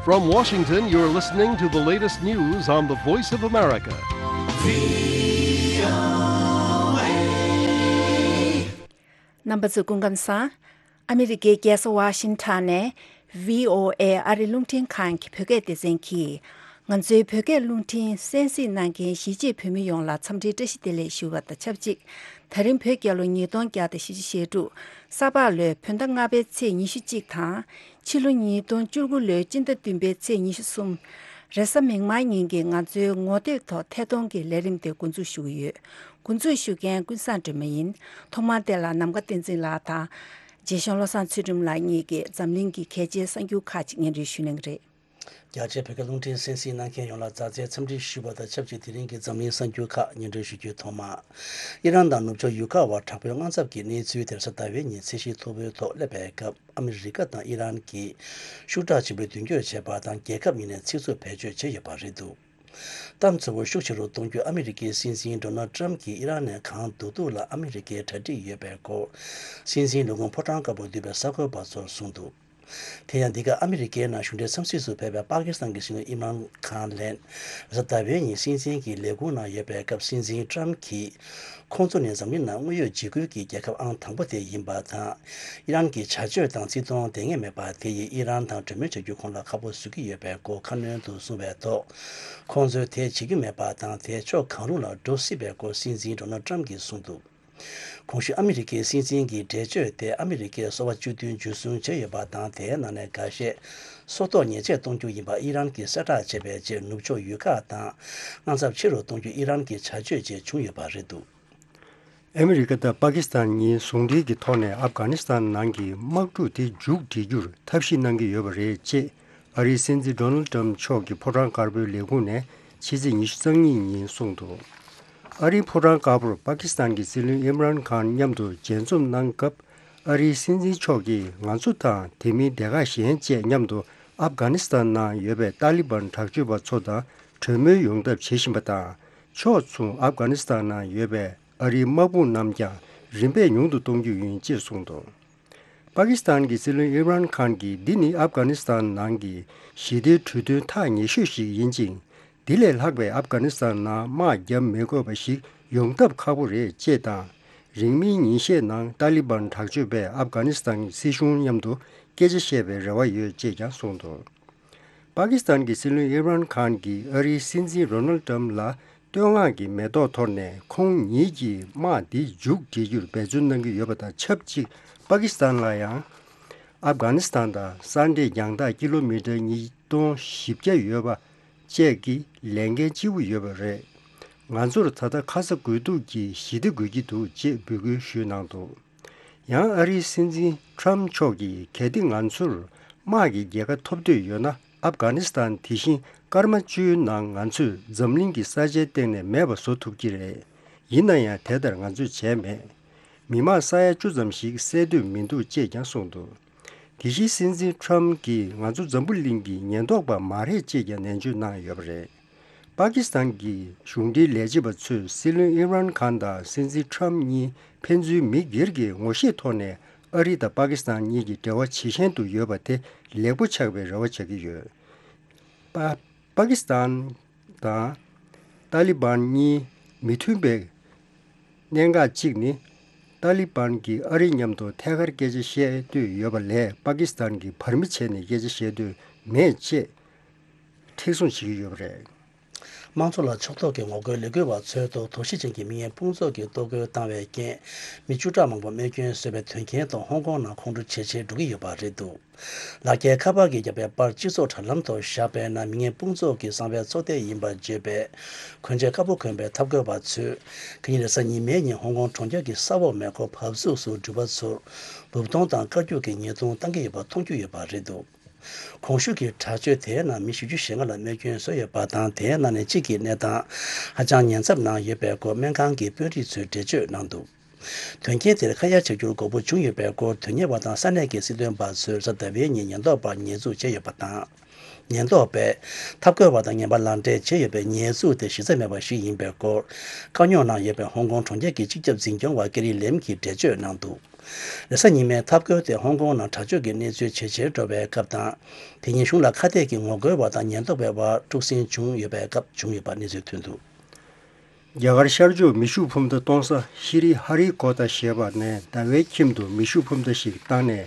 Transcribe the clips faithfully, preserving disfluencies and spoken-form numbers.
From Washington, you're listening to the latest news on the Voice of America. རྣམ་པ་ཚོ་སྐུ་ཁམས་བཟང་། ཨ་མི་རི་ཀའི་རྒྱལ་ས་ཝ་ཤིང་ཊོན་ནས་ཝི་ཨོ་ཨེ་ཨ་རི་རླུང་འཕྲིན་ཁང་གི་བོད་སྐད་སྡེ་ཚན་གྱིས། ང་ཚོའི་བོད་སྐད་རླུང་འཕྲིན་གསན་གཟིགས་གནང་མཁན་གཞིས་བྱེས་བོད་མི་ཡོངས་ལ་འཚམས་འདྲིའི་བཀྲ་ཤིས་བདེ་ལེགས་ཞུ་བ་དང་ཆབས་ཅིག་ད་རིང་བོད་རྒྱལ་ལོ་ཉིས་སྟོང་བརྒྱ་དང་བཞི་བཅུ་ཞེ་དྲུག་ས་ཕག་ལོའི་བོད་ཟླ་ལྔ་པའི་ཚེས་ཉི་ཤུ་གཅིག་དང་། ཕྱི་ལོ་ཉིས་སྟོང་བཅུ་དགུ་ལོའི་སྤྱི་ཟླ་བདུན་པའི་ཚེས་ཉི་ཤུ་གསུམ། རེས་གཟའ་མིག་དམར་ཉིན་གྱི་ང་ཚོའི་ངོ་དེབ་ཐོག་ཐད་གཏོང་གི་ལས་རིམ་དེ་འགོ་འཛུགས་ཞུ་གི་ཡོད། འགོ་འཛུགས་ཞུ་མཁན་ཀུན་བཟང་སྒྲོལ་མ་ཡིན། ཐོག་མར་དེ་ལ་ནམ་མཁའ་བསྟན་འཛིན་ལགས་དང་། རྗེ་གཞུང་བློ་བཟང་ཚུལ་ཁྲིམས་ལགས་གཉིས་ཀྱིས་འཛམ་གླིང་གི་གལ་ཆེའི་གསར་འགྱུར་ཁག་ཅིག་སྙན་སྒྲོན་ཞུ་གནང་གི་རེད། རྒྱ་ཆེའི་བོད་སྐད་རླུང་འཕྲིན་གསན་གཟིགས་གནང་མཁན་ཡོངས་ལ་མཛའ་བརྩེའི་འཚམས་འདྲི་ཞུ་བ་དང་ཆབས་ཅིག་དེ་རིང་གི་འཛམ་གླིང་གསར་འགྱུར་ཁག་སྙན་སྒྲོན་ཞུ་རྒྱུའི་ཐོག་མ། ཨི་རན་དང་ནུབ་ཕྱོགས་ཡུལ་ཁག་བར་དྲག་པོའི་དངངས་འཚབ་ཀྱི་གནས་ཚུལ་དེ་རེས་གཟའ་ཟླ་བའི་ཉིན་ཚད་གཞི་མཐོ་པོའི་ཐོག་སླེབས་པའི་སྐབས། ཨ་མི་རི་ཀ་དང་ཨི་རན་གྱིས་ཤུགས་དྲག་ཆེན་པོས་མདུན་སྐྱོད་བྱས་པ་དང་། རྒྱལ་ཁབ་གཉིས་ནས་ཚིག་རྩུབ་བེད་སྤྱོད་བྱས་ཡོད་པ་རེད་འདུག་གཏམ་ཚ་པོ་ཤུགས་ཆེ་རུ་གཏོང་རྒྱུ། ཨ་མི་རི་ཀའི་སྲིད་འཛིན་ཌོ་ནལ་ཊམ་གྱིས་ཨི་རན་ནས་གང་བསྡུ་བསྡུ་ལ་ཨ་མི་རི་ཀའི་གྲ་སྒྲིག་ཡོད་པའི་སྐོར། སྲིད་འཛིན་ལས་ཁུངས་ཕོ་བྲང་དཀར་པོར་འདུས་པའི་གསར་འགོད་པ་ཚོར་གསུངས་འདུག་དེ་ཡང་འདི་ག་ཨ་མི་རི་ཀའི་ནང་གཞུང་འབྲེལ་འཚམས་གཟིགས་སུ་ཕེབས་པའི་པ་ཀི་སི་ཐན་གྱི་སྲིད་བློན་ཨིམ་རཱན་ཁཱན་ལན། རེས་གཟའ་ཟླ་བའི་ཉིན་སྲིད་འཛིན་གྱི་ལས་ཁུངས་ནང་ཡོད་པའི་སྐབས། སྲིད་འཛིན་ཊམ་གྱིས། ཁོང་ཚོ་ནི་འཛམ་གླིང་ནང་དངོས་ཡོད་འཇིགས་སྐུལ་གྱི་རྒྱལ་ཁབ་ཨང་དང་པོ་དེ་ཡིན་པ་དང་། ཨི་རན་གྱི་བྱ་སྤྱོད་དང་བརྩི་མཐོང་ལྡན་ངེས་མེད་པ་དེ་ཡིས་ཨི་རན་དང་གྲོས་མོལ་བྱ་རྒྱུ་ཁོང་ལ་ཁག་པོ་བཟོ་གི་ཡོད་པའི་སྐོར་ཁ་སྣོན་དུ་གསུངས་པའི་ཐོག་ཁོང་ཚོས་དེ་བྱེད་རྒྱུ་མེད་པ་དང་། དེ་ཕྱོགས་གང་རུང་ལ་འགྲོ་སྲིད་པའི་སྐོར་སྲིད་འཛིན་ཌོ་ནལ་ཊམ་གྱིས་གསུངས་འདུག་གོང་ཞུས་ཨ་མི་རི་ཀའི་སྲིད་འཛིན་གྱི་འགྲེལ་བརྗོད་དེ་ཨ་མི་རི་ཀས་སོ་པ་བཅུ་བདུན་འཇུ་བཟུང་བྱས་ཡོད་པ་དང་། དེའི་ནང་ནས་འགའ་ཤས་སྲོག་ཐོག་ཉེས་ཆད་གཏོང་རྒྱུ་ཡིན་པ་ཨི་རན་གྱིས་གསལ་བསྒྲགས་བྱས་པའི་རྗེས། ནུབ་ཕྱོགས་ཡུལ་ཁག་དང་དངངས་འཚབ་ཆེ་རུ་གཏོང་རྒྱུ་ཨི་རན་གྱི་བྱ་སྤྱོད་བཅས་བྱུང་ཡོད་པ་རེད་འདུག་ཨ་མི་རི་ཀ་དང་པ་ཀི་སི་ཐན་གཉིས་ཟུང་འབྲེལ་གྱི་ཐོག་ནས་ཨབ་གྷ་ནི་སི་ཐན་ནང་གི་དམག་འཁྲུག་དེ་མཇུག་སྒྲིལ་རྒྱུར་ཐབས་ཤེས་གནང་གི་ཡོད་པ་རེད་ཅེས་ཨ་རིའི་སྲིད་འཛིན་ཌོ་ནལ་ཏྲམ་མཆོག་གི་ཕོ་བྲང་དཀར་པོའི་ལས་ཁུངས་ནས་ཕྱི་ཚེས་ཉི་ཤུ་རྩ་གཉིས་ཉིན་གསུངས་འདུག་ཨ་རིའི་ཕོ་བྲང་དཀར་པོར་པ་ཀི་སི་ཐན་གྱི་སྲིད་བློན་ཨིམ་རཱན་ཁཱན་མཉམ་དུ་མཇལ་འཛོམས་གནང་སྐབས། ཨ་རིའི་སྲིད་འཛིན་མཆོག་གིས་ང་ཚོ་དང་དེ་མིན་སྡེ་ཁག་གཞན་བཅས་མཉམ་དུ་ཨབ་གྷ་ནི་སི་ཐན་ནང་ཡོད་པའི་ཏཱ་ལི་བན་དྲག་སྤྱོད་པ་ཚོ་དང་གྲོས་མོལ་ཡོང་ཐབས་བྱེད་བཞིན་པ་དང་། ཕྱོགས་མཚུངས་ཨབ་གྷ་ནི་སི་ཐན་ནང་ཡོད་པའི་ཨ་རིའི་དམག་དཔུང་རྣམས་ཀྱང་རིམ་པས་ཉུང་དུ་གཏོང་རྒྱུ་ཡིན་ཅེས་གསུངས་འདུག་པ་ཀི་སི་ཐན་གྱི་སྲིད་བློན་ཨིམ་རཱན་ཁཱན་གྱིས། འདི་ནི་ཨབ་གྷ་ནི་སི་ཐན་ནང་གི་ཞི་བདེའི་གྲོས་མཐུན་ཐག་ཉེ་ཤོས་ཤིག་ཡིན་ཅིང་། འདི་ལས་ལྷག་པའི་ཨབ་གྷ་ནི་སི་ཐན་ནང་དམག་བརྒྱབ་མི་དགོས་པ་ཞིག་ཡོང་ཐབས་ཁག་པོ་རེད་ཅེས་དང་། རིང་མིན་ཉིན་ཤས་ནང་ཏཱ་ལི་བན་དྲག་སྤྱོད་པས་ཨབ་གྷ་ནི་སི་ཐན་སྲིད་གཞུང་མཉམ་དུ་སྐད་ཆ་བཤད་པའི་རེ་བ་ཡོད་ཅེས་ཀྱང་གསུངས་འདུག་པ་ཀི་སི་ཐན་གྱི་སྲིད་བློན་ཨིམ་རཱན་ཁཱན་གྱིས་ཨ་རིའི་སྲིད་འཛིན་རོ་ནལ་ཏྲམ་ལ་བསྟོད་བསྔགས་ཀྱི་མེ་ཏོག་འཐོར་ནས། ཁོང་ཉིད་ཀྱིས་དམག་འདི་མཇུག་སྒྲིལ་རྒྱུར་འབད་བརྩོན་གནང་གི་ཡོད་པ་དང་ཆབས་ཅིག་པ་ཀི་སི་ཐན་ལ་ཡང་ཨབ་གྷ་ནི་སི་ཐན་དང་ས་འབྲས་རྒྱང་ཐག་ཀི་ལོ་མི་ཊར་ཉིས་སྟོང་བཞི་བརྒྱ་ཡོད་པ་བཅས་ཀྱི་ལས་འགན་ལྕི་པོ་ཡོད་པ་རེད། ང་ཚོར་ད་ལྟ་ཁ་ཚ་དགོས་གཏུགས་ཀྱི་ཞི་བདེ་དགོས་ཀྱི་འདུག་ཅེས་འབོད་སྐུལ་ཞུས་གནང་འདུག་ཡང་ཨ་རིའི་སྲིད་འཛིན་ཁྲམ་མཆོག་གིས། གལ་ཏེ་ང་ཚོར་དམག་གི་རྒྱལ་ཁ་ཐོབ་འདོད་ཡོད་ན། ཨབ་གྷ་ནི་སི་ཐན་དེ་བཞིན་སྐར་མ་བཅུའི་ནང་ང་ཚོས་འཛམ་གླིང་གི་ས་ཆའི་སྟེང་ནས་མེད་པ་བཟོ་ཐུབ་ཀྱི་རེད། ཡིན་ན་ཡང་དེ་ལྟར་ང་ཚོས་བྱས་མེད། མི་མང་ས་ཡ་བཅུ་ཙམ་ཞིག་བསད་འདོད་མི་འདུག་ཅེས་ཀྱང་གསུངས་འདུག་དེ་བཞིན་སྲིད་འཛིན་ཁྲམ་གྱིས། ང་ཚོ་འཛམ་བུ་གླིང་གི་ཉེན་རྟོག་པ་མ་རེད་ཅེས་ཀྱང་ནན་བརྗོད་གནང་ཡོད་པ་རེད། པ་ཀི་སི་ཐན་གྱི་གཞུང་འབྲེལ་ལས་བྱེད་པ་ཚོས་སྲིད་བློན་ཨིམ་རཱན་ཁཱན་དང་སྲིད་འཛིན་ཁྲམ་གཉིས་ཕན་ཚུན་མི་སྒེར་གྱི་ངོ་ཤེས་ཐོག་ནས་ཨ་རི་དང་པ་ཀི་སི་ཐན་གཉིས་ཀྱི་འབྲེལ་བ་ཇེ་ཞན་དུ་ཡོད་པ་དེ་ལེགས་པོ་ཆགས་པའི་རེ་བ་བྱ་གི་ཡོད། པ་པ་ཀི་སི་ཐན་དང་ཏཱ་ལི་བན་གཉིས་མི་མཐུན་པའི་གནད་འགག་གཅིག་ནི། ཏཱ་ལི་བན་གྱིས་ཨ་རི་མཉམ་དུ་ཐད་ཀར་སྐད་ཆ་བཤད་འདོད་ཡོད་པ་ལས། པ་ཀི་སི་ཐན་གྱིས་བར་མི་བྱས་ནས་སྐད་ཆ་བཤད་འདོད་མེད་ཅེས་མཁྲེགས་བཟུང་བྱེད་ཀྱི་ཡོད་པ་རེད། དམངས་གཙོ་ལ་ཕྱོགས་གཏོགས་ཀྱི་ངོ་རྒོལ་ལས་འགུལ་བ་ཚོའི་ཐོག་དོགས་གཞི་ཅན་གྱི་མི་ངན་དཔུང་ཚོགས་ཀྱིས་གཏོར་རྒོལ་བཏང་བའི་རྐྱེན། མི་བཅུ་ཕྲག་མང་པོ་རྨས་སྐྱོན་བཟོས་པའི་དོན་རྐྱེན་ཐོག་ཧོང་ཀོང་ནང་ཁོང་ཁྲོ་ཇེ་ཆེར་འགྲོ་གི་ཡོད་པ་རེད་འདུག་ལག་འཁྱེར་ཁ་པར་གྱིས་བརྒྱབ་པའི་པར་སྤྱི་ཚོགས་དྲ་ལམ་ཐོག་བཞག་པའི་ནང་། མི་ངན་དཔུང་ཚོགས་ཀྱི་གསང་བའི་ཚོགས་སྡེ་ཡིན་པར་བརྗོད་པའི་གོན་ཆས་དཀར་པོ་གོན་པའི་འཐབ་རྒོལ་བ་ཚོས། ཁ་ཉིན་རེས་གཟའ་ཉི་མའི་ཉིན་ཧོང་ཀོང་གྲོང་ཁྱེར་གྱི་ས་འོག་མེ་འཁོར་བབས་ཚུགས་སུ་འགྲུལ་པ་ཚོར་འབུབ་གཏོང་དང་བཀའ་བཀྱོག་གི་ཉེས་རྡུང་བཏང་གི་ཡོད་པ་མཐོང་རྒྱུ་ཡོད་པ་རེད་འདུག་གོང་ཞུས་ཀྱི་དྲག་སྤྱོད་དེའི་ནང་མི་བཞི་བཅུ་ཞེ་ལྔ་ལ་རྨས་སྐྱོན་བཟོས་ཡོད་པ་དང་། དེའི་ནང་ནས་གཅིག་གི་གནས་སྟངས་ཧ་ཅང་ཉེན་ཚབས་ནང་ཡོད་པའི་སྐོར་སྨན་ཁང་གི་དཔོན་རིགས་ཚོས་འགྲེལ་བརྗོད་གནང་འདུག་དོན་རྐྱེན་དེར་ཁ་ཡ་བྱ་རྒྱུར་དགོས་མཁོ་བྱུང་ཡོད་པའི་སྐོར་དོན་གཉེར་བ་དང་ས་གནས་ཀྱི་སྲིད་དོན་པ་ཚོས་རེས་གཟའ་ཟླ་བའི་ཉིན་ཉེན་རྟོག་པར་ཉེས་འཛུགས་བྱས་ཡོད་པ་དང་། ཉེན་རྟོག་པས་ཐབས་བཀོད་པ་དང་ངན་པ་ལག་འབྲེལ་བྱས་ཡོད་པའི་ཉེས་འཛུགས་དེ་གཞི་རྩ་མེད་པ་ཞིག་ཡིན་པའི་སྐོར། བཀག་ཉོ་གནང་ཡོད་པའི་ཧོང་ཀོང་གྲོང་ཁྱེར་གྱི་སྤྱི་ཁྱབ་འཛིན་སྐྱོང་བ་ཀེ་རི་ལེམ་གྱིས་འགྲེལ་བརྗོད་གནང་འདུག་རེས་གཟའ་ཉི་མའི་ཐབས་བཀོད་དེ་ཧོང་ཀོང་ནང་དྲག་སྤྱོད་ཀྱི་གནས་ཚུལ་ཇེ་ཆེར་འགྲོ་བའི་སྐབས་དང་། དེ་ཉིན་གཞུང་ལ་ཁ་གཏད་ཀྱི་ངོ་རྒོལ་བ་དང་ཉེན་རྟོག་པའི་དབར་དཀྲུག་ཤིང་བྱུང་ཡོད་པའི་སྐབས་བྱུང་ཡོད་པ་གནས་ཚུལ་ཐོན་འདུག་རྒྱ་གར་ཤར་ཕྱོགས་མེ་ཤུགས་འཕུར་མདའ་གཏོང་ས་ཤི་རི་ཧ་རི་ཀོ་ཏ་ཞེས་པ་ནས་ཟླ་བའི་ཁྱིམ་དུ་མེ་ཤུགས་འཕུར་མདའ་ཞིག་བཏང་ནས།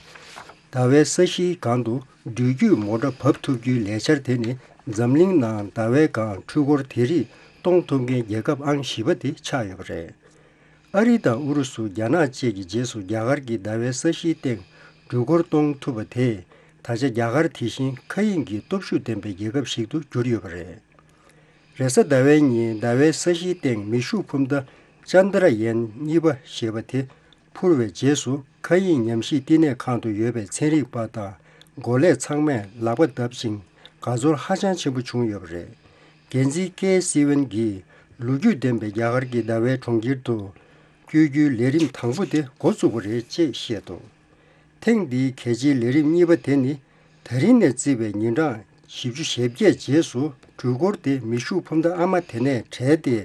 ཟླ་བའི་ས་གཞིའི་སྒང་དུ་འགྲུལ་སྐྱོད་མོ་ཊ་བབས་ཐུབ་རྒྱུའི་ལས་འཆར་དེ་ནི་འཛམ་གླིང་ནང་ཟླ་བའི་སྒང་འཕྲུལ་འཁོར་དེ་རིགས་གཏོང་ཐུབ་མཁན་རྒྱལ་ཁབ་ཨང་བཞི་པ་དེ་ཆགས་ཡོད་པ་རེད། ཨ་རི་དང་ཨུ་རུ་སུ། རྒྱ་ནག་བཅས་ཀྱི་རྗེས་སུ་རྒྱ་གར་གྱིས་ཟླ་བའི་ས་གཞིའི་སྟེང་འགྲུལ་འཁོར་གཏོང་ཐུབ་པ་དེས། ད་ཆ་རྒྱ་གར་དེ་བཞིན་མཁའ་དབྱིངས་ཀྱི་སྟོབས་ཤུགས་ལྡན་པའི་རྒྱལ་ཁབ་ཞིག་ཏུ་གྱུར་ཡོད་པ་རེད། རེས་གཟའ་ཟླ་བའི་ཉིན་ཟླ་བའི་ས་གཞིའི་སྟེང་མེ་ཤུགས་འཕུར་མདའ་ཅན་དྲ་ཡན་གཉིས་པ་ཞེས་པ་དེ་འཕུར་བའི་རྗེས་སུ། མཁའ་དབྱིངས་ཉམས་ཞིབ་བསྟི་གནས་ཁང་དུ་ཡོད་པའི་ཚན་རིག་པ་དང་འགོ་ལས་ཚང་མས་ལག་པ་བརྡབ་ཅིང་དགའ་ཚོར་ཧ་ཅང་ཆེན་པོ་བྱུང་ཡོད་པ་རེད། འགན་འཛིན་ཀེ་སི་ཝན་གྱིས། ལོ་རྒྱུས་ལྡན་པའི་རྒྱ་གར་གྱི་ཟླ་བའི་གྲོང་ཁྱེར་དུ་བསྐྱོད་རྒྱུའི་ལས་རིམ་དང་པོ་དེ་འགོ་བཙུགས་པ་རེད་ཅེས་བཤད་འདུག་ཐེངས་འདིའི་གལ་ཆེའི་ལས་རིམ་གཉིས་པ་དེ་ནི། ད་རིང་ནས་བརྩིས་པའི་ཉིན་གྲངས་བཞི་བཅུ་ཞེ་བརྒྱད་རྗེས་སུ། འགྲུལ་འཁོར་དེ་མེ་ཤུགས་འཕུར་མདའ་ཨ་མ་དེ་ནས་བྲལ་ཏེ།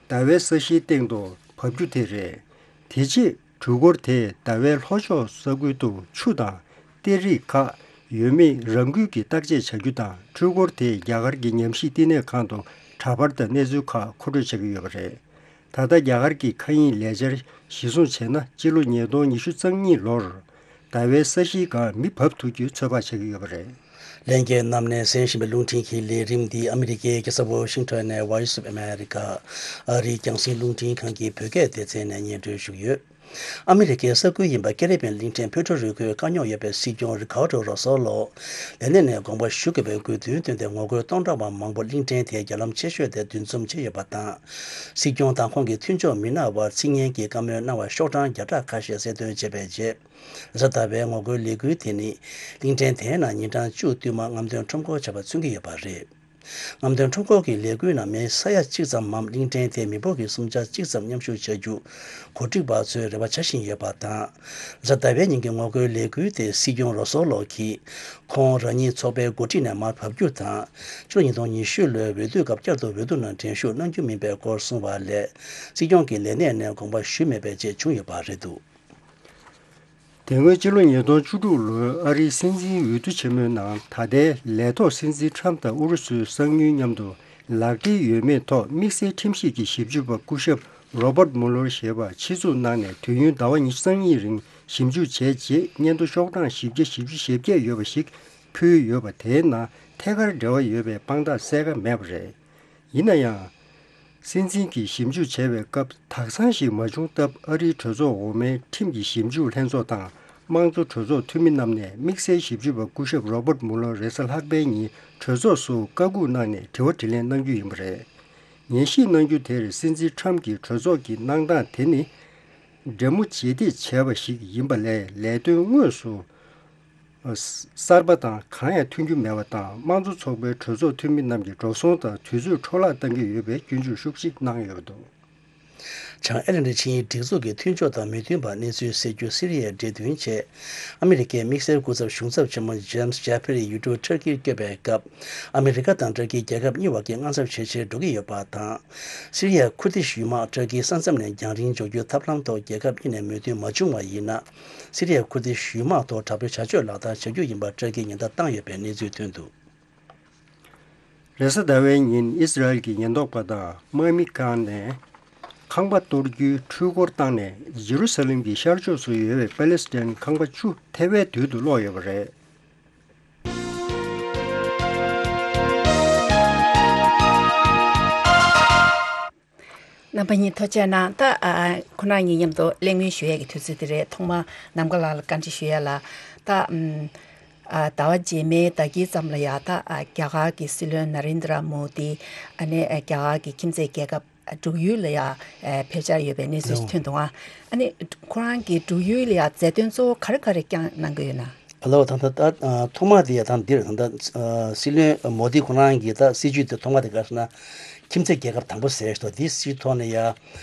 ཟླ་བའི་ས་གཞིའི་སྟེང་དུ་བབས་རྒྱུ་དེ་རེད། དེ་རྗེས་འགྲུལ་འཁོར་དེས་ཟླ་བའི་ལྷོ་ཕྱོགས་ས་ཁུལ་དུ་ཆུ་དང་། གཏེར་རིགས་ཁག་ཡོད་མེད་རང་འགུལ་གྱིས་བརྟག་དཔྱད་བྱ་རྒྱུ་དང་། འཕྲུལ་འཁོར་དེས་རྒྱ་གར་གྱི་ཉམས་ཞིབ་བསྟི་གནས་ཁང་དུ་འདྲ་པར་དང་གནས་ཚུལ་ཁག་མཁོ་སྤྲོད་བྱ་གི་ཡོད་པ་རེད། ད་ལྟ་རྒྱ་གར་གྱི་མཁའ་དབྱིངས་ལས་འཆར་གཞིར་བཟུང་བྱས་ན། སྤྱི་ལོ་ཉིས་སྟོང་ཉི་ཤུ་རྩ་གཉིས་ལོར་ཟླ་བའི་ས་གཞིའི་སྒང་མི་བབས་ཐུབ་རྒྱུའི་ཚོད་དཔག་བྱ་གི་ཡོད་པ་རེད། ལྷན་རྒྱས་རྣམས་ནས་གསན་བཞིན་པའི་རླུང་འཕྲིན་གྱི་ལས་རིམ་འདི་ཨ་མི་རི་ཀའི་རྒྱལ་ས་ཝ་ཤིང་ཊོན་ནས་Voice of America། ཨ་རིའི་རྒྱང་སྲིང་རླུང་འཕྲིན་ཁང་གི་བོད་སྐད་སྡེ་ཚན་ནས་སྙན་སྒྲོན་ཞུ་གི་ཡོད། ཨ་མི་རི་ཀའི་ས་ཁུལ་ཡིན་པ་ཀེ་རི་བྷེན་གླིང་ཕྲན་ཕུའེ་ཊོ་རི་ཀོའི་བཀའ་རྙོག་ཡོད་པའི་སྲིད་སྐྱོང་རི་ཁཱར་ཌོ་རོ་སོ་ལོ་ལས་གནས་ནས་དགོངས་པ་ཞུ་དགོས་པའི་དགོས་འདུན་བཏོན་ཏེ་ངོ་རྒོལ་སྟོང་ཕྲག་པ་མང་པོ་གླིང་ཕྲན་དེའི་རྒྱ་ལམ་ཆེ་ཤོས་དེར་འདུ་འཛོམས་བྱས་ཡོད་པ་དང་། སྲིད་སྐྱོང་དང་ཁོང་གི་མཐུན་ཕྱོགས་མི་སྣ་བར་ཚིག་ངན་གྱི་བཀའ་མོལ་གནང་བར་ཤོག་གྲངས་བརྒྱ་ཕྲག་ཁ་ཤས་གསལ་སྟོན་བྱས་པའི་རྗེས། རེས་གཟའ་ཟླ་བའི་ངོ་རྒོལ་ལས་འགུལ་དེ་ནི་གླིང་ཕྲན་དེའི་ནང་ཉིན་གྲངས་བཅུ་བསྟུད་མར་རྔམ་སྟོན་ཁྲོམ་སྐོར་བྱ་བ་མཚོན་གྱི་ཡོད་པ་རེད། རྔམ་སྟོན་ཁྲོམ་སྐོར་གྱི་ལས་འགུལ་ནང་མི་ས་ཡ་གཅིག་ཙམ་མམ་གླིང་ཕྲན་དེའི་མི་འབོར་གྱི་གསུམ་ཆ་གཅིག་ཙམ་མཉམ་ཞུགས་བྱ་རྒྱུ་གོ་སྒྲིག་པ་ཚོས་རེ་བ་བྱ་བཞིན་ཡོད་པ་དང་། རེས་གཟའ་ཟླ་བའི་ཉིན་གྱི་ངོ་རྒོལ་ལས་འགུལ་དེ་སྲིད་སྐྱོང་རོ་སོ་ལོ་གིས་ཁོང་རང་ཉིད་ཚོགས་པའི་འགོ་ཁྲིད་ནས་མར་བབས་རྒྱུ་དང་། ཕྱི་ལོ་ཉིས་སྟོང་ཉི་ཤུ་ལོའི་འོས་བསྡུ་སྐབས་བསྐྱར་དུ་འོས་བསྡུ་ནང་འགྲན་ཞུགས་གནང་རྒྱུ་མིན་པའི་སྐོར་གསུངས་པ་ལས། སྲིད་སྐྱོང་གི་ལས་གནས་ནས་དགོངས་པ་ཞུས་མེད་པའི་རྗེས་བྱུང་ཡོད་པ་རེད་འདུག་དེ་སྔོན་ཕྱི་ལོ་ཉིས་སྟོང་བཅུ་དྲུག་ལོའི་ཨ་རིའི་སྲིད་འཛིན་འོས་བསྡུ་ཆེན་མོའི་ནང་ད་ལྟའི་ལས་ཐོག་སྲིད་འཛིན་ཁྲམ་དང་ཨུ་རུ་སུའི་གསང་མྱུལ་མཉམ་དུ་ལག་འབྲེལ་ཡོད་མེད་ཐོག་དམིགས་བསལ་ཁྲིམས་ཞིབ་ཀྱི་ཞིབ་འཇུག་པ་སྐུ་ཞབས་Robert Mueller་ཞེས་པ་ཆེད་འཛུགས་གནང་ནས་དུས་ཡུན་ཟླ་བ་ཉི་ཤུ་རྩ་གཉིས་རིང་ཞིབ་འཇུག་བྱས་རྗེས་སྙན་ཐོ་ཤོག་གྲངས་བཞི་བརྒྱ་བཞི་བཅུ་ཞེ་བརྒྱད་ཡོད་པ་ཞིག་ཕུལ་ཡོད་པ། དེའི་ནང་ཐད་ཀར་འབྲེལ་བ་ཡོད་པའི་དཔང་རྟགས་གསལ་ཁ་མེད་པ་རེད། ཡིན་ན་ཡང་། སྲིད་འཛིན་གྱིས་ཞིབ་འཇུག་བྱས་པའི་སྐབས་དག་ཚང་ཞིག་མ་བྱུང་སྟབས། ཨ་རིའི་གྲོས་ཚོགས་འོག་མའི་ཁྲིམས་ཀྱི་ཞིབ་འཇུག་ལྷན་ཚོགས་དང་། དམངས་གཙོ་གྲོས་ཚོགས་འཐུས་མི་རྣམས་ནས་དམིགས་བསལ་ཞིབ་འཇུག་པ་སྐུ་ཞབས་Robert Mueller་རེས་གཟའ་ལྷག་པའི་ཉིན་གྲོས་ཚོགས་སུ་བཀའ་འགུག་གནང་ནས་དྲི་བ་དྲིས་ལན་གནང་རྒྱུ་ཡིན་པ་རེད། ཉན་ཞིབ་གནང་རྒྱུ་དེར་སྲིད་འཛིན་ཁྲམ་གྱིས་གྲོས་ཚོགས་ཀྱི་གནང་སྟངས་དེ་ནི། འདྲེ་མོ་བྱེད་གཏད་བྱས་པ་ཞིག་ཡིན་པ་ལས་ལས་དོན་དངོས་སུ། གསར་པ་དང་གང་ཡང་ཐོན་རྒྱུ་མེད་པ་དང་། དམངས་གཙོ་ཚོགས་པའི་གྲོས་ཚོགས་འཐུས་མི་རྣམས་ཀྱི་འགྲོ་སོང་དང་དུས་ཚོད་འཕྲོ་བརླག་གཏང་གི་ཡོད་པའི་སྐྱོན་བརྗོད་ཤུགས་ཆེ་གནང་ཡོད་པ་འདུག་བྱང་ཨེ་ལན་ཌི་ཆིངས་ཡིག་སྒྲིག་འཛུགས་ཀྱི་མཐུན་ཕྱོགས་དང་མི་མཐུན་པ་གནས་ཚུལ་སེལ་རྒྱུ། སི་རི་ཡའི་འབྲེལ་མཐུན་ཆེད། ཨ་མི་རི་ཀའི་དམིགས་བསལ་སྐུ་ཚབ་གཞུང་ཚབ་ཆེན་མོ་ཇེམ་སི་ཇེ་ཕེ་རི་ཡུལ་གྲུ་ཊར་ཀིར་བསྐྱོད་པའི་སྐབས། ཨ་མི་རི་ཀ་དང་ཊར་ཀིའི་རྒྱལ་ཁབ་གཉིས་བར་གྱི་དངངས་འཚབ་ཇེ་ཆེར་འགྲོ་གི་ཡོད་པ་དང་། སི་རི་ཡའི་ཁུར་ཏིཤ་ཡུལ་དམག་ཊར་ཀིའི་ས་མཚམས་ནས་རྒྱང་རིང་འཇོག་རྒྱུའི་ཐབས་ལམ་ཐོག་རྒྱལ་ཁབ་གཉིས་ནས་མོས་མཐུན་མ་བྱུང་བ་ཡིན་ན། སི་རི་ཡའི་ཁུར་ཏིཤ་ཡུལ་དམག་ཐོག་དྲག་པོའི་བྱ་སྤྱོད་ལག་བསྟར་བྱ་རྒྱུ་ཡིན་པ་ཊར་ཀིས་ཉེན་བརྡ་བཏང་ཡོད་པའི་གནས་ཚུལ་ཐོན་འདུག་རེས་གཟའ་ཟླ་བའི་ཉིན་ཨི་སི་རལ་གྱི་ཉེན་རྟོག་པ་དང་དམག་མི་བཀག་ནས་ཁང་པ་གཏོར་རྒྱུའི་འཕྲུལ་འཁོར་བཏང་ནས་ཇེ་རུ་ས་ལེམ་གྱི་ཤར་ཕྱོགས་སུ་ཡོད་པའི་པ་ལེ་སི་ཐན་ཁང་པ་བཅུ་ཐེ་བའི་དུས་དུ་སློག་ཡོད་པ་རེད། རྣམ་པ་གཉིས་ཐུགས་རྗེ་གནང་། ད་ཨ་ཁོ་ན་གཉིས་མཉམ་དུ་གླེང་མོལ་ཞུ་ཡས་ཀྱི་དུས་ཚོད་དེ་རེད། ཐོག་མ་ནམ་མཁའ་ལགས་ལ་བཀའ་འདྲི་ཞུ་ཡས་ལ། ད་ཨམ་ཨ་ཟླ་བ་རྗེས་མའི་ཟླ་དཀྱིལ་ཙམ་ལ་ཡ་ད་ཨ་རྒྱ་གར་གྱི་སྲིད་བློན་ན་རེན་དྲ་མོ་དི། ཨ་ནི་ཨ་རྒྱ་གར་གྱི་ཁྱིམ་མཚེས་རྒྱལ་ཁབ་འབྲུག་ཡུལ་ལ་ཡ་ཨ་ཕེབས་འཆར་ཡོད་པའི་གནས་ཚུལ་ཞིག་ཐོན་འདུག་ཨ། ཨ་ནི་ཁོ་རང་གིས་འབྲུག་ཡུལ་ལ་ཡ་མཛད་དོན་གཙོ་བོ་ག་རེ་ག་རེ་བསྐྱངས་གནང་གི་ཡོད་ན། ཨ་ལོ། ད་ལྟ་ད་ཨ་ཐོག་མ་དེ་ཡ་ད་འདིར་ད་ལྟ་ཨ་སྲིད་བློན་མོ་དི་ཁོ་རང་གི་ད་སྲིད་ཇུས་དེ་ཐོག་མ་དེ་ག་རེ་ཟེར་ན། ཁྱིམ་མཚེས་རྒྱལ་ཁབ་དང་པོ་ཟེར་ཞིག་འདུག་དེའི་སྲིད་ཐོག་ནས་ཡ་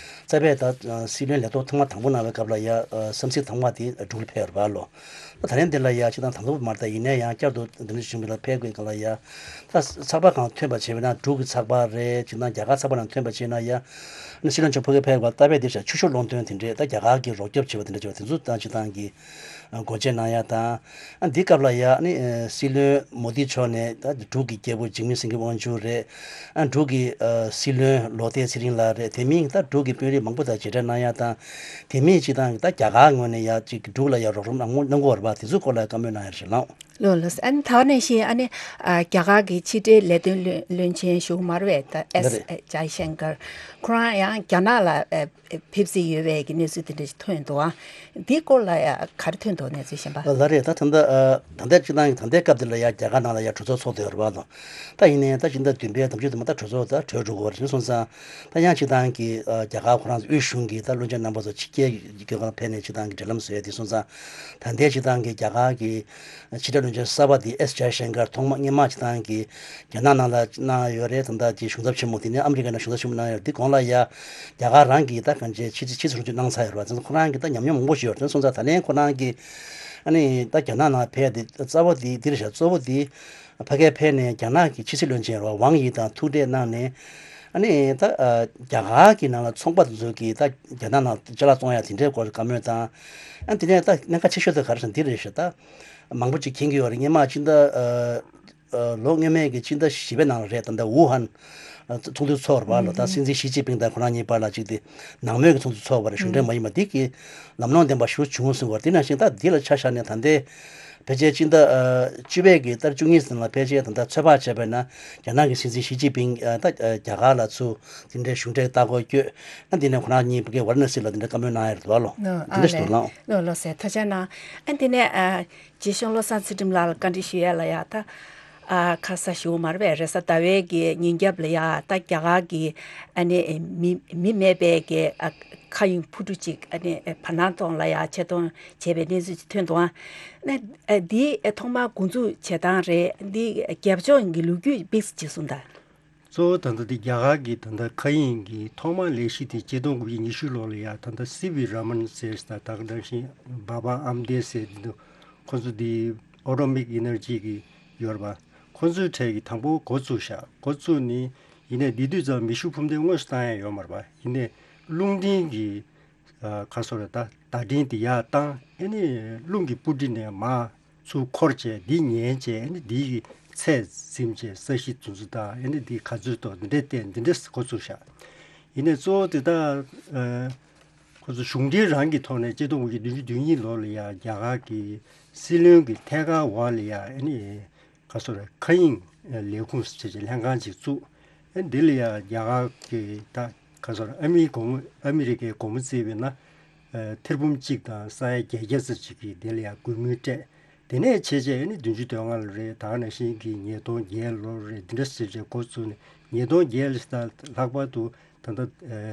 རྩ་བའི་ད་སྲིད་བློན་ལས་ཐོག་ཐེངས་མ་དང་པོ་གནང་བའི་སྐབས་ལ་ཡ་ཨ་གསམ་གཟིགས་དང་པོ་དེ་འབྲུག་ལ་ཕེབས་ཡོད་རེད་པ་ལོ། ད་ད་ལན་འདི་ལ་ཡ་སྤྱིར་བཏང་དང་ཐོག་མ་རེད། ད་ཡིན་ན་ཡང་བསྐྱར་དུ་འདི་འདྲ་བྱུང་བ་ལ་ཕེབས་དགོས་སྐབས་ལ་ཡ། ད་ཚགས་པར་སྒང་ཐོན་པ་བྱས་པ་ན་འབྲུག་གི་ཚགས་པར་རེད། སྤྱིར་བཏང་རྒྱ་གར་ཚགས་པར་ནང་ཐོན་པ་བྱས་ན་ཡ། ཨ་ནི་སྲིད་བློན་མཆོག་ཕ་གིར་ཕེབས་པ་ལྟ་བས་འདིར་བཞག་ཆོས་ཕྱོགས་བློ་འདོན་དེ་འདྲས། ད་རྒྱ་གར་གྱི་རོགས་སྐྱོབ་བྱེད་པ་དེ་འདྲ་བྱས་པ་དེ་ཚོ་ད་སྤྱིར་བཏང་གི་སྒོ་འབྱེད་གནང་ཡ་དང་། ཨ་འདི་སྐབས་ལ་ཡ་ཨ་ནི་ཨ་སྲིད་བློན་མོ་དི་མཆོག་ནས་ད་འབྲུག་གི་རྒྱལ་པོ་འཇིགས་མེད་སེང་གེ་དབང་ཕྱུག་རེད། ཨ་འབྲུག་གི་ཨ་སྲིད་བློན་ལོ་ཏེ་ཚེ་རིང་ལགས་རེད། དེ་མིན་ད་འབྲུག་གི་དཔོན་རིགས་མང་པོ་དང་མཇལ་འཕྲད་གནང་ཡ་དང་། དེ་མིན་སྤྱིར་བཏང་གི་ད་རྒྱ་གར་ངོས་ནས་ཡ་ཅིག་འབྲུག་ལ་ཡ་རོགས་རམ་གནང་གནང་གི་ཡོད་རེད་པ། དེ་ཚོའི་སྐོར་ལ་བཀའ་མོལ་གནང་ཡ་ཞིག་གནང་། ལགས་ལགས། ཨ་ནི་ད་ག་ནང་བཞིན་ཨ་ནི་ཨ་རྒྱ་གར་གྱི་ཕྱི་འབྲེལ་ལས་དོན་བློན་བློན་ཆེན་ཞུ་མར་བས་ད་ཨེས་ལགས་རེད། ཇའི་ཤང་ཀར་ཁོ་རང་ཡང་རྒྱ་ནག་ལ་ཨ་ཕེབས་རྩིས་ཡོད་པའི་གི་གནས་ཚུལ་དེ་འདྲ་ཞིག་ཐོན་འདུག་ཨ་འདིའི་སྐོར་ལ་ཡང་ག་རེ་ཐོན་འདུག་གནས་ཚུལ་གཞན་པ། ལགས་རེད། ད་ད་ལྟ་ཨ་ད་ལྟ་སྤྱིར་བཏང་གི་ད་ལྟའི་སྐབས་འདི་ལ་ཡང་རྒྱ་གར་ནང་ལ་ཡང་གྲོས་ཚོགས་ཚོགས་བསྡད་ཡོད་རེད་པ་ལགས། ད་ཡིན་ནའི་ད་སྤྱི་ཟླ་བདུན་པའི་དང་པོ་དེ་མ་ད་གྲོས་ཚོགས་ད་གྲོལ་འགྲོ་གི་ཡོད་རེད། དེ་སོང་ཙང་ད་ཡང་སྤྱིར་བཏང་གི་ཨ་རྒྱ་གར་ཁོ་རང་ཚོ་དབུས་གཞུང་གི་ད་བློན་ཆེན་རྣམ་པ་ཚོ་ཕྱི་རྒྱལ་གྱི་སྐྱོད་སྒང་ཕེབས་ནས་སྤྱིར་བཏང་གི་འབྲེལ་ལམ་བཟོ་ཡ་དེ་སོང་ཙང་། ད་ལྟའི་སྤྱིར་བཏང་གི་རྒྱ་གར་གྱི་ཕྱི་དྲིལ་བློན་ཆེན་གསར་པ་དེ་ཨེས་ཇའི་ཤང་ཀར་ཐོག་མ་སྔོན་མ་སྤྱིར་བཏང་གི་རྒྱ་ནག་ནང་ལ་གནང་ཡོད་རེད། ད་ལྟ་དེ་གཞུང་ཚབ་ཆེན་མོ་དེ་ནས་ཨ་མི་རི་ཀ་ནང་གཞུང་ཚབ་ཆེན་མོ་གནང་ཡོད་རེད། དེ་གོང་ལ་ཡ་རྒྱ་གར་རང་གིས་ད་གང་ཅི་ཕྱི་ཕྱི་ཚུར་ཚུར་གནང་ཚར་ཡོད་རེད་པ། ཁོ་རང་གིས་ད་ཉམས་མྱོང་མང་པོ་ཞིག་ཡོད་རེད། དེ་སོང་ཙང་ད་ལན་ཁོ་རང་གིས་ཨ་ནི་ད་རྒྱ་ནག་ནང་ཕེབས་དེ་རྩ་བ་དེ་འདིར་བཞག་གཙོ་བོ་དེ་ཕ་གིར་ཕེབས་ནས་རྒྱ་ནག་གི་ཕྱི་སྲིད་བློན་ཆེན་རེད་པ། ཝང་དབྱི་དང་ཐུག་འཕྲད་གནང་ནས་ཨ་ནི་ད་རྒྱ་གར་གྱི་ནང་ལ་ཚོང་པ་དེ་ཚོ་གིས་ད་རྒྱ་ནག་ནང་ཅ་ལག་བཙོང་ཡ་དེ་འདྲའི་སྐོར་བཀའ་མོལ་དང་། ཨ་དེ་ནས་ད་གནད་འགག་ཆེ་ཤོས་དེ་ག་རེ་ཟེར་ན་འདི་རེད་ཤག་ད་མང་པོ་ཅིག་མཁྱེན་གྱི་ཡོད་རེད། སྔོན་མ་ཕྱི་ཟླ་ཨ་ཨ་ལོ་སྔོན་མའི་གི་ཕྱི་ཟླ་བཞི་པའི་ནང་ལ་རེད། ད་ལྟ་ཝུ་ཧན་ཨ་ཚོགས་འདུ་ཚོགས་པ་ལ་ད་སྲིད་འཛིན་ཞི་ཅིན་ཕིང་དང་ཁོ་རང་གཉིས་བར་ལ་ཅིག་དེ་ནང་མོལ་གྱི་ཚོགས་འདུ་ཚོགས་པ་རེད། གཞུང་འབྲེལ་མ་ཡིན་པ། འདི་གི་ལམ་ལྷོང་ལྡན་པ་ཞེ་པོ་བྱུང་སོང་བ་རེད། དེ་ནང་བཞིན་ད་འདི་ལ་ཆ་བཞག་ནས་ད་ལྟའི་ཕལ་ཆེར་ཕྱི་ཟླ་ཨ་བཅུ་པའི་གི་ཟླ་བཅུ་གཉིས་ཙམ་ལ་ཕལ་ཆེར་ད་ལྟ་ཚོད་དཔག་བྱས་པ་ན་རྒྱ་ནག་གི་སྲིད་འཛིན་ཞི་ཅིན་ཕིང་ཨ་ད་ཨ་རྒྱ་གར་ལ་ཚུར་དེ་འདྲའི་གཞུང་འབྲེལ་ལྟ་སྐོར་བསྐྱོད། ཨ་འདི་ནས་ཁོ་རང་གཉིས་ཕ་གིའི་ཝཱ་ར་ཎ་སི་ལ་དེ་འདྲའི་བཀའ་མོལ་གནང་ཡ་རེད་འདུག་ཨ་ལོ། ཨ་དེ་འདྲ་ཞིག་ལགས། འདུག་ལགས། ལགས་ལགས་སེ། ཐུགས་རྗེ་གནང་། ཨ་འདི་ནས་ཨ་རྗེ་གཞུང་བློ་བཟང་ཚུལ་ཁྲིམས་ལགས་ལ་བཀའ་འདྲི་ཞུ་ཡ་ལ་ཡ་ད་ཨ་ཁ་ས་ཞུ་མར་བས་རེས་གཟའ་ཟླ་བའི་གི་ཉིན་རྒྱབ་ལ་ཡ་ད་རྒྱ་གར་གི་ཨ་ནི་མི་མི་མེད་པའི་གི་ཨ་མཁའ་དབྱིངས་འཕུར་གྲུ་ཅིག་ཨ་ནི་བར་སྣང་ཐོག་ལ་ཡ་ཆེད་གཏོང་བྱས་པའི་གནས་ཚུལ་ཅིག་ཐོན་འདུག་ཨ་ནི་ཨ་འདི་ཐོག་མར་འགོ་འཛུགས་བྱེད་སྟངས་རེད། འདི་རྒྱབ་ལྗོངས་ཀྱི་ལོ་རྒྱུས་དཔེ་ཅིག་གསུངས་དང་། གཙོ་བོ་ད་ལྟ་འདི་རྒྱ་གར་གྱི་ད་ལྟ་མཁའ་དབྱིངས་ཀྱི་ཐོག་མ་ལས་གཞི་དེ་ཆིག་སྟོང་དགུ་བརྒྱ་ཉི་ཤུ་ལོ་ལ་ཡ་ད་ལྟ་སི་བི་ར་མན་ཟེར་ད་ད་ག་ནང་བཞིན་བྷ་བྷ་ཨམ་དེ་ཟེར་འདི་འདུག་ཁོ་ཚོ་འདི་ཨོ་ཊོ་མིག་ཨེ་ནར་ཇི་གི་ཡོད་རེད་པ། ཁོ་ཚོའི་གྲས་ཀྱི་དང་པོ་འགོ་བཙུགས་ཤག་འགོ་བཙུགས་ནི་ཡིན་ནའི་འདི་དུས་ཙམ་མེ་ཤུགས་འཕུར་མདེལ་དངོས་སུ་བཏང་ཡ་ཡོད་མ་རེད་པ། ཡིན་ནའི་རླུང་འཕྲིན་གྱི་ཨ་ཁ་སོ་རེད་ད་བརྡ་འཕྲིན་དེ་ཡར་བཏང་། ཨེ་ནི་རླུང་གི་སྤུ་གྲི་ནས་མར་ཚུར་འཁོར་བྱས་འདི་ཉན་བྱས། ཨེ་ནི་འདི་གི་ཚད་ཟིན་བྱས་ས་གཞི་དེ་ཚོ་དང་ཨེ་ནི་འདི་ག་ཚོད་ཐོག་འདི་འདྲས་བསྟན་འདི་འདྲས་འགོ་བཙུགས་ཤག་ཡིན་ནའི་གཙོ་བོ་དེ་ད་ཨ་ཁོ་ཚོ་གཞུང་འབྲེལ་རང་གི་ཐོག་ནས་ཆིག་སྟོང་དགུ་བརྒྱ་བདུན་ཅུ་དོན་གཉིས་ལོ་ལ་ཡ་རྒྱ་གར་གྱི་སྲིད་བློན་གྱི་ཐད་ཀར་འོག་ལ་ཡ་ཨེ་ནི་ག་སོ་རེད་མཁའ་དབྱིངས་ལས་ཁུངས་ཟེར་བྱས་ལྷན་ཁང་ཅིག་བཙུགས། ཨ་འདི་ལ་ཡ་རྒྱ་གར་གྱི་ད་ག་སོ་རེད་ཨ་མི་སྒོར་མོ་ཨ་མི་རི་ཀའི་སྒོར་མོ་བརྩིས་པས་ན་ཨ་ཐེར་འབུམ་གཅིག་དང་ས་ཡ་བརྒྱད་བརྒྱ་ཙམ་ཅིག་གིས་འདི་ལ་ཡ་སྒུལ་མོལ་སྤྲད། དེ་ནས་བྱས་བྱས་ཨ་ནི་བདུན་ཅུ་དོན་ལྔ་ལོ་རེད། ད་ག་ནང་བཞིན་གྱི་ཉིས་སྟོང་བརྒྱད་ལོ་རེད། འདི་འདྲ་ཟེར་བྱས་འགོ་བཙུགས་ནས་ཉིས་སྟོང་བརྒྱད་ལ་ད་ལྷག་པར་དུ་ད་ལྟ་ཨ་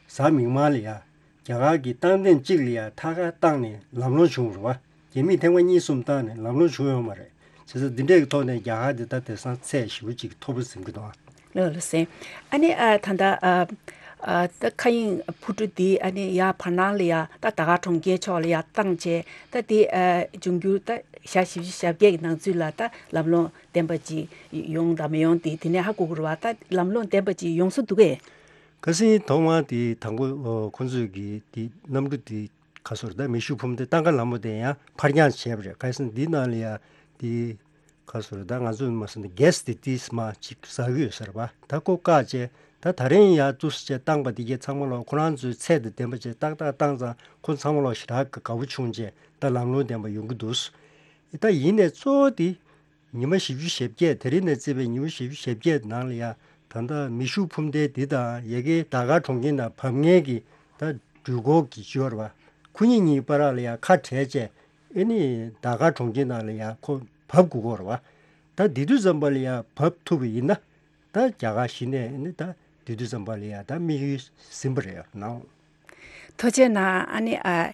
གཟའ་མིག་དམར་ལ་ཡ་རྒྱ་གར་གྱི་རྟགས་འདེམས་གཅིག་ལ་ཡ་ཐད་ཀར་བཏང་ནས་ལམ་ལྷོང་བྱུང་རེད་བ། རྒྱ་མིས་ཐེངས་མ་གཉིས་གསུམ་བཏང་ནས་ལམ་ལྷོང་བྱུང་ཡོད་མ་རེད། བྱས་ཙང་འདི་འདྲས་ཀྱི་ཐོག་ནས་རྒྱ་གར་འདི་ད་དེང་སང་ཚད་ཞེ་པོ་ཅིག་མཐོ་པོ་ཟིན་གྱི་འདུག་ལགས་ལགས་སེ། ཨ་ནི་ཨ་ད་ལྟ་ཨ་ཨ་ད་མཁའ་དབྱིངས་འཕུར་གྲུ་འདི་ཨ་ནི་ཡར་བར་སྣང་ལ་ཡ་ད་ད་ག་གྲོང་ཁྱེར་ཕྱོགས་ལ་ཡ་བཏང་བྱས་ད་འདི་ཨ་འབྱུང་འགྱུར་ད་ཞག་བཞི་བཅུ་ཞེ་བརྒྱད་ཀྱི་ནང་ཚུད་ལ་ད་ལམ་ལྷོང་ལྡན་པ་ཅིག་ཡོང་དང་མི་ཡོང་དེ་དེ་ནས་ཧ་གོ་གི་རེད་བ། ད་ལམ་ལྷོང་ལྡན་པ་ཅིག་ཡོང་ས་འདུག་གས། ཁ་སང་ཐོག་མར་དེ་དང་པོ་ཨོ་ཁོང་ཚོས་ཀྱི་དེ་གནམ་གྲུ་དེ་ག་སོ་རེད་ད་མེ་ཤུགས་འཕུར་མདེལ་ཏང་ཀ་ལ་མོ་དེ་ཡང་ཕར་འགྱངས་བྱས་པ་རེད། ཁ་སང་འདི་ནང་ལ་ཡ་དེ་ག་སོ་རེད་ད་ང་ཚོས་མ་སོང་ན་གྷེ་སི་དེ་ཏིས་མ་ཅིག་ཟ་གི་ཡོད་ས་རེད་པ། ད་ཁོ་བཀག་བྱས་ད་ད་རིང་ཡ་ཏུས་བྱས་བཏང་པ་དེ་གས་ཚང་མ་ལོག་ཁོ་རང་ཚོའི་ཚད་དང་ལྡན་པ་བྱས་ཏག་ཏག་བཏང་ཙང་ཁོ་ཚང་མ་ལོག་ཞེ་དྲག་གི་དགའ་པོ་བྱུང་བྱས་ད་ལམ་ལྷོང་ལྡན་པ་ཡོང་གི་འདུག་ད་ཡིན་ནའི་གཙོ་བོ་དེ། ཉི་མ་བཞི་བཅུ་ཞེ་བརྒྱད་དེ་རིང་ནས་བརྩིས་པའི་ཉི་མ་བཞི་བཅུ་ཞེ་བརྒྱད་ནང་ལ་ཡ་ད་ལྟ་མེ་ཤུགས་འཕུར་མདེལ་འདི་དང་ཡ་གི་ད་ག་གྲོང་ཁྱེར་ནང་བབས་མཁན་གྱི་ད་འགྲུལ་འཁོར་གྱི་ཅིག་ཡོད་རེད་བ། ཁོ་གཉིས་གཉིས་བར་ལ་ཡ་ཁ་བྲལ་བྱས་ཨེ་ནི་ད་ག་གྲོང་ཁྱེར་ནང་ལ་ཡ་ཁོ་བབས་དགོས་ཀྱི་ཡོད་རེད་བ། ད་འདི་དུས་ཙམ་པ་ལ་ཡ་བབས་ཐུབ་པ་ཡིན་ན་ད་རྒྱ་གར་གཞི་ནས་ཨེ་ནི་ད་འདི་དུས་ཙམ་པ་ལ་ཡ་ད་དམིགས་ཡུལ་ཟིན་པ་རེད་ནའོ། ཐུགས་རྗེ་གནང་། ཨ་ནི་ཨ་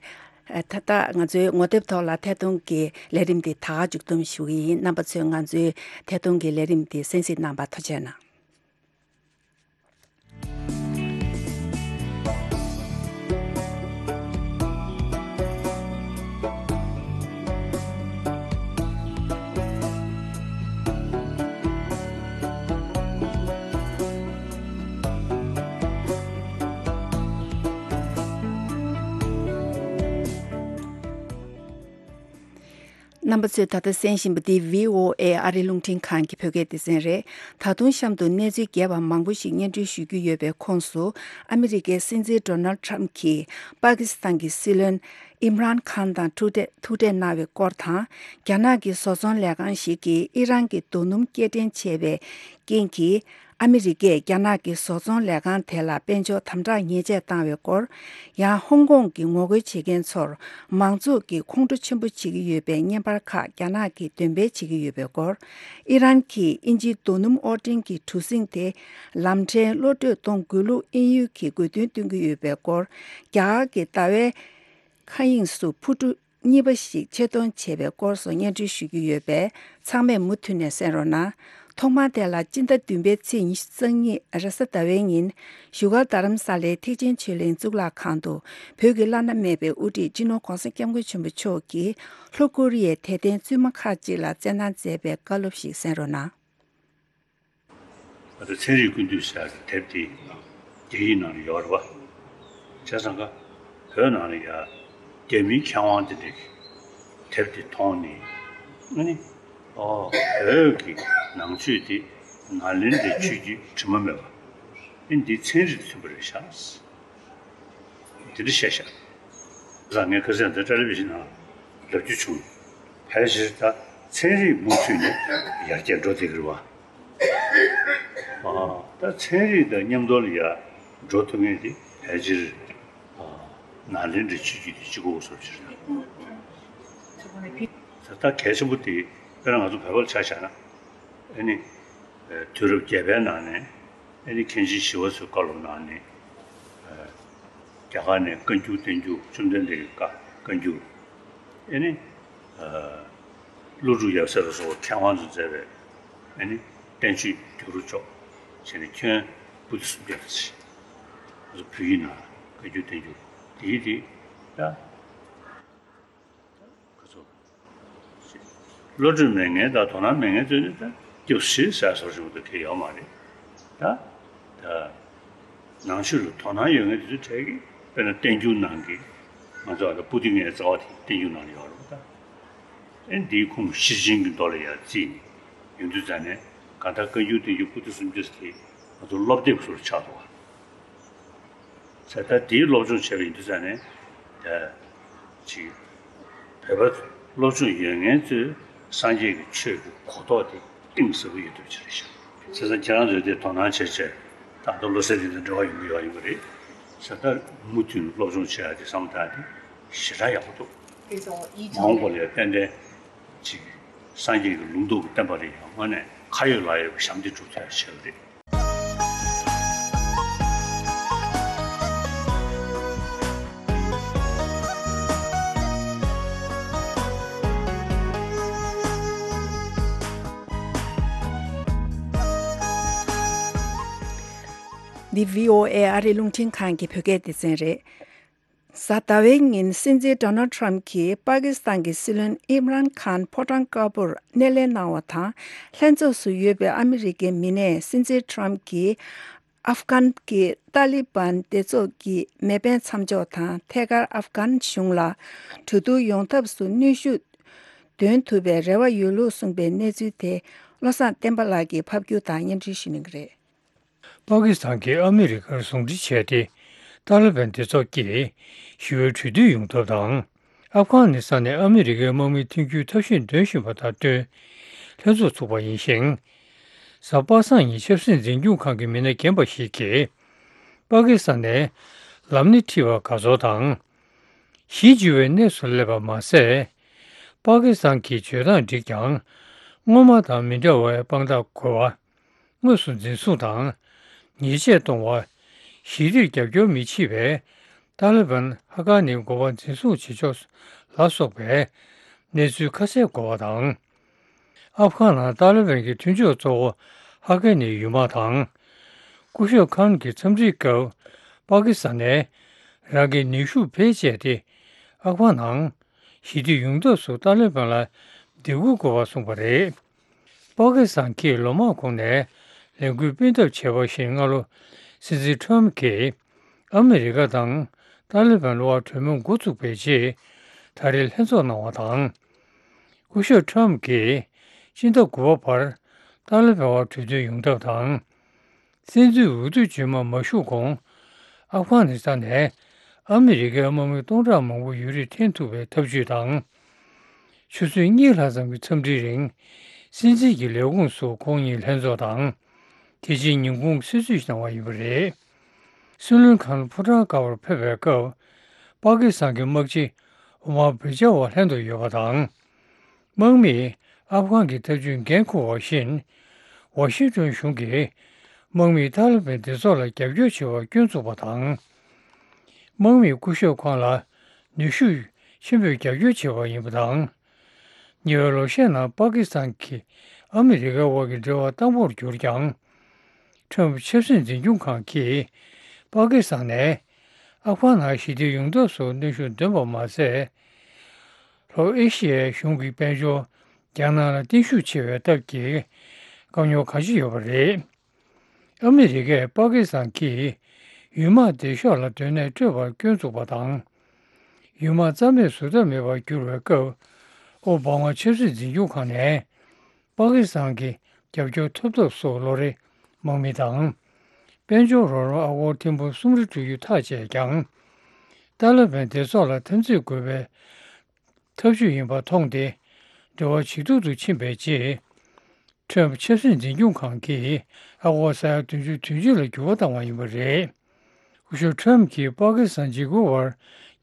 ད་ལྟ་ང་ཚོའི་ངོ་དེབ་ཐོག་ལ་ཐད་གཏོང་གི་ལས་རིམ་འདི་ད་ག་མཇུག་བསྡོམས་ཞུ་གི་ཡིན། རྣམ་པ་ཚོས་ང་ཚོའི་ཐད་གཏོང་གི་ལས་རིམ་འདི་གསན་གཟིགས་གནང་བར་ཐུགས་རྗེ་གནང་། རྣམ་པ་ཚོས་ད་ལྟ་གསན་བཞིན་པ་འདི་བྷི་ཨོ་ཨེ་ཨ་རིའི་རླུང་འཕྲིན་ཁང་གི་བོད་སྐད་སྡེ་ཚན་རེད། ད་དུང་གཤམ་དུ་གནས་ཚུལ་རྒྱས་པ་མང་པོ་ཞིག་སྙན་སྒྲོན་ཞུ་རྒྱུ་ཡོད་པའི་ཁོངས་སུ། ཨ་མི་རི་ཀའི་སྲིད་འཛིན་ཌོ་ནལ་ཌི་ཊརམ་ཕི་གྱིས་པ་ཀི་སི་ཐན་གྱི་སྲིད་བློན་ཨིམ་རཱན་ཁཱན་དང་ཐུག་འཕྲད་ཐུག་འཕྲད་གནང་བའི་སྐོར་དང་། རྒྱ་ནག་གི་བཟོ་ཚོང་ལས་ཁང་ཞིག་གིས་ཨི་རན་གྱི་རྡོ་སྣུམ་སྐྱེལ་འདྲེན་བྱས་པའི་རྐྱེན་གྱིས། ཨ་མི་རི་ཀས་རྒྱ་ནག་གི་བཟོ་ཚོང་ལས་ཁང་དེ་ལ་དཔལ་འབྱོར་དམ་དྲག་ཉེས་ཆད་བཏང་བའི་སྐོར། ཡང་ཧོང་ཀོང་གི་ངོ་རྒོལ་བྱེད་མཁན་ཚོར་མང་གཙོ་གི་ཁོང་ཁྲོ་ཆེན་པོ་བྱེད་ཀྱི་ཡོད་པའི་བརྙན་པར་ཁག་རྒྱ་ནག་གིས་འདོན་སྤེལ་བྱེད་ཀྱི་ཡོད་པའི་སྐོར། ཨི་རན་གྱིས་དབྱིན་ཇིའི་རྡོ་སྣུམ་དབོར་འདྲེན་གྱི་གྲུ་གཟིངས་དེ་ལམ་ཕྲན་གློད་གྲོལ་གཏོང་དགོས་ལུགས་དབྱིན་ཡུལ་གྱིས་དགོས་འདུན་བཏོན་གྱི་ཡོད་པའི་སྐོར། རྒྱ་གར་གྱི་ཟླ་བའི་མཁའ་དབྱིངས་སུ་འཕུར་གྲུ་གཉིས་པ་ཞིག་ཆེད་གཏོང་བྱས་པའི་སྐོར་སོགས་སྙན་སྒྲོན་ཞུ་རྒྱུ་ཡོད་པས། ཚང་མས་མུ་མཐུད་ནས་གསན་རོགས་གནང་། ཐོག་མར་དེ་ལ་སྤྱི་ཟླ་བདུན་པའི་ཚེས་ཉི་ཤུ་རྩ་གཉིས་རེས་གཟའ་ཟླ་བའི་ཉིན། བཞུགས་སྒར་རྡ་རམ་ས་ལའི་ཐེག་ཆེན་ཆོས་གླིང་གཙུག་ལག་ཁང་དུ། བོད་ཀྱི་བླ་ན་མེད་པའི་དབུ་ཁྲིད་སྤྱི་ནོར་༧གོང་ས་༧སྐྱབས་མགོན་ཆེན་པོ་མཆོག་གིས་ལྷོ་ཀོ་རི་ཡའི་དད་ལྡན་བཙུན་མ་ཁག་ཅིག་ལ་བསྩལ་གནང་མཛད་པའི་བཀའ་སློབ་ཞིག་གསན་རོགས་གནང་། ད་ལྟ་ཚན་རིག་ཀུན་བཏུས་ཟེར་ཡག་གི་དེབ་དེ་རྒྱ་ཡིག་ནང་ལ་ཡོད་རེད་བ། བྱས་ཙང་ཀ་བོད་ནང་ལ་ཡ་རྒྱ་མིའི་མཁས་དབང་དེ་འདྲས་ཀྱིས་དེབ་དེ་མཐོང་ནས། ཨ་ནི། ཨོ། བོད་ཀྱི་ནང་ཆོས་དེ་ནཱ་ལེནྡྲའི་ཆོས་ཀྱི་དྲི་མ་མེད་པ། ཨ་ནི་འདི་ཚན་རིག་དང་མཐུན་པ་རེད་ཤག་དེ་འདྲ་བཤད་ཤག་ད་ངས་ཁ་སང་འདི་ཊེ་ལི་བི་ཤན་ནང་ལབ་རྒྱུ་བྱུང་། ཕལ་ཆེར་ད་ཚན་རིག་མུ་མཐུད་ནས་ཡར་རྒྱས་འགྲོ་བསྡད་ཀྱི་རེད་བ། ཨ། ད་ཚན་རིག་དང་མཉམ་དུ་ལ་ཡར་འགྲོ་ཐུབ་མཁན་དེ་ཕལ་ཆེར། ཨ། ནཱ་ལེནྡྲའི་ཆོས་བརྒྱུད་དེ་གཅིག་པོ་བཟོ་བྱེད་རེད། ད་ད་གལ་ཆེན་པོ་དེ་དཔེར་ན་ང་ཚོ་བོད་པ་ལ་ཆ་བཞག་ན། ཨ་ནི། ཨ། དུས་རབས་བརྒྱད་པའི་ནང་ནས། ཨ་ནི་མཁན་ཆེན་ཞི་བ་འཚོའི་བཀའ་སློབ་གནང་ནས། ཨ། རྒྱ་གར་ནས་བཀའ་འགྱུར་བསྟན་འགྱུར་བཅོམ་ལྡན་འདས་ཀྱི་བཀའ་བཀའ་འགྱུར། ཨ་ནི། ཨ། ཀླུ་སྒྲུབ་ཡབ་སྲས་ལ་སོགས་པ་མཁས་དབང་ཚོས་མཛད་པའི། ཨ་ནི། བསྟན་བཅོས་བསྒྱུར་རོགས་ཅོག་བྱས་ནས་ཁྱོན་པོ་ཏི་སུམ་བརྒྱ་ཙམ་ཞིག་ང་ཚོ་བོད་ཡིག་ནང་བཀའ་འགྱུར་བསྟན་འགྱུར་དེ་ཡིན་དེ། ད། ཁོ་ཚོ། བློ་གྲོས་མེད་མཁན་དང་དོ་སྣང་མེད་མཁན་ཚོས་ནི་ད་སྐྱབས་སུ་མཆི་ཟེར་བཟོ་ཞིག་མ་གཏོགས་གལ་ཡོད་མ་རེད། ད། ད། ནང་ཆོས་ལ་དོ་སྣང་ཡོད་མཁན་དེ་ཚོའི་གྲས་ཀྱིས་དཔེར་ན་བསྟན་འགྱུར་ནང་གི། ང་ཚོ་ཨ་ད་པོ་ཏི་ལྔའི་རྩ་བ་དེ་བསྟན་འགྱུར་ནང་ལ་ཡོད་རེད་པ། ད། ཨེ་འདིའི་ཁུངས་ཤེར་ཕྱིན་གྱི་མདོ་ལ་ཡང་བརྩིས་ནས་ཡོང་དུས་ཙང་ནས། གང་ལྟར་བཀའ་འགྱུར་བསྟན་འགྱུར་པོ་ཏི་སུམ་བརྒྱ་དེ་ང་ཚོ་སློབ་དེབ་ཟུར་ཆགས་འདུག་བ། ད་ལྟ་དེའི་སློབ་སྦྱོང་བྱས་པ་ཡིན་དུས་ཙང་ནས། ད་ཅིག་བོད་པ་སློབ་སྦྱོང་ཡོད་མཁན་ཚོས་སངས་རྒྱས་ཀྱི་ཆོས་ཀྱི་གོ་རྟོགས་དེ་གཏིང་ཟབ་པོ་ཡོད་ཐུབ་ཀྱི་རེད་ཤག་བྱས་ཙང་ཁྱེད་རང་ཚོས་དེ་དོ་སྣང་བྱས་བྱས། ད་ལྟ་བློ་གསལ་དེ་དང་འབྲེལ་བ་ཡོང་གི་ཡོད་ཡིན་པ་རེད། བྱས་ཙང་མུ་མཐུད་ནས་སློབ་སྦྱོང་བྱེད་ཡག་དེ་བསམ་བློ་བཏང་ཡག་དེ་ཞེ་དྲག་ཡག་པོ་འདུག་མ་འོངས་པ་ལ་ཡང་ཏན་ཏན་ཅིག་སངས་རྒྱས་ཀྱི་ལུང་རྟོགས་ཀྱི་བསྟན་པ་རེད། ཡང་དངོས་གནས་ཁ་ཡོད་ལག་ཡོད་པའི་ཞབས་འདེགས་སྒྲུབ་ཐུབ་ཡག་བྱེད་ཀྱི་རེད། འདི་བྷི་ཨོ་ཨེ་ཨ་རིའི་རླུང་འཕྲིན་ཁང་གི་བོད་སྐད་སྡེ་ཚན་རེད། གཟའ་ཟླ་བའི་ཉིན་སྲིད་འཛིན་ཌོ་ནལ་ཊམ་གྱིས་པ་ཀི་སི་ཐན་གྱི་སྲིད་བློན་ཨིམ་རཱན་ཁཱན་ཕོ་བྲང་དཀར་པོར་སྣེ་ལེན་གནང་བ་དང་། ལྷན་ཚོགས་སུ་ཡོད་པའི་ཨ་མི་རི་ཀའི་མི་སྣས་སྲིད་འཛིན་ཊམ་གྱིས་ཨབ་གྷན་གྱི་ཏཱ་ལི་བན་སྡེ་ཚོགས་ཀྱི་མེ་འཕེན་མཚམས་འཇོག་དང་ཐད་ཀར་ཨབ་གྷན་གཞུང་ལ་གྲོས་བསྡུར་ཡོང་ཐབས་སུ་གནོན་ཤུགས་འདོན་ཐུབ་པའི་རེ་བ་ཡོད་ལུགས་གསུངས་པའི་གནས་ཚུལ་དེ་བློ་བཟང་བསྟན་པ་ལགས་ཀྱིས་ཕབ་སྒྱུར་དང་སྙན་སྒྲོན་ཞུ་གནང་གི་རེད། པ་ཀི་སི་ཐན་གྱིས་ཨ་མི་རི་ཀར་ཟུང་འབྲེལ་བྱས་ཏེ། ཏཱ་ལི་བན་སྡེ་ཚོགས་ཀྱིས་ཞི་བའི་གྲོས་བསྡུར་ཡོང་ཐབས་དང་། ཨབ་གྷ་ནི་སི་ཐན་ནས་ཨ་མི་རི་ཀའི་དམག་མི་འཐེན་འཁྱེར་ཐབས་ཤེས་འདོན་བཞིན་པ་དང་བསྟུན། ལྷན་ཚོགས་ཚུགས་པ་ཡིན་ཞིང་། གཟའ་པ་སངས་ཉིན་ཆབ་སྲིད་འཛིན་སྐྱོང་ཁང་གི་མི་སྣ་རྒན་པ་ཞིག་གིས། པ་ཀི་སི་ཐན་ནས་ལམ་སྣེ་ཁྲིད་པ་ག་ཚོད་དང་། གཞི་བཅོལ་བའི་གནས་སུ་སླེབས་པ་མ་ཟད། པ་ཀི་སི་ཐན་གྱི་བྱེད་སྟངས་འགྲིག་ཀྱང་། སྔོན་མ་དང་མི་འདྲ་བའི་དཔང་རྟགས་དགོས་པ། དངོས་སུ་འཛིན་བཟུང་དང་། ཉེས་ཆད་གཏོང་བ། ཞི་བདེར་རྒྱབ་སྐྱོར་མི་བྱེད་པའི་ཏཱ་ལི་བན་ཧ་ཀ་ནི་འགོ་པ་འཛིན་བཟུང་བྱེད་ཕྱོགས་ལ་སོགས་པའི་གནས་ཚུལ་ཁ་གསལ་དགོས་པ་དང་། ཨབ་གྷ་ནང་ཏཱ་ལི་བན་གྱི་མཐུན་ཕྱོགས་གཙོ་བོ་ཧ་ཀ་ནི་ཡུལ་དམག་དང་། སྐུ་ཞབས་ཁཱན་གྱི་འཚམས་འདྲིའི་སྐབས་པ་ཀི་སི་ཐན་ནས་རང་གི་ནུས་ཤུགས་བེད་སྤྱད་དེ་ཨབ་གྷ་ནང་ཞི་བདེ་ཡོང་ཐབས་སུ་ཏཱ་ལི་བན་ལ་སྡིགས་སྐུལ་དགོས་པ་གསུངས་པ་རེད། པ་ཀི་སི་ཐན་གྱིས་ལོ་མང་གོང་ནས་ལས་འགུལ་སྤེལ་ཐབས་བྱས་པ་བཞིན་སྔ་ལོ་སྲིད་འཛིན་ཊམ་གྱིས་ཨ་མི་རི་ཀ་དང་ཏཱ་ལི་བན་དབར་གྲོས་མོལ་འགོ་བཙུགས་པའི་རྗེས་ད་རེས་ལྷན་ཚོགས་གནང་བ་དང་། སྐུ་ཞབས་ཁྲམ་གྱིས་སྤྱི་ཟླ་དགུ་པ་བར་ཏཱ་ལི་བན་བར་གྲོས་མཐུན་ཡོང་ཐབས་དང་། བཙན་འཛུལ་འོས་བསྡུ་རྗེས་མ་མ་ཞུགས་གོང་། ཨབ་གྷ་ནི་སི་ཐན་ནས་ཨ་མི་རི་ཀའི་དམག་མི་སྟོང་ཕྲག་མང་པོ་ཡོད་རིགས་འཐེན་ཐུབ་པའི་ཐབས་ཇུས་དང་། ཆུ་ཚོད་གཉིས་ལྷག་ཙམ་གྱི་འཚམས་འདྲིའི་རིང་། སྲིད་འཛིན་གྱི་ལས་ཁུངས་སུ་ཁོང་གཉིས་ལྷན་ཚོགས་དང་། དེ་རྗེས་ཉིན་གུང་གསོལ་ཚིགས་གནང་བ་ཡིན་པ་རེད། སྲིད་བློན་ཁང་ལ་ཕོ་བྲང་དཀར་པོར་ཕེབས་པའི་སྐབས། པ་ཀི་སི་ཐན་གྱི་དམག་སྤྱི་ཨོ་མར་བྷི་ཇ་ཝ་ལྷན་དུ་ཡོད་པ་དང་། དམག་མིས་ཨབ་གྷན་གྱི་ཐབས་ཇུས་འགན་འཁུར་བ་བཞིན། ཝ་ཤིང་ཏོན་གཞུང་གིས་དམག་མིས་ཏཱ་ལི་བན་སྡེ་ཚོགས་ལ་རྒྱབ་སྐྱོར་བྱེད་པར་སྐྱོན་བཙུགས་པ་དང་། དམག་མིས་སྐུ་ཞབས་ཁོང་ལ་ནུས་ཤུགས་ཆེན་པོས་རྒྱབ་སྐྱོར་བྱས་པ་ཡིན་པ་དང་། ཉེ་བའི་ལོ་ཤས་ནང་པ་ཀི་སི་ཐན་གྱིས་ཨ་མི་རི་ཀའི་དབར་གྱི་འབྲེལ་བ་དྭངས་པོར་གྱུར་ཀྱང་། ཁྲོམ་ཆབ་སྲིད་འཛིན་སྐྱོང་ཁང་གིས་པ་ཀི་སི་ཐན་ནས་ཨབ་གྷན་ནང་ཞི་བདེ་ཡོང་ཐབས་སུ་གནོན་ཤུགས་འདོན་པ་མ་ཟད། ལྷོ་ཨེ་ཤི་ཡའི་གཞུང་གི་དཔལ་འབྱོར་རྒྱ་ནག་ལ་བརྟན་ཤུགས་ཆེ་བའི་སྟབས་ཀྱིས་དཀའ་རྙོག་གང་ཅི་ཡོད་པ་རེད། ཨ་མི་རི་ཀས་པ་ཀི་སི་ཐན་གྱིས་ཡུལ་དམག་སྡེ་ཤོག་ལ་སྡོད་གནས་སྤྲོད་པར་སྐྱོན་བཙུགས་པ་དང་། ཡུལ་དམག་རྩ་མེད་བཟོ་ཐབས་མེད་པར་གྱུར་བའི་སྐབས། ཨོ་བྷ་མ་ཆབ་སྲིད་འཛིན་སྐྱོང་ཁང་ནས་པ་ཀི་སི་ཐན་གྱི་རྒྱབ་སྐྱོར་ཐོབ་ཐབས་སོགས་ལོ་རེ་དམག་མི་དང་། དཔལ་འབྱོར་རོགས་རམ་ཨ་སྒོར་ཐེར་འབུམ་གསུམ་རེ་སྤྲོད་རྒྱུ་ཐག་བཅད་ཀྱང་། ཏཱ་ལི་བན་སྡེ་ཚོགས་ལ་འཐབ་འཛིང་དགོས་པའི་ཐབས་ཇུས་ཡིན་པ་མཐོང་སྟེ། འབྲེལ་བ་ཇེ་སྡུག་ཏུ་ཕྱིན་པའི་རྗེས། ཁྲོམ་ཆབ་སྲིད་འཛིན་སྐྱོང་ཁང་གིས་ཨ་སྒོར་ས་ཡ་བདུན་ཅུ་དོན་གཅིག་ལ་འགྱུར་བ་བཏང་བ་ཡིན་པ་རེད། སྐུ་ཞབས་ཁྲོམ་གྱིས་པ་ཀི་སི་ཐན་འཇིགས་སྐུལ་བར་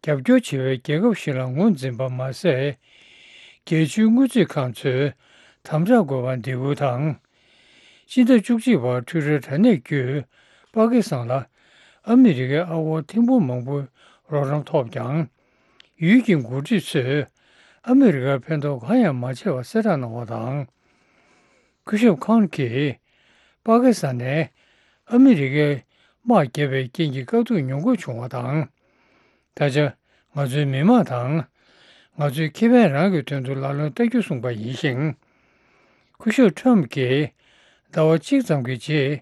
རྒྱབ་སྐྱོར་བྱེད་པའི་རྒྱལ་ཁབ་ཞིག་ལ་ངོས་འཛིན་པ་མ་ཟད། རྒྱལ་སྤྱིའི་དངུལ་རྩིས་ཁང་ཚོས་དམ་དྲག་དགོས་པར་འདེད་སྐུལ་དང་། སྤྱི་ཟླ་བཅུ་གཅིག་པར་འཕྲུལ་རར་དྲ་གནས་བརྒྱུད་པ་ཀི་སི་ཐན་ལ་ཨ་མི་རི་ཀའི་ཨ་སྒོར་ཐེར་འབུམ་མང་པོའི་རོགས་རམ་ཐོབ་ཀྱང་། ཡུལ་གྱི་འགོ་ཁྲིད་ཚོས་ཨ་མི་རི་ཀར་ཕན་ཐོགས་གང་ཡང་མ་བྱས་པ་གསལ་བསྒྲགས་གནང་བ་དང་། སྐུ་ཞབས་ཁང་གིས་པ་ཀི་སི་ཐན་ནས་ཨ་མི་རི་ཀའི་དམག་བརྒྱབ་པའི་རྐྱེན་གྱིས་དཀའ་སྡུག་མྱོང་དགོས་བྱུང་བ་དང་། ད་ཆ་ང་ཚོའི་མི་དམངས་དང་། ང་ཚོའི་ཁེ་ཕན་རང་གི་དོན་དུ་ལག་ལེན་བསྟར་རྒྱུ་གསུངས་པ་ཡིན་ཞིང་། སྐུ་ཞབས་ཁྲོམ་གྱིས་ཟླ་བ་གཅིག་ཙམ་གྱི་རྗེས་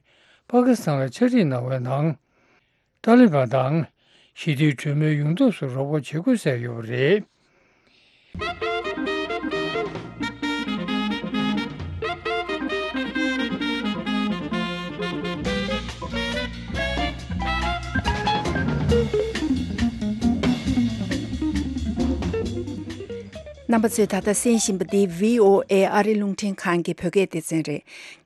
པ་ཀི་སི་ཐན་ལ་ཕྱག་བྲིས་གནང་བའི་ནང་། ཏཱ་ལི་བན་དང་ཞི་བདེའི་གྲོས་མོལ་ཡོང་ཐབས་སུ་རོགས་པ་བྱེད་དགོས་ཟེར་ཡོད་པ་རེད། རྣམ་པ་ཚོས་ད་ལྟ་གསན་བཞིན་པ་འདི་བྷི་ཨོ་ཨེ་ཨ་རི་རླུང་འཕྲིན་ཁང་གི་བོད་སྐད་སྡེ་ཚན་རེད།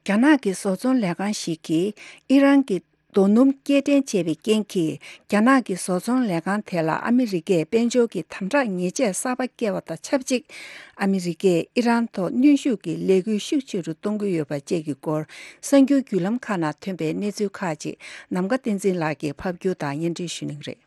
རྒྱ་ནག་གི་བཟོ་ཚོང་ལས་ཁང་ཞིག་གིས་ཨི་རན་གྱི་རྡོ་སྣུམ་སྐྱེལ་འདྲེན་བྱས་པའི་རྐྱེན་གྱིས། རྒྱ་ནག་གི་བཟོ་ཚོང་ལས་ཁང་དེ་ལ་ཨ་མི་རི་ཀས་དཔལ་འབྱོར་གྱི་དམ་དྲག་ཉེས་ཆད་གསར་པ་བཀལ་བ་དང་ཆབས་ཅིག་ཨ་མི་རི་ཀས་ཨི་རན་ཐོག་གནོན་ཤུགས་ཀྱི་ལས་འགུལ་ཤུགས་ཆེ་རུ་གཏོང་གི་ཡོད་པ་བཅས་ཀྱི་སྐོར། གསར་འགྱུར་བརྒྱུད་ལམ་ཁག་ནང་ཐོན་པའི་གནས་ཚུལ་ཁག་ཅིག་ནམ་མཁའ་བསྟན་འཛིན་ལགས་ཀྱིས་ཕབ་སྒྱུར་དང་སྙན་སྒྲོན་ཞུ་གནང་གི་རེད།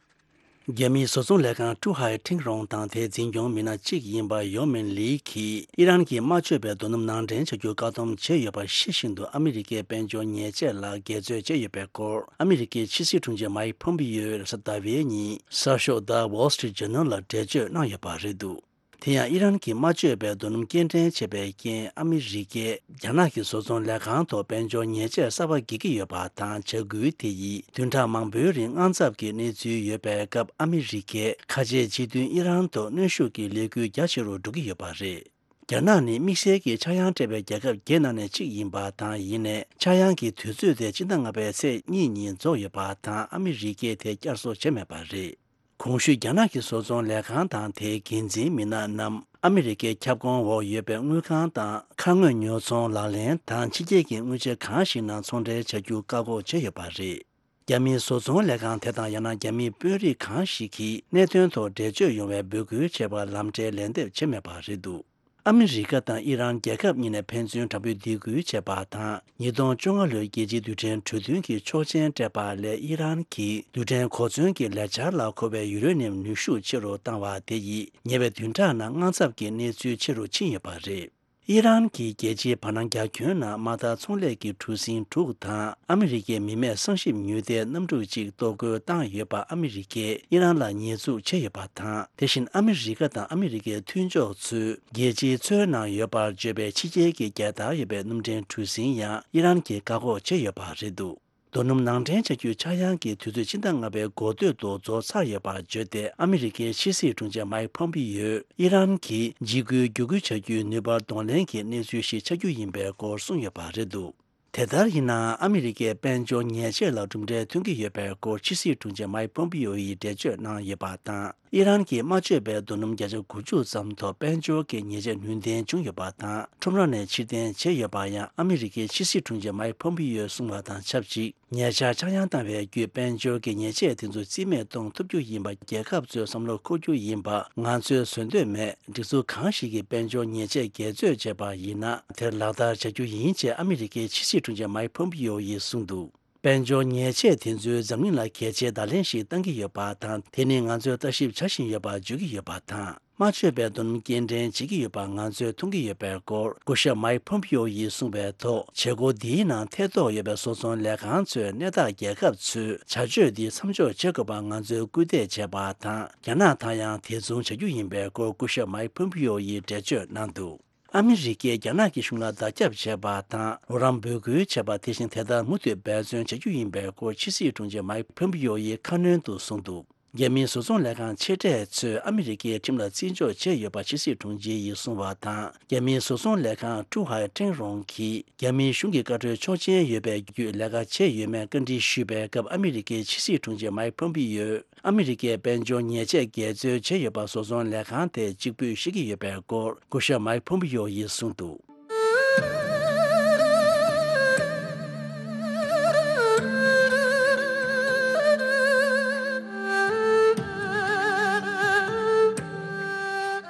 རྒྱ་མིའི་བཟོ་ཚོང་ལས་ཁང་ཀྲུ་ཧའེ་ཁྲིང་རོང་དང་དེའི་འཛིན་སྐྱོང་མི་སྣ་གཅིག་ཡིན་པ་ཡོ་མིན་ལི་གིས། ཨི་རན་གྱིས་དམར་མཆོད་པའི་རྡོ་སྣུམ་ནང་འདྲེན་བྱ་རྒྱུར་བཀག་སྡོམ་བྱས་ཡོད་པ་ཤེས་བཞིན་དུ། ཨ་མི་རི་ཀའི་དཔལ་འབྱོར་ཉེས་ཆད་ལ་འགལ་རྩོད་བྱས་ཡོད་པའི་སྐོར། ཨ་མི་རི་ཀའི་ཕྱི་སྲིད་དྲུང་ཆེ་མའིག་ཕོམ་པིའོས་རེས་གཟའ་ཟླ་བའི་ཉིན་གསར་ཤོག་The Wall Street Journal ལ་འགྲེལ་བརྗོད་གནང་ཡོད་པ་རེད་འདུག་དེ་ཡང་ཨི་རན་གྱིས་དམར་མཆོད་པའི་རྡོ་སྣུམ་སྐྱེལ་འདྲེན་བྱས་པའི་རྐྱེན། ཨ་མི་རི་ཀས་རྒྱ་ནག་གི་བཟོ་ཚོང་ལས་ཁང་ཐོག་དཔལ་འབྱོར་ཉེས་ཆད་གསར་པ་འགེལ་གྱི་ཡོད་པ་དང་། བྱ་འགུལ་དེ་ཡིས་བདུན་ཕྲག་མང་པོའི་རིང་དངངས་འཚབ་ཀྱི་གནས་ཚུལ་ཡོད་པའི་སྐབས། ཨ་མི་རི་ཀས་ཁ་ཆེའི་སྤྱི་མཐུན་ཨི་རན་ཐོག་གནོན་ཤུགས་ཀྱི་ལས་འགུལ་རྒྱ་ཆེ་རུ་འགྲོ་གི་ཡོད་པ་རེད། རྒྱ་ནག་ནི་དམིགས་བསལ་གྱི་ཆག་ཡང་སྤྲད་པའི་རྒྱལ་ཁབ་བརྒྱད་ནང་ནས་གཅིག་ཡིན་པ་དང་། ཡིན་ནའི་ཆག་ཡང་གི་དུས་ཚོད་དེ་སྤྱི་ཟླ་ལྔ་པའི་ཚེས་གཉིས་ཉིན་རྫོགས་ཡོད་པ་དང་། ཨ་མི་རི་ཀས་དེ་བསྐྱར་གསོ་བྱས་མེད་པ་རེད། གོང་ཞུས་རྒྱ་ནག་གི་བཟོ་ཚོང་ལས་ཁང་དང་དེའི་འགན་འཛིན་མི་སྣ་རྣམས་ཨ་མི་རི་ཀའི་ཁྱབ་ཁོངས་འོག་ཡོད་པའི་དངུལ་ཁང་དང་། ཁ་དངོས་ཉོ་ཚོང་ལག་ལེན་དང་། ཕྱི་རྒྱལ་གྱི་དངུལ་ཆེ་གང་ཞིག་ནང་ཚོང་འབྲེལ་བྱ་རྒྱུ་བཀག་འགོག་བྱས་ཡོད་པ་རེད། རྒྱ་མིའི་བཟོ་ཚོང་ལས་ཁང་དེ་དང་། ཡང་ན་རྒྱ་མིའི་དཔོན་རིགས་གང་ཞིག་གིས་གནད་དོན་ཐོག་འགྲེལ་བརྗོད་ཡོང་བའི་འབོད་སྐུལ་བྱས་པར་ལམ་འབྲས་ལན་འདེབས་བྱས་མེད་པ་རེད་འདུག་ཨ་མི་རི་ཀ་དང་ཨི་རན་རྒྱལ་ཁབ་གཉིས་ནས་ཕན་ཚུན་དྲག་པོའི་སྡིགས་སྐུལ་བྱས་པ་དང་། ཉིས་སྟོང་བཅོ་ལྔ་ལོའི་རྒྱལ་སྤྱིའི་རྡུལ་ཕྲན་གྲོས་མཐུན་གྱི་ཆོག་མཆན་སྤྲད་པ་ལས། ཨི་རན་གྱིས་རྡུལ་ཕྲན་གོ་མཚོན་གྱི་ལས་འཆར་ལ་མཁོ་བའི་ཡུ་རེ་ནི་ཡམ་ནུས་ཤུགས་ཆེ་རུ་བཏང་བ་དེ་ཡིས། ཉེ་བའི་བདུན་ཕྲག་ནང་དངངས་འཚབ་ཀྱི་གནས་ཚུལ་ཆེ་རུ་ཕྱིན་ཡོད་པ་རེད། ཨི་རན་གྱིས་རྒྱལ་སྤྱིའི་བར་སྣང་རྒྱ་ཁྱོན་ནང་དམག་དར་ཚོང་ལས་ཀྱི་གྲུ་གཟིངས་དྲུག་དང་། ཨ་མི་རི་ཀའི་མི་མེད་གསང་ཞིབ་མྱུལ་ལྟའི་གནམ་གྲུ་གཅིག་གཏོར་རྒོལ་བཏང་ཡོད་པ། ཨ་མི་རི་ཀས་ཨི་རན་ལ་ཉེས་འཛུགས་བྱས་ཡོད་པ་དང་། དེ་བཞིན་ཨ་མི་རི་ཀ་དང་ཨ་མི་རི་ཀའི་མཐུན་ཕྱོགས་ཚོས་རྒྱལ་སྤྱིའི་མཚོའི་ནང་ཡོད་པར་བརྗོད་པའི་ཕྱི་རྒྱལ་གྱི་རྒྱལ་དར་ཡོད་པའི་གནམ་ཐེངས་གྲུ་གཟིངས་ཡང་ཨི་རན་གྱིས་བཀག་འགོག་བྱས་ཡོད་པ་རེད་འདུག་རྡོ་སྣུམ་ནང་འདྲེན་བྱ་རྒྱུའི་ཆག་ཡང་གི་དུས་ཚོད་ཕྱི་ཟླ་ལྔ་པའི་འགོ་སྟོད་དུ་རྫོགས་ཚར་ཡོད་པ་བརྗོད་དེ། ཨ་མི་རི་ཀའི་ཕྱི་སྲིད་དྲུང་ཆེ་མའིག་ཕོམ་པི་ཡོས་ཨི་རན་གྱིས་འཇིགས་སྐུལ་བརྒྱུད་སྐུལ་བྱ་རྒྱུའི་ནུས་པ་གདོང་ལེན་གྱི་གནས་ཚུལ་ཞིག་ཆགས་རྒྱུ་ཡིན་པའི་སྐོར་གསུངས་ཡོད་པ་རེད་འདུག་དེ་ལྟར་ཡིན་ནའང་ཨ་མི་རི་ཀས་དཔལ་འབྱོར་ཉེས་ཆད་ལ་གྲུབ་འབྲས་ཐོན་གྱི་ཡོད་པའི་སྐོར་ཕྱི་སྲིད་དྲུང་ཆེ་མའིག་ཕོམ་པི་ཡོ་ཡིས་འགྲེལ་བརྗོད་གནང་ཡོད་པ་དང་། ཨི་རན་གྱིས་མ་བཅོས་པའི་རྡོ་སྣུམ་བརྒྱ་ཆ་དགུ་བཅུ་ཙམ་ཐོག་དཔལ་འབྱོར་གྱི་ཉེས་ཆད་ནུས་ལྡན་བྱུང་ཡོད་པ་དང་། ཁྲོམ་ར་ནས་ཕྱིར་འཐེན་བྱས་ཡོད་པ་ཡང་ཨ་མི་རི་ཀའི་ཕྱི་སྲིད་དྲུང་ཆེ་མའིག་ཕོམ་པི་ཡོས་གསུངས་པ་དང་ཆབས་ཅིག་ཉེ་ཆར་ཆག་ཡང་བཏང་བའི་བརྒྱུད་དཔལ་འབྱོར་གྱི་ཉེས་ཆད་དེ་ཚོ་རྩིས་མེད་གཏོང་ཐུབ་རྒྱུ་ཡིན་པ་རྒྱལ་ཁབ་ཚོས་བསམ་བློ་འཁོར་རྒྱུ་ཡིན་པ་ང་ཚོས་བཟོད་འདོད་མེད། སྒྲིག་འཛུགས་གང་ཞིག་གིས་དཔལ་འབྱོར་ཉེས་ཆད་འགལ་རྩོད་བྱས་པ་ཡིན་ན་དེར་ལག་བསྟར་བྱ་རྒྱུ་ཡིན་ཅེས་ཨ་མི་རི་ཀའི་ཕྱི་སྲིད་དྲུང་ཆེ་མའིག་ཕོམ་པི་ཡོ་ཡིས་གསུངས་འདུག་དཔལ་འབྱོར་ཉེས་ཆད་དེ་ཚོས་འཛམ་གླིང་ལ་གལ་ཆེའི་བརྡ་ལན་ཞིག་བཏང་གི་ཡོད་པ་དང་། དེ་ནི་ང་ཚོས་ལྟ་ཞིབ་བྱ་བཞིན་ཡོད་པ་བརྗོད་ཀྱི་ཡོད་པ་དང་། མ་བཅོས་པའི་རྡོ་སྣུམ་སྐྱེལ་འདྲེན་བྱེད་ཀྱི་ཡོད་པ་ང་ཚོས་མཐོང་གི་ཡོད་པའི་སྐོར་སྐུ་ཞབས་མའིག་ཕོམ་པི་ཡོ་ཡིས་གསུངས་པའི་ཐོག་བྱེད་སྒོ་འདིའི་ནང་ཐེ་གཏོགས་ཡོད་པའི་བཟོ་ཚོང་ལས་ཁང་ཚོས་གནས་བདག་རྒྱལ་ཁབ་ཚོས་བྱ་སྤྱོད་འདི་མཚམས་འཇོག་བྱེད་དགོས་པ་ང་ཚོས་སྐུལ་འདེད་བྱས་པ་དང་། རྒྱ་ནག་དང་ཡང་དེ་མཚུངས་བྱ་རྒྱུ་ཡིན་པའི་སྐོར་སྐུ་ཞབས་མའིག་ཕོམ་པི་ཡོ་ཡིས་འགྲེལ་བརྗོད་གནང་འདུག་ཨ་མི་རི་ཀས་རྒྱ་ནག་གི་གཞུང་ལ་བརྡ་ཁྱབ་བྱས་པ་དང་། རོགས་རམ་འབོད་སྐུལ་བྱས་པ། དེ་བཞིན་དེ་ལྟར་མུ་མཐུད་འབད་བརྩོན་བྱ་རྒྱུ་ཡིན་པའི་སྐོར་ཕྱི་སྲིད་དྲུང་ཆེ་མའིག་ཕོམ་པི་ཡོ་ཡིས་ཁ་སྣོན་དུ་གསུངས་འདུག་རྒྱ་མིའི་བཟོ་ཚོང་ལས་ཁང་ཆེ་གྲས་ཚོས་ཨ་མི་རི་ཀའི་ཁྲིམས་ལ་བརྩི་འཇོག་བྱས་ཡོད་པ་ཕྱི་སྲིད་དྲུང་ཆེ་ཡིས་གསུངས་པ་དང་། རྒྱ་མིའི་བཟོ་ཚོང་ལས་ཁང་ཀྲུའུ་ཧའེ་ཀྲེང་རོང་གིས་རྒྱ་མིའི་གཞུང་གི་བཀའ་འཁྲོལ་ཆོག་མཆན་ཡོད་པའི་བརྒྱུད་ལས་ཀ་བྱས་ཡོད་མེད་བཀའ་འདྲི་ཞུས་པའི་སྐབས། ཨ་མི་རི་ཀའི་ཕྱི་སྲིད་དྲུང་ཆེ་མའིག་ཕོམ་པི་ཡོས་ཨ་མི་རི་ཀས་དཔལ་འབྱོར་ཉེས་ཆད་འགལ་འཛོལ་བྱས་ཡོད་པ་བཟོ་ཚོང་ལས་ཁང་དེས་གཅིག་པུས་བཤད་ཀྱི་ཡོད་པའི་སྐོར་སྐུ་ཞབས་མའིག་ཕོམ་པི་ཡོ་ཡིས་གསུངས་འདུག་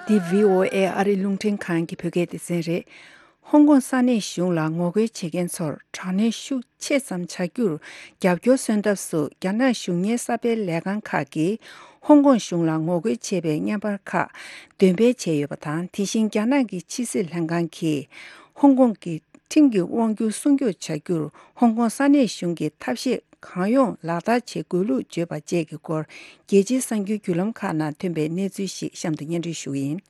འདི་བྷི་ཨོ་ཨེ་ཨ་རིའི་རླུང་འཕྲིན་ཁང་གི་བོད་སྐད་སྡེ་ཚན་རེད། ཧོང་ཀོང་ས་གནས་གཞུང་ལ་ངོ་རྒོལ་བྱེད་མཁན་ཚོར་དྲག་གནོན་ཤུགས་ཆེ་ཙམ་བྱ་རྒྱུར་རྒྱབ་སྐྱོར་སོན་ཐབས་སུ། རྒྱ་ནག་གཞུང་གཉེར་གསར་སྤེལ་ལས་ཁང་ཁག་གིས་ཧོང་ཀོང་གཞུང་ལ་ངོ་རྒོལ་བྱེད་པའི་བརྙན་པར་ཁག་འདོན་སྤེལ་བྱས་ཡོད་པ་དང་། དེ་བཞིན་རྒྱ་ནག་གི་ཕྱི་སྲིད་ལྷན་ཁང་གིས་ཧོང་ཀོང་གི་ཁྲིམས་ཀྱི་དབང་སྒྱུར་སྲུང་སྐྱོབ་བྱ་རྒྱུར་ཧོང་ཀོང་ས་གནས་གཞུང་གིས་ཐབས་ཤེས་གང་ཡོང་ལག་བསྟར་བྱེད་དགོས་ལུགས་བརྗོད་པ་བཅས་ཀྱི་སྐོར། རྒྱལ་སྤྱིའི་གསར་འགྱུར་བརྒྱུད་ལམ་ཁག་ནང་ཐོན་པའི་གནས་ཚུལ་ཞིག་གཤམ་དུ་སྙན་སྒྲོན་ཞུ་གི་ཡིན།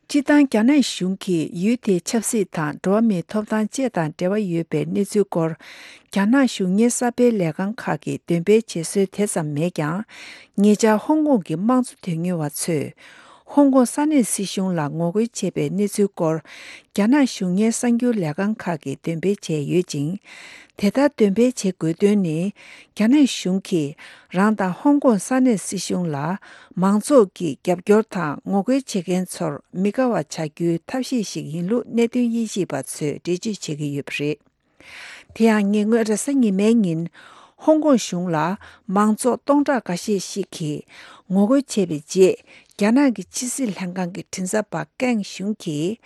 སྤྱིར་བཏང་རྒྱ་ནག་གཞུང་གིས་ཡུལ་དེའི་ཆབ་སྲིད་དང་འགྲོ་བ་མིའི་ཐོབ་ཐང་བཅས་དང་འབྲེལ་བ་ཡོད་པའི་གནས་ཚུལ་སྐོར། རྒྱ་ནག་གཞུང་གཉེར་གསར་སྤེལ་ལས་ཁང་ཁག་གིས་འདོན་སྤེལ་བྱེད་སྲོལ་དེ་ཙམ་མེད་ཀྱང་། ཉེ་ཆར་ཧོང་ཀོང་གི་དམངས་གཙོ་དོན་གཉེར་བ་ཚོས་ཧོང་ཀོང་ས་གནས་སྲིད་གཞུང་ལ་ངོ་རྒོལ་བྱས་པའི་གནས་ཚུལ་སྐོར། རྒྱ་ནག་གཞུང་གཉེར་གསར་འགྱུར་ལས་ཁང་ཁག་གིས་འདོན་སྤེལ་བྱས་ཡོད་ཅིང་། དེ་ལྟར་འདོན་སྤེལ་བྱེད་དགོས་དོན་ནི། རྒྱ་ནག་གཞུང་གིས་རང་དང་ཧོང་ཀོང་ས་གནས་སྲིད་གཞུང་ལ་མང་ཚོགས་ཀྱི་རྒྱབ་སྐྱོར་དང་ངོ་རྒོལ་བྱེད་མཁན་ཚོར་མི་དགའ་བ་བྱ་རྒྱུའི་ཐབས་ཤེས་ཤིག་ཡིན་ལུགས་གནད་དོན་དབྱེ་ཞིབ་པ་ཚོས་འགྲེལ་བརྗོད་བྱེད་ཀྱི་ཡོད་པ་རེད། དེ་ཡང་ཉེ་སྔོན་རེས་གཟའ་ཉི་མའི་ཉིན་ཧོང་ཀོང་གཞུང་ལ་མང་ཚོགས་སྟོང་ཕྲག་འགའ་ཤས་ཤིག་གིས་ངོ་རྒོལ་བྱས་པའི་རྗེས། རྒྱ་ནག་གི་ཕྱི་སྲིད་ལྷན་ཁང་གི་མགྲིན་ཚབ་པ་ཀེང་ཞུང་གིས།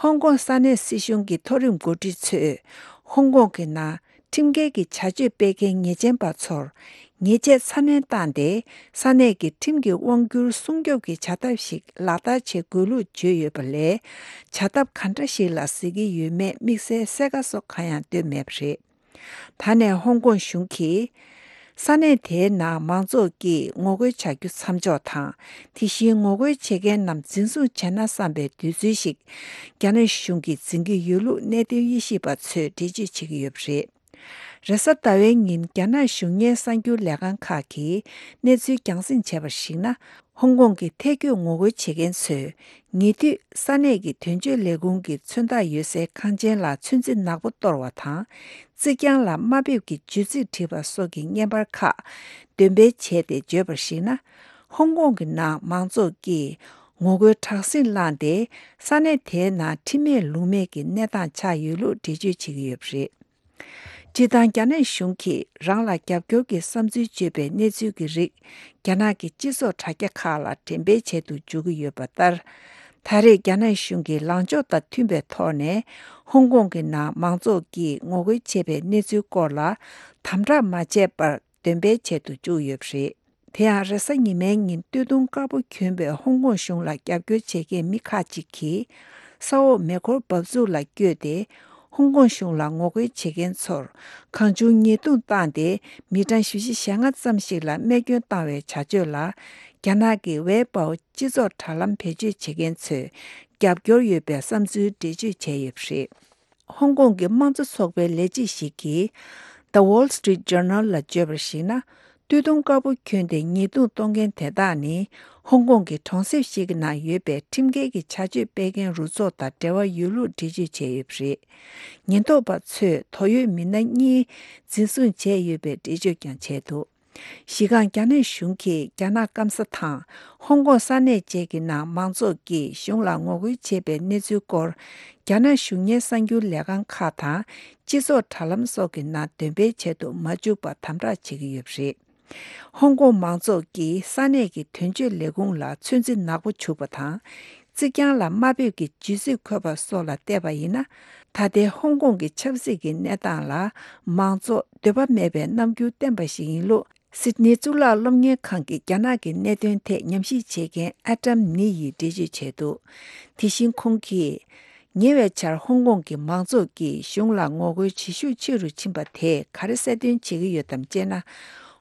ཧོང་ཀོང་ས་གནས་སྲིད་གཞུང་གི་མཐོ་རིམ་འགོ་ཁྲིད་ཚོས་ཧོང་ཀོང་གི་ནང་ཁྲིམས་འགལ་གྱི་བྱ་སྤྱོད་སྤེལ་མཁན་ཉེས་ཅན་པ་ཚོར་ཉེས་ཆད་ཚ་ནན་བཏང་སྟེ། ས་གནས་ཀྱི་ཁྲིམས་ཀྱི་དབང་སྒྱུར་སྲུང་སྐྱོབ་ཀྱི་བྱ་ཐབས་ཤིག་ལག་བསྟར་བྱེད་དགོས་ལུགས་བརྗོད་ཡོད་པ་ལས། བྱ་ཐབས་ག་འདྲ་ཞིག་ལ་ཟེར་གྱི་ཡོད་མེད་དམིགས་བསལ་གསལ་ཁ་སོགས་གང་ཡང་བཏོན་མེད་པ་རེད། ད་ནས་ཧོང་ཀོང་གཞུང་གིས་ས་གནས་དེའི་ནང་མང་ཚོགས་ཀྱིས་ངོ་རྒོལ་བྱ་རྒྱུ་མཚམས་འཇོག་དང་། དེ་བཞིན་ངོ་རྒོལ་བྱེད་མཁན་རྣམས་འཛིན་བཟུང་བྱས་ན་བསམ་པའི་དུས་ཚོད་ཞིག་རྒྱ་ནག་གཞུང་གིས་འཛིན་གྱི་ཡོད་ལུགས་གནད་དོན་དབྱེ་ཞིབ་པ་ཚོས་འགྲེལ་བརྗོད་བྱེད་ཀྱི་ཡོད་པ་རེད། རེས་གཟའ་ཟླ་བའི་ཉིན་རྒྱ་ནག་གཞུང་གཉེར་གསར་འགྱུར་ལས་ཁང་ཁག་གིས་གནས་ཚུལ་རྒྱང་སྲིང་བྱས་པར་གཞིགས་ན། ཧོང་ཀོང་གི་ཐལ་སྐྱོད་ངོ་རྒོལ་བྱེད་མཁན་ཚོས་ཉེ་དུས་ས་གནས་ཀྱི་དོན་གཅོད་ལས་ཁུངས་ཀྱི་མཚོན་རྟགས་ཡོད་སའི་ཁང་ཆེན་ལ་ཚོན་རྩི་ནག་པོ་གཏོར་བ་དང་། རྩིག་གྱང་ལ་དམའ་འབེབས་ཀྱི་བརྗོད་ཚིག་བྲིས་པ་སོགས་ཀྱི་བརྙན་པར་ཁག་འདོན་སྤེལ་བྱས་ཏེ་བརྗོད་པར་གཞིགས་ན། ཧོང་ཀོང་གི་ནང་མང་ཚོགས་ཀྱིས་ངོ་རྒོལ་དྲག་ཟིང་བསླངས་ཏེ། ས་གནས་དེའི་ནང་ཁྲིམས་མེད་ལུགས་མེད་ཀྱི་གནས་སྟངས་ཆགས་ཡོད་ལུགས་འགྲེལ་བརྗོད་བྱེད་ཀྱི་ཡོད་པ་རེད། སྤྱིར་བཏང་རྒྱ་ནག་གཞུང་གིས་རང་ལ་རྒྱབ་སྐྱོར་གྱི་བསམ་ཚུལ་བརྗོད་པའི་གནས་ཚུལ་གྱི་རིགས་རྒྱ་ནག་གི་སྤྱི་ཚོགས་དྲ་རྒྱ་ཁག་ལ་འགྲེམས་སྤེལ་བྱེད་དུ་འཇུག་གི་ཡོད་པ་ལྟར། ད་རེས་རྒྱ་ནག་གཞུང་གིས་ལངས་ཕྱོགས་དང་མཐུན་པའི་ཐོག་ནས་ཧོང་ཀོང་གི་ནང་མང་ཚོགས་ཀྱིས་ངོ་རྒོལ་བྱས་པའི་གནས་ཚུལ་སྐོར་ལ་དམ་དྲག་མ་བྱས་པར་འདོན་སྤེལ་བྱེད་དུ་བཅུག་ཡོད་པ་རེད། དེ་ཡང་རེས་གཟའ་ཉི་མའི་ཉིན་སྟོད་ཐུང་དཀར་པོ་གྱོན་པའི་ཧོང་ཀོང་གཞུང་ལ་རྒྱབ་སྐྱོར་བྱེད་མཁན་མི་ཁག་ཅིག་གིས་ས་འོག་མེ་འཁོར་འབབ་ཚུགས་ལ་བསྐྱོད་དེ། ཧོང་ཀོང་གཞུང་ལ་ངོ་རྒོལ་བྱེད་མཁན་ཚོར་གང་བྱུང་ཉེས་རྡུང་བཏང་སྟེ། མི་གྲངས་བཞི་བཅུ་ཞེ་ལྔ་ཙམ་ཞིག་ལ་རྨས་སྐྱོན་བཏང་བའི་བྱ་སྤྱོད་ལ། རྒྱ་ནག་གི་ཝེ་པའོ་སྤྱི་ཚོགས་དྲ་ལམ་བེད་སྤྱོད་བྱེད་མཁན་ཚོས་རྒྱབ་སྐྱོར་ཡོད་པའི་བསམ་ཚུལ་འགྲེལ་བརྗོད་བྱས་ཡོད་པ་རེད། ཧོང་ཀོང་གི་དམངས་གཙོ་ཚོགས་པའི་ལས་བྱེད་ཞིག་གིས། The Wall Street Journal ལ་བརྗོད་པར་གཞིགས་ན། སྟོད་ཐུང་དཀར་པོ་གྱོན་ཏེ་ཉེས་རྡུང་གཏོང་མཁན་དེ་དག་ནི། ཧོང་ཀོང་གི་གྲོང་གསེབ་ཞིག་གི་ནང་ཡོད་པའི་ཁྲིམས་འགལ་གྱི་བྱ་སྤྱོད་སྤེལ་མཁན་རུ་ཚོགས་དང་འབྲེལ་བ་ཡོད་ལུགས་འགྲེལ་བརྗོད་བྱས་ཡོད་པ་རེད། ཉེན་རྟོག་པ་ཚོས་དོགས་ཡོད་མི་སྣ་གཉིས་འཛིན་བཟུང་བྱས་ཡོད་པའི་འགྲེལ་བརྗོད་ཀྱང་བྱས་འདུག་གཞི་རྐང་རྒྱ་ནག་གཞུང་གིས་རྒྱ་ནག་སྐམ་ས་དང་ཧོང་ཀོང་ས་གནས་བཅས་ཀྱི་ནང་མང་ཚོགས་ཀྱིས་གཞུང་ལ་ངོ་རྒོལ་བྱས་པའི་གནས་ཚུལ་སྐོར། རྒྱ་ནག་གཞུང་གཉེར་གསར་འགྱུར་ལས་ཁང་ཁག་དང་། སྤྱི་ཚོགས་དྲ་ལམ་སོགས་ཀྱི་ནང་འདོན་སྤེལ་བྱེད་དུ་མ་བཅུག་པར་དམ་དྲག་བྱེད་ཀྱི་ཡོད་པ་རེད། ཧོང་ཀོང་མང་ཚོགས་ཀྱིས་ས་གནས་ཀྱི་དོན་གཅོད་ལས་ཁུངས་ལ་ཚོད་འཛིན་ནག་པོ་བྱུག་པ་དང་། རྩིག་གྱང་ལ་དམའ་འབེབས་ཀྱི་ཇི་སྲིད་འཁོད་པ་སོགས་ལ་བལྟས་པ་ཡིན་ན། ད་ལྟའི་ཧོང་ཀོང་གི་ཆབ་སྲིད་ཀྱི་གནས་སྟངས་ལ་མང་ཚོགས་འདོད་པ་མེད་པའི་རྣམ་འགྱུར་བསྟན་པ་ཞིག་ཡིན་ལུགས། སིད་ནི་གཙུག་ལག་སློབ་གཉེར་ཁང་གི་རྒྱ་ནག་གི་གནད་དོན་ཐད་ཉམས་ཞིབ་བྱེད་མཁན་ཨ་ཏམ་ནི་ཡིས་འགྲེལ་བརྗོད་བྱས་འདུག་དེ་བཞིན་ཁོང་གིས། ཉེ་བའི་ཆར་ཧོང་ཀོང་གི་མང་ཚོགས་ཀྱིས་གཞུང་ལ་ངོ་རྒོལ་བྱེད་ཤུགས་ཆེ་རུ་ཕྱིན་པ་དེས་ག་རེ་གསལ་སྟོན་བྱེད་ཀྱི་ཡོད་དམ་ཅེ་ན།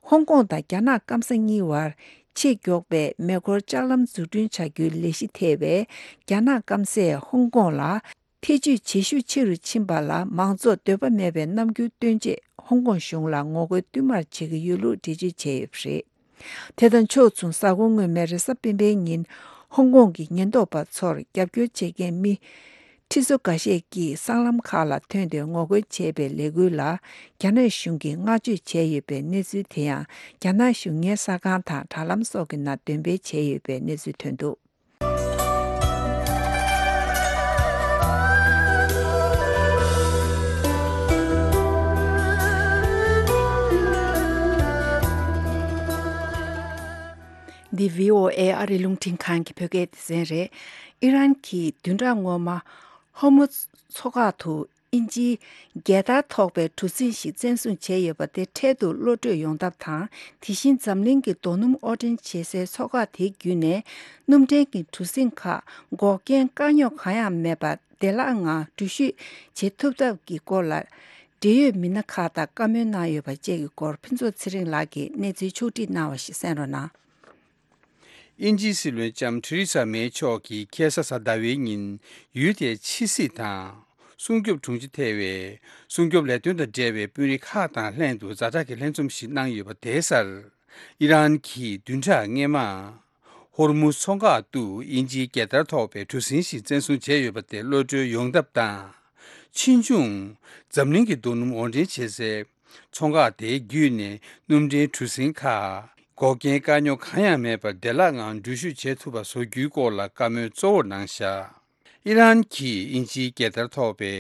ཧོང་ཀོང་དང་རྒྱ་ནག་སྐམ་ས་གཉིས་བར་ཆེས་མགྱོགས་པའི་མེ་འཁོར་ལྕགས་ལམ་འཛུགས་སྐྲུན་བྱ་རྒྱུའི་ལས་གཞི་ཐེ་བའི་རྒྱ་ནག་སྐམ་སས་ཧོང་ཀོང་ལ། ཐེ་ཇུས་བྱེད་ཤུགས་ཆེ་རུ་ཕྱིན་པ་ལ་མང་ཚོགས་འདོད་པ་མེད་པའི་རྣམ་འགྱུར་སྟོན་ཆེད་ཧོང་ཀོང་གཞུང་ལ་ངོ་རྒོལ་བསྟུད་མར་བྱེད་ཀྱི་ཡོད་ལུགས་འགྲེལ་བརྗོད་བྱས་ཡོད་པ་རེད། དེ་དང་ཕྱོགས་མཚུངས་གཟའ་འཁོར་སྔོན་མའི་རེས་གཟའ་སྤེན་པའི་ཉིན་ཧོང་ཀོང་གི་ཉེན་རྟོག་པ་ཚོར་རྒྱབ་སྐྱོར་བྱེད་མཁན་མི་ཁྲི་ཚོ་འགའ་ཤས་ཀྱིས་སྲང་ལམ་ཁག་ལ་ཐོན་ཏེ་ངོ་རྒོལ་བྱས་པའི་ལས་འགུལ་ལ་རྒྱ་ནག་གཞུང་གིས་བསྔགས་བརྗོད་བྱས་ཡོད་པའི་གནས་ཚུལ་དེ་ཡང་རྒྱ་ནག་གཞུང་གཉེར་གསར་ཁང་དང་དྲ་ལམ་སོགས་ཀྱི་ནང་འདོན་སྤེལ་བྱས་ཡོད་པའི་གནས་ཚུལ་ཐོན་འདུག་འདི་བྷི་ཨོ་ཨེ་ཨ་རིའི་རླུང་འཕྲིན་ཁང་གི་བོད་སྐད་སྡེ་ཚན་རེད། ཨི་རན་གྱིས་བདུན་ཕྲག་སྔོན་མ་ཧོར་མུ་མཚོ་འགག་ཏུ་དབྱིན་ཇིའི་རྒྱལ་དར་ཐོགས་པའི་གྲུ་གཟིངས་ཤིག་བཙན་བཟུང་བྱས་ཡོད་པ་དེ་འཕྲལ་དུ་གློད་གྲོལ་ཡོང་ཐབས་དང་། དེ་བཞིན་འཛམ་གླིང་གི་རྡོ་སྣུམ་དབོར་འདྲེན་བྱེད་སའི་མཚོ་འགག་དེའི་བརྒྱུད་ནས་སྣུམ་འདྲེན་གྱི་གྲུ་གཟིངས་ཁག་འགོག་རྐྱེན་དཀའ་རྙོག་གང་ཡང་མེད་པར་བདེ་བླག་ངང་འགྲུལ་བཞུད་བྱེད་ཐུབ་ཐབས་ཀྱི་སྐོར་ལ། འབྲེལ་ཡོད་མི་སྣ་ཁག་དང་བཀའ་མོལ་གནང་ཡོད་པ་བཅས་ཀྱི་སྐོར་ཕུན་ཚོགས་ཚེ་རིང་ལགས་ཀྱིས་གནས་ཚུལ་ཕྱོགས་བསྒྲིགས་གནང་བ་ཞིག་གསན་རོགས་གནང་། དབྱིན་ཇིའི་སྲིད་བློན་ལྕམ་ཐེ་རེ་ས་མེ་མཆོག་གིས་ཁ་སང་གཟའ་ཟླ་བའི་ཉིན་ཡུལ་དེའི་ཕྱི་སྲིད་དང་སྲུང་སྐྱོབ་དྲུང་ཆེ་ཐེ་བའི་སྲུང་སྐྱོབ་ལས་དོན་དང་འབྲེལ་བའི་དཔོན་རིགས་ཁག་དང་ལྷན་དུ་ཛ་དྲག་གི་ལྷན་འཛོམས་ཤིག་གནང་ཡོད་པ་དེའི་སར། ཨི་རན་གྱིས་བདུན་ཕྲག་སྔོན་མ། ཧོར་མུ་མཚོ་འགག་ཏུ་དབྱིན་ཇིའི་རྒྱལ་དར་ཐོགས་པའི་གྲུ་གཟིངས་ཤིག་བཙན་བཟུང་བྱས་ཡོད་པ་དེ་གློད་གྲོལ་ཡོང་ཐབས་དང་། ཕྱིས་འབྱུང་འཛམ་གླིང་གི་རྡོ་སྣུམ་དབོར་འདྲེན་བྱེད་སའི་མཚོ་འགག་དེའི་བརྒྱུད་ནས་སྣུམ་འདྲེན་གྲུ་གཟིངས་ཁག་འགོག་རྐྱེན་དཀའ་རྙོག་གང་ཡང་མེད་པར་བདེ་བླག་ངང་འགྲུལ་བཞུད་བྱེད་ཐུབ་པ་བཟོ་རྒྱུའི་སྐོར་ལ་བཀའ་མོལ་གཙོ་བོར་གནང་བཞག་ཨི་རན་གྱིས་དབྱིན་ཇིའི་རྒྱལ་དར་ཐོགས་པའི་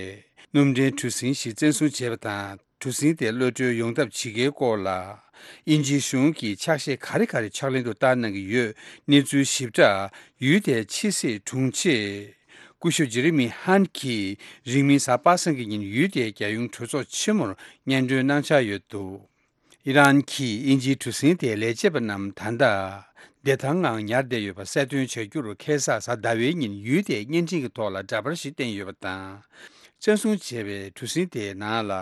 སྣུམ་འདྲེན་གྲུ་གཟིངས་ཤིག་བཙན་བཟུང་བྱས་པ་དང་། གྲུ་གཟིངས་དེ་གློད་གྲོལ་ཡོང་ཐབས་བྱེད་ཀའི་སྐོར་ལ། དབྱིན་ཇིའི་གཞུང་གིས་ཕྱག་བཞེས་ག་རེ་ག་རེ་ཕྱག་ལེན་དུ་བསྟར་གནང་གི་ཡོད། གནས་ཚུལ་ཞིབ་ཕྲ་ཡུལ་དེའི་ཕྱི་སྲིད་དྲུང་ཆེ་སྐུ་ཞབས་ཇེ་རི་མི་ཧན་གྱིས་རིང་མིན་གཟའ་པ་སངས་ཀྱི་ཉིན་ཡུལ་དེའི་རྒྱལ་ཡོངས་གྲོས་ཚོགས་ཆེན་མོར་སྙན་སྒྲོན་གནང་འཆར་ཡོད་འདུག་ཨི་རན་གྱིས་དབྱིན་ཇིའི་གྲུ་གཟིངས་དེའི་ལས་བྱེད་པ་རྣམས་ད་ལྟ་བདེ་ཐང་ངང་ཉར་བསྡད་ཡོད་པ་གསལ་སྟོན་བྱ་རྒྱུར་ཁ་སང་གཟའ་ཟླ་བའི་ཉིན་ཡུལ་དེའི་བརྙན་འཕྲིན་གྱི་ཐོག་ལ་འདྲ་པར་ཞིག་བསྟན་ཡོད་པ་དང་། བཙན་བཟུང་བྱས་པའི་གྲུ་གཟིངས་དེའི་ནང་ལ།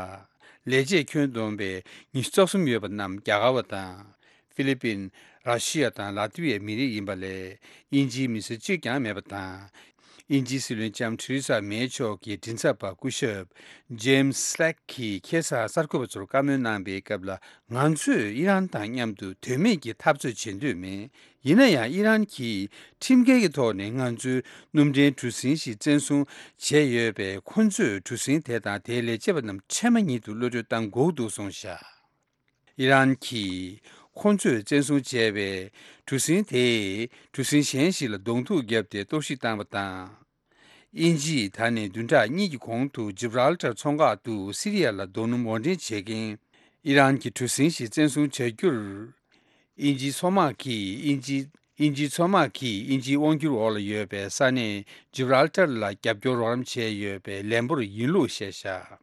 ལས་བྱེད་ཁྱོན་བསྡོམས་པའི་ཉི་ཤུ་རྩ་གསུམ་ཡོད་པ་རྣམས་རྒྱ་གར་བ་དང་། ཧྥི་ལི་པིན། ར་ཤི་ཡ་དང་ལ་ཏི་ཝི་ཡའི་མི་རིགས་ཡིན་པ་ལས། དབྱིན་ཇིའི་མི་སེར་གཅིག་ཀྱང་མེད་པ་དང་། དབྱིན་ཇིའི་སྲིད་བློན་ལྕམ་ཐེ་རེ་ས་མེ་མཆོག་གི་མགྲིན་ཚབ་པ་སྐུ་ཞབས་ཇེམ་སི་སི་ལེག་གིས་ཁ་སང་གསར་འགོད་པ་ཚོར་བཀའ་མོལ་གནང་པའི་སྐབས་ལ། ང་ཚོས་ཨི་རན་དང་མཉམ་དུ་དོན་མེད་ཀྱི་འཐབ་རྩོད་བྱེད་འདོད་མེད། ཡིན་ན་ཡང་ཨི་རན་གྱིས་ཁྲིམས་འགལ་གྱི་ཐོག་ནས་ང་ཚོའི་སྣུམ་འདྲེན་གྲུ་གཟིངས་ཤིག་བཙན་བཟུང་བྱས་ཡོད་པས། ཁོ་ཚོས་གྲུ་གཟིངས་དེ་དང་དེའི་ལས་བྱེད་པ་རྣམས་ཕྱེ་མ་ཉིད་དུ་གློད་གྲོལ་གཏང་དགོས་འདུག་གསུངས་བཞག་ཨི་རན་གྱིས་ཁོ་ཚོས་བཙན་བཟུང་བྱས་པའི་གྲུ་གཟིངས་དེས་གྲུ་གཟིངས་གཞན་ཞིག་ལ་གདོང་ཐུག་བརྒྱབ་སྟེ་གཏོར་བཤིག་བཏང་བ་དང་། དབྱིན་ཇིས་ད་ནི་བདུན་ཕྲག་གཉིས་ཀྱི་གོང་དུ་ཇིབ་རལ་ཏར་མཚོ་འགག་ཏུ་སི་རི་ཡ་ལ་རྡོ་སྣུམ་དབོར་འདྲེན་བྱེད་མཁན་ཨི་རན་གྱི་གྲུ་གཟིངས་ཤིག་བཙན་བཟུང་བྱ་རྒྱུར། དབྱིན་ཇིའི་མཚོ་དམག་གིས་དབྱིན་ཇི། དབྱིན་ཇིའི་མཚོ་དམག་གིས་དབྱིན་ཇིའི་དབང་སྒྱུར་འོག་ལ་ཡོད་པའི་ས་གནས་ཇིབ་རལ་ཏར་ལ་རྒྱབ་སྐྱོར་རོགས་རམ་བྱས་ཡོད་པའི་ལན་འབོར་ཡིན་ལུགས་བཤད་བཞག་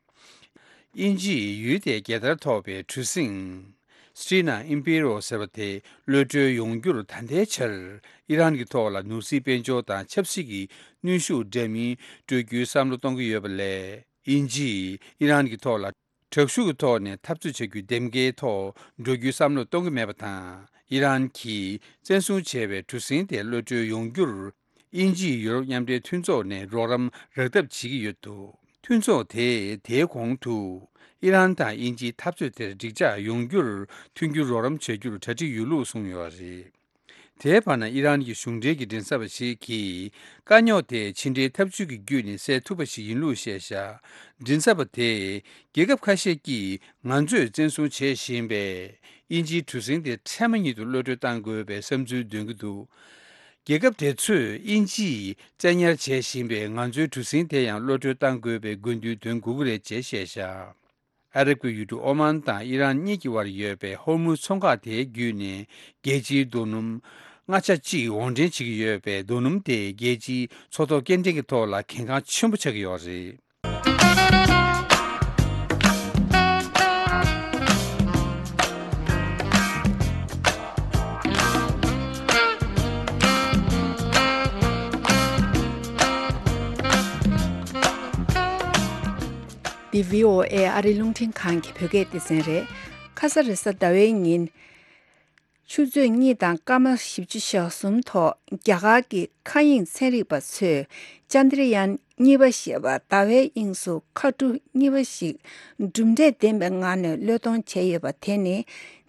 དབྱིན་ཇིས་ཡུལ་དེའི་རྒྱལ་དར་ཐོགས་པའི་གྲུ་གཟིངས་སི་ཏྲི་ན་ཨིམ་པི་རོ་ཟེར་བ་དེ་གློད་གྲོལ་ཡོང་རྒྱུར་ད་ལྟའི་ཆར་ཨི་རན་གྱི་ཐོག་ལ་ནོར་སྲིད་དཔལ་འབྱོར་དང་ཆབ་སྲིད་ཀྱི་གནོན་ཤུགས་འདྲ་མིན་སྤྲོད་རྒྱུའི་བསམ་བློ་གཏོང་གི་ཡོད་པ་ལས། དབྱིན་ཇིས་ཨི་རན་གྱི་ཐོག་ལ་དྲག་ཤུགས་ཀྱི་ཐོག་ནས་འཐབ་རྩོད་བྱ་རྒྱུའི་འདེམས་ཀའི་ཐོག་འགྲོ་རྒྱུའི་བསམ་བློ་གཏོང་གི་མེད་པ་དང་། ཨི་རན་གྱིས་བཙན་བཟུང་བྱས་པའི་གྲུ་གཟིངས་དེ་གློད་གྲོལ་ཡོང་རྒྱུར། དབྱིན་ཇིས་ཡུ་རོབ་མཉམ་འབྲེལ་མཐུན་ཚོགས་ནས་རོགས་རམ་རག་ཐབས་བྱེད་ཀྱི་ཡོད་འདུག་མཐུན་ཚོགས་དེས་དེའི་གོང་དུ་ཨི་རན་དང་དབྱིན་ཇིའི་འཐབ་རྩོད་དེར་འགྲིག་འཇགས་ཡོང་རྒྱུར་མཐུན་འགྱུར་རོགས་རམ་བྱ་རྒྱུར་གྲ་སྒྲིག་ཡོད་ལུགས་གསུངས་ཡོད་པ་རེད། དེའི་བར་ན་ཨི་རན་གྱི་གཞུང་འབྲེལ་གྱི་མགྲིན་ཚབ་པ་ཞིག་གིས་དཀའ་རྙོག་དེ་ཕྱི་འབྲེལ་ཐབས་ཇུས་ཀྱི་བརྒྱུད་ནས་སེལ་ཐུབ་པ་ཞིག་ཡིན་ལུགས་བཤད་བཞག་མགྲིན་ཚབ་པ་དེས་རྒྱལ་ཁབ་ཁ་ཤས་ཀྱིས་ང་ཚོས་བཙན་བཟུང་བྱེད་བཞིན་པའི་དབྱིན་ཇིའི་གྲུ་གཟིངས་དེ་འཕྲལ་མ་ཉིད་དུ་གློད་གྲོལ་གཏང་དགོས་པའི་བསམ་ཚུལ་འདོན་གྱི་འདུག་རྒྱལ་ཁབ་དེ་ཚོས་དབྱིན་ཇིས་བཙན་ཉར་བྱེད་བཞིན་པའི་ང་ཚོའི་གྲུ་གཟིངས་དེ་ཡང་གློད་གྲོལ་གཏང་དགོས་པའི་དགོས་འདུན་འདོན་དགོས་ཀྱི་རེད་ཅེས་བཤད་བཞག་ཨ་རབ་ཀྱི་ཡུལ་གྲུ་ཨོ་མན་དང་ཨི་རན་གཉིས་ཀྱི་དབར་ཡོད་པའི་ཧོར་མུཛ་མཚོ་འགག་དེའི་བརྒྱུད་ནས་རྒྱལ་སྤྱིའི་རྡོ་སྣུམ་ལྔ་ཆ་གཅིག་དབོར་འདྲེན་བྱེད་ཀྱི་ཡོད་པའི་རྡོ་སྣུམ་དེ་རྒྱལ་སྤྱིའི་མཚོ་ཐོག་སྐྱེལ་འདྲེན་གྱི་ཐོག་ལ་གལ་འགངས་ཆེན་པོ་ཆགས་ཀྱི་ཡོད་རེད། འདི་བྷི་ཨོ་ཨེ་ཨ་རིའི་རླུང་འཕྲིན་ཁང་གི་བོད་སྐད་སྡེ་ཚན་རེད། ཁ་ས་རེས་གཟའ་ཟླ་བའི་ཉིན། ཆུ་ཚོད་གཉིས་དང་སྐར་མ་བཞི་བཅུ་ཞེ་གསུམ་ཐོག་རྒྱ་གར་གྱི་མཁའ་དབྱིངས་ཚན་རིག་པ་ཚོས་ཅན་དྲ་ཡན་གཉིས་པ་ཞེས་པ་ཟླ་བའི་དབྱིངས་སུ་མཁའ་གྲུ་གཉིས་པ་ཞིག་གྲུབ་འབྲས་ལྡན་པའི་ངང་ནས་གློད་གཏོང་བྱས་ཡོད་པ་དེ་ནི་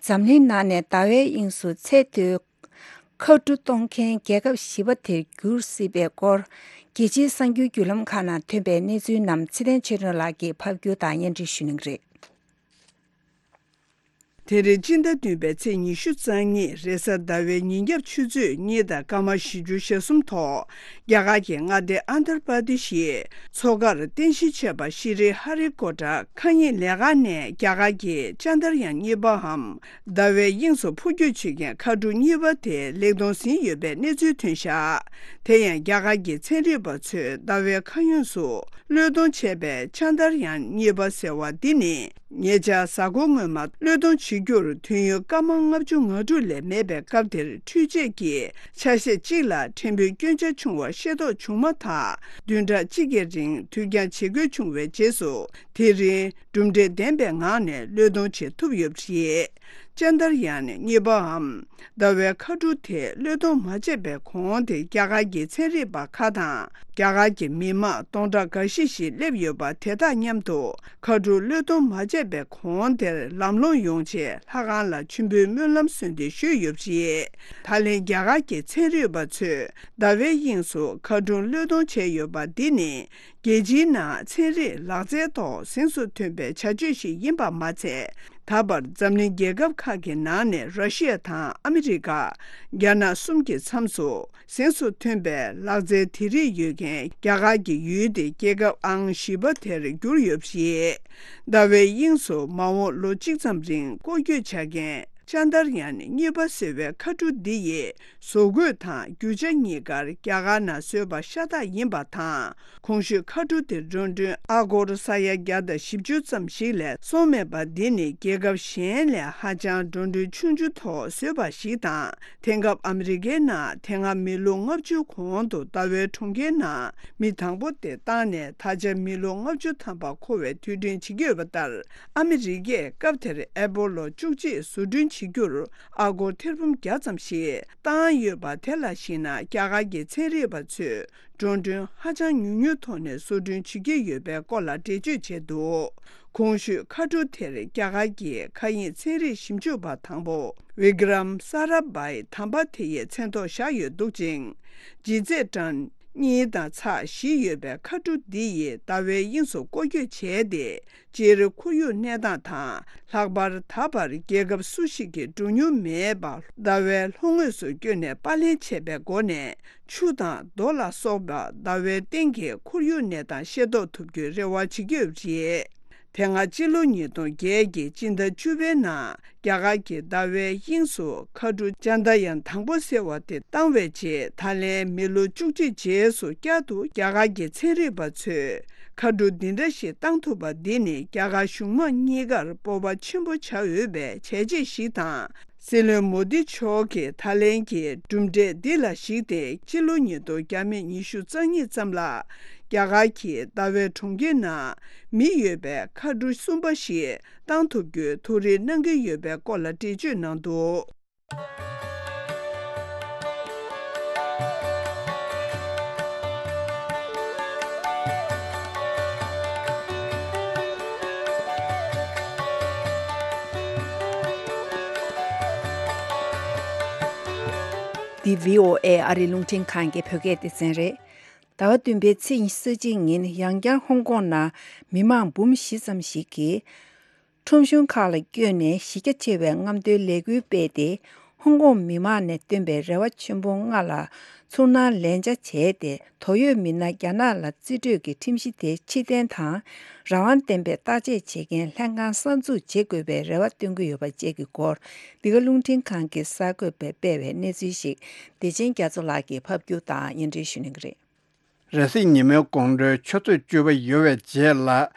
འཛམ་གླིང་ནང་ནས་ཟླ་བའི་དབྱིངས་སུ་ཚད་མཐོའི་མཁའ་གྲུ་གཏོང་མཁན་རྒྱལ་ཁབ་བཞི་པ་དེར་གྱུར་སྲིད་པའི་སྐོར་རྒྱལ་སྤྱིའི་གསར་འགྱུར་བརྒྱུད་ལམ་ཁག་ནང་ཐོན་པའི་གནས་ཚུལ་རྣམས་ཚེ་བརྟན་ཆོས་སྒྲོན་ལགས་ཀྱིས་ཕབ་སྒྱུར་དང་སྙན་སྒྲོན་ཞུ་གནང་གི་རེད། དེ་རིང་སྤྱི་ཟླ་བདུན་པའི་ཚེས་ཉི་ཤུ་རྩ་གཉིས་རེས་གཟའ་ཟླ་བའི་ཉིན་རྒྱབ་ཆུ་ཚོད་གཉིས་དང་སྐར་མ་བཞི་བཅུ་ཞེ་གསུམ་ཐོག་རྒྱ་གར་གྱི་མངའ་སྡེ་ཨན་དྷར་པ་དི་ཤིའི་མཚོ་ཁར་རྟེན་གཞི་བྱས་པ་ཤི་རི་ཧ་རི་ཀོ་ཊ་མཁའ་དབྱིངས་ལས་འགག་ནས་རྒྱ་གར་གྱི་ཅན་དར་ཡན་གཉིས་པའམ་ཟླ་བའི་དབྱིངས་སུ་འཕུར་སྐྱོད་བྱེད་མཁན་མཁའ་གྲུ་གཉིས་པ་དེ་ལེགས་གཏོང་ཟིན་ཡོད་པའི་གནས་ཚུལ་ཐོན་བཞག་དེ་ཡང་རྒྱ་གར་གྱི་ཚན་རིག་པ་ཚོས་ཟླ་བའི་མཁའ་དབྱིངས་སུ་གློད་གཏོང་བྱས་པའི་ཅན་དར་ཡན་གཉིས་པ་ཟེར་བ་འདི་ནི། ཉེ་ཆར་གཟའ་འཁོར་སྔོན་མ་གློད་གཏོང་བྱེད་རྒྱུར་དུས་ཡུན་སྐར་མ་ལྔ་བཅུ་ང་དྲུག་ལས་མེད་པའི་སྐབས་དེར་འཕྲུལ་ཆས་ཀྱི་ཆ་ཤས་གཅིག་ལ་ཕྲན་བུ་སྐྱོན་ཆ་བྱུང་བ་ཤེས་རྟོགས་བྱུང་མ་ཐག་བདུན་ཕྲག་གཅིག་གི་རིང་དུས་འགྱངས་བྱེད་དགོས་བྱུང་བའི་རྗེས་སུ་དེ་རིང་གྲུབ་འབྲས་ལྡན་པའི་ངང་ནས་གློད་གཏོང་བྱེད་ཐུབ་ཡོད་པ་རེད། ཅན་དར་ཡན་གཉིས་པའམ་ཟླ་བའི་མཁའ་གྲུ་དེ་གློད་གཏོང་མ་བྱས་པའི་གོང་དེ་རྒྱ་གར་གྱི་ཚན་རིག་པ་ཁག་དང་རྒྱ་གར་གྱི་མི་མང་སྟོང་ཕྲག་འགའ་ཤས་ཤིག་སླེབས་ཡོད་པ་དེ་དག་མཉམ་དུ་མཁའ་གྲུ་གློད་གཏོང་མ་བྱས་པའི་གོང་དེར་ལམ་ལྷོང་ཡོང་ཆེད་ལྷ་ཁང་ལ་མཆོད་འབུལ་སྨོན་ལམ་གསོལ་འདེབས་ཞུས་ཡོད་པ་རེད། ད་ལན་རྒྱ་གར་གྱི་ཚན་རིག་པ་ཚོས་ཟླ་བའི་དབྱིངས་སུ་མཁའ་གྲུ་གློད་གཏོང་བྱས་ཡོད་པ་འདི་ནི་རྒྱལ་སྤྱིའི་ནང་ཚན་རིག་ལག་རྩལ་ཐོག་གཟེངས་སུ་ཐོན་པའི་བྱ་སྤྱོད་ཞིག་ཡིན་པ་མ་ཚད། ད་བར་འཛམ་གླིང་རྒྱལ་ཁབ་ཁག་གི་ནང་ནས་ར་ཤི་ཡ་དང་ཨ་མི་རི་ཀ། རྒྱ་ནག་གསུམ་གྱི་མཚམས་སུ་གཟེངས་སུ་ཐོན་པའི་ལག་རྩལ་དེ་རིགས་ཡོད་མཁན་རྒྱ་གར་གྱི་ཡུལ་དེ་རྒྱལ་ཁབ་ཨང་བཞི་པ་དེར་གྱུར་ཡོད་པ་རེད། ཟླ་བའི་དབྱིངས་སུ་མ་འོངས་ལོ་གཅིག་ཙམ་རིང་སྐོར་སྐྱོད་བྱ་མཁན་ཅན་དར་ཡན་གཉིས་པ་ཟེར་བའི་མཁའ་གྲུ་འདི་ཡི་བཟོ་བཀོད་དང་རྒྱུ་ཆ་གཉིས་ཀར་རྒྱ་གར་ནང་བཟོས་པ་ཤ་སྟག་ཡིན་པ་དང་། གོང་ཞུས་མཁའ་གྲུ་དེ་འགྲོ་གྲོན་ཨ་སྒོར་ས་ཡ་བརྒྱ་དང་བཞི་བཅུ་ཙམ་ཞིག་ལས་སོང་མེད་པ་འདི་ནི་རྒྱལ་ཁབ་གཞན་ལས་ཧ་ཅང་འགྲོ་གྲོན་ཆུང་ཆུང་ཐོག་བཟོས་པ་ཞིག་དང་། དེང་སྐབས་ཨ་མི་རི་ཀའི་ནང་དེ་སྔ་མི་ལོ་ལྔ་བཅུ་གོང་དུ་ཟླ་བའི་གྲོང་ཁྱེར་ནང་མི་དང་པོ་དེ་བཏང་ནས་ད་ཆ་མི་ལོ་ལྔ་བཅུ་ཐམ་པ་འཁོར་བའི་དུས་དྲན་བྱེད་ཀྱི་ཡོད་པ་ལྟར། ཨ་མི་རི་ཀས་སྐབས་དེར་ཨེ་པོ་ལོ་བཅུ་གཅིག་བཟོ་སྐྲུན་བྱེད་རྒྱུར་ཨ་སྒོར་ཐེར་འབུམ་བརྒྱ་ཙམ་ཞིག་བཏང་ཡོད་པ་དེ་ལ་གཞིགས་ན། རྒྱ་གར་གྱི་ཚན་རིག་པ་ཚོས་འགྲོ་གྲོན་ཧ་ཅང་ཉུང་ཉུང་ཐོག་ནས་བཟོ་སྐྲུན་བྱེད་ཀྱི་ཡོད་པའི་སྐོར་ལ་འགྲེལ་བརྗོད་བྱས་འདུག་གོང་ཞུས་མཁའ་གྲུ་དེར་རྒྱ་གར་གྱི་མཁའ་དབྱིངས་ཚན་རིག་ཞིབ་འཇུག་པ་དང་པོ་ཝི་ཀྲམ་ས་ར་བྷའི་དམ་པ་དེ་ཡི་མཚན་ཐོག་བཞག་ཡོད་འདུག་ཅིང་། ལྗིད་ཚད་ཊོན་གཉིས་དང་ཚེག་བཞི་ཡོད་པའི་མཁའ་གྲུ་འདི་ཡིས་ཟླ་བའི་དབྱིངས་སུ་སྐོར་སྐྱོད་བྱས་ཏེ། སྤྱིར་ཁོར་ཡུག་གནས་སྟངས་དང་། ལྷག་པར་ད་བར་རྒྱལ་ཁབ་སུ་ཞིག་གིས་འགྲོ་མྱོང་མེད་པ་ཟླ་བའི་ལྷོ་ངོས་སུ་བསྐྱོད་ནས་པར་ལེན་བྱས་པའི་སྒོ་ནས། ཆུ་དང་རྡོ་ལ་སོགས་པ་ཟླ་བའི་སྟེང་གི་ཁོར་ཡུག་གནས་སྟངས་ཤེས་རྟོགས་ཐུབ་རྒྱུའི་རེ་བ་བྱེད་ཀྱི་ཡོད་པ་རེད། དེ་སྔ་སྤྱི་ལོ་ཉིས་སྟོང་བརྒྱད་ཀྱི་སྤྱི་ཟླ་བཅུ་པའི་ནང་རྒྱ་གར་གྱི་ཟླ་བའི་དབྱིངས་སུ་མཁའ་གྲུ་ཅན་དྲ་ཡན་དང་པོ་ཟེར་བ་དེ་བཏང་བའི་རྗེས། ད་ལན་མི་ལོ་བཅུ་གཅིག་རྗེས་སུ་བསྐྱར་དུ་རྒྱ་གར་གྱི་ཚན་རིག་པ་ཚོས་མཁའ་གྲུ་འདི་འདྲ་ཞིག་བཏང་ཐུབ་པ་འདི་ནི་རྒྱ་གར་གཞུང་མང་གཉིས་ཀར་སྤོབས་པ་ཆེན་པོ་བྱ་འོས་པའི་བྱས་རྗེས་ཤིག་དང་། སྲིད་བློན་མོ་དི་མཆོག་གིས་ད་ལན་གྱི་གྲུབ་འབྲས་འདི་ལ་གཞིགས་ཏེ། ཕྱི་ལོ་ཉིས་སྟོང་ཉི་ཤུ་རྩ་གཉིས་ཙམ་ལ་རྒྱ་གར་གྱིས་ཟླ་བའི་གྲོང་ཁྱེར་ནང་མི་ཡོད་པའི་མཁའ་གྲུ་གསུམ་པ་ཞིག་བཏང་ཐུབ་རྒྱུའི་ཐུགས་རེ་གནང་གི་ཡོད་པའི་སྐོར་ལ་འགྲེལ་བརྗོད་གནང་འདུག་འདི་བྷི་ཨོ་ཨེ་ཨ་རིའི་རླུང་འཕྲིན་ཁང་གི་བོད་སྐད་སྡེ་ཚན་རེད། ཟླ་བ་བདུན་པའི་ཚེས་ཉི་ཤུ་རྩ་གཅིག་ཉིན་ཡང་བསྐྱར་ཧོང་ཀོང་ནང་མི་མང་འབུམ་བཞི་ཙམ་ཞིག་གིས། ཁྲོམ་གཞུང་ཁག་ལ་བསྐྱོད་ནས་གཞི་རྒྱ་ཆེ་བའི་རྔམ་སྟོན་ལས་འགུལ་སྤེལ་ཏེ། ཧོང་ཀོང་མི་མང་ནས་བཏོན་པའི་རེ་བ་ཆེན་པོ་ལྔ་ལ་ཚུར་སྣང་ལན་ཆ་བྱས་ཏེ། དོགས་ཡོད་མི་སྣ་རྒྱ་ནག་ལ་རྩིས་སྤྲོད་ཀྱི་ཁྲིམས་གཞི་དེ་ཕྱིར་འཐེན་དང་། རང་དབང་ལྡན་པའི་བརྟག་དཔྱད་བྱེད་མཁན་ལྷན་ཁང་གསར་འཛུགས་བྱེད་དགོས་པའི་རེ་བ་བཏོན་གྱི་ཡོད་པ་བཅས་ཀྱི་སྐོར། འདི་ག་རླུང་འཕྲིན་ཁང་གི་གསར་འགོད་པས་སྤེལ་བའི་གནས་ཚུལ་ཞིག་བདེ་ཆེན་རྒྱ་མཚོ་ལགས་ཀྱིས་ཕབ་སྒྱུར་དང་སྙན་སྒྲོན་ཞུ་གནང་གི་རེད། རེས་གཟའ་ཉི་མའི་དགོང་དྲོའི་ཆུ་ཚོད་བཅུ་པ་ཡོལ་བའི་རྗེས་ལ།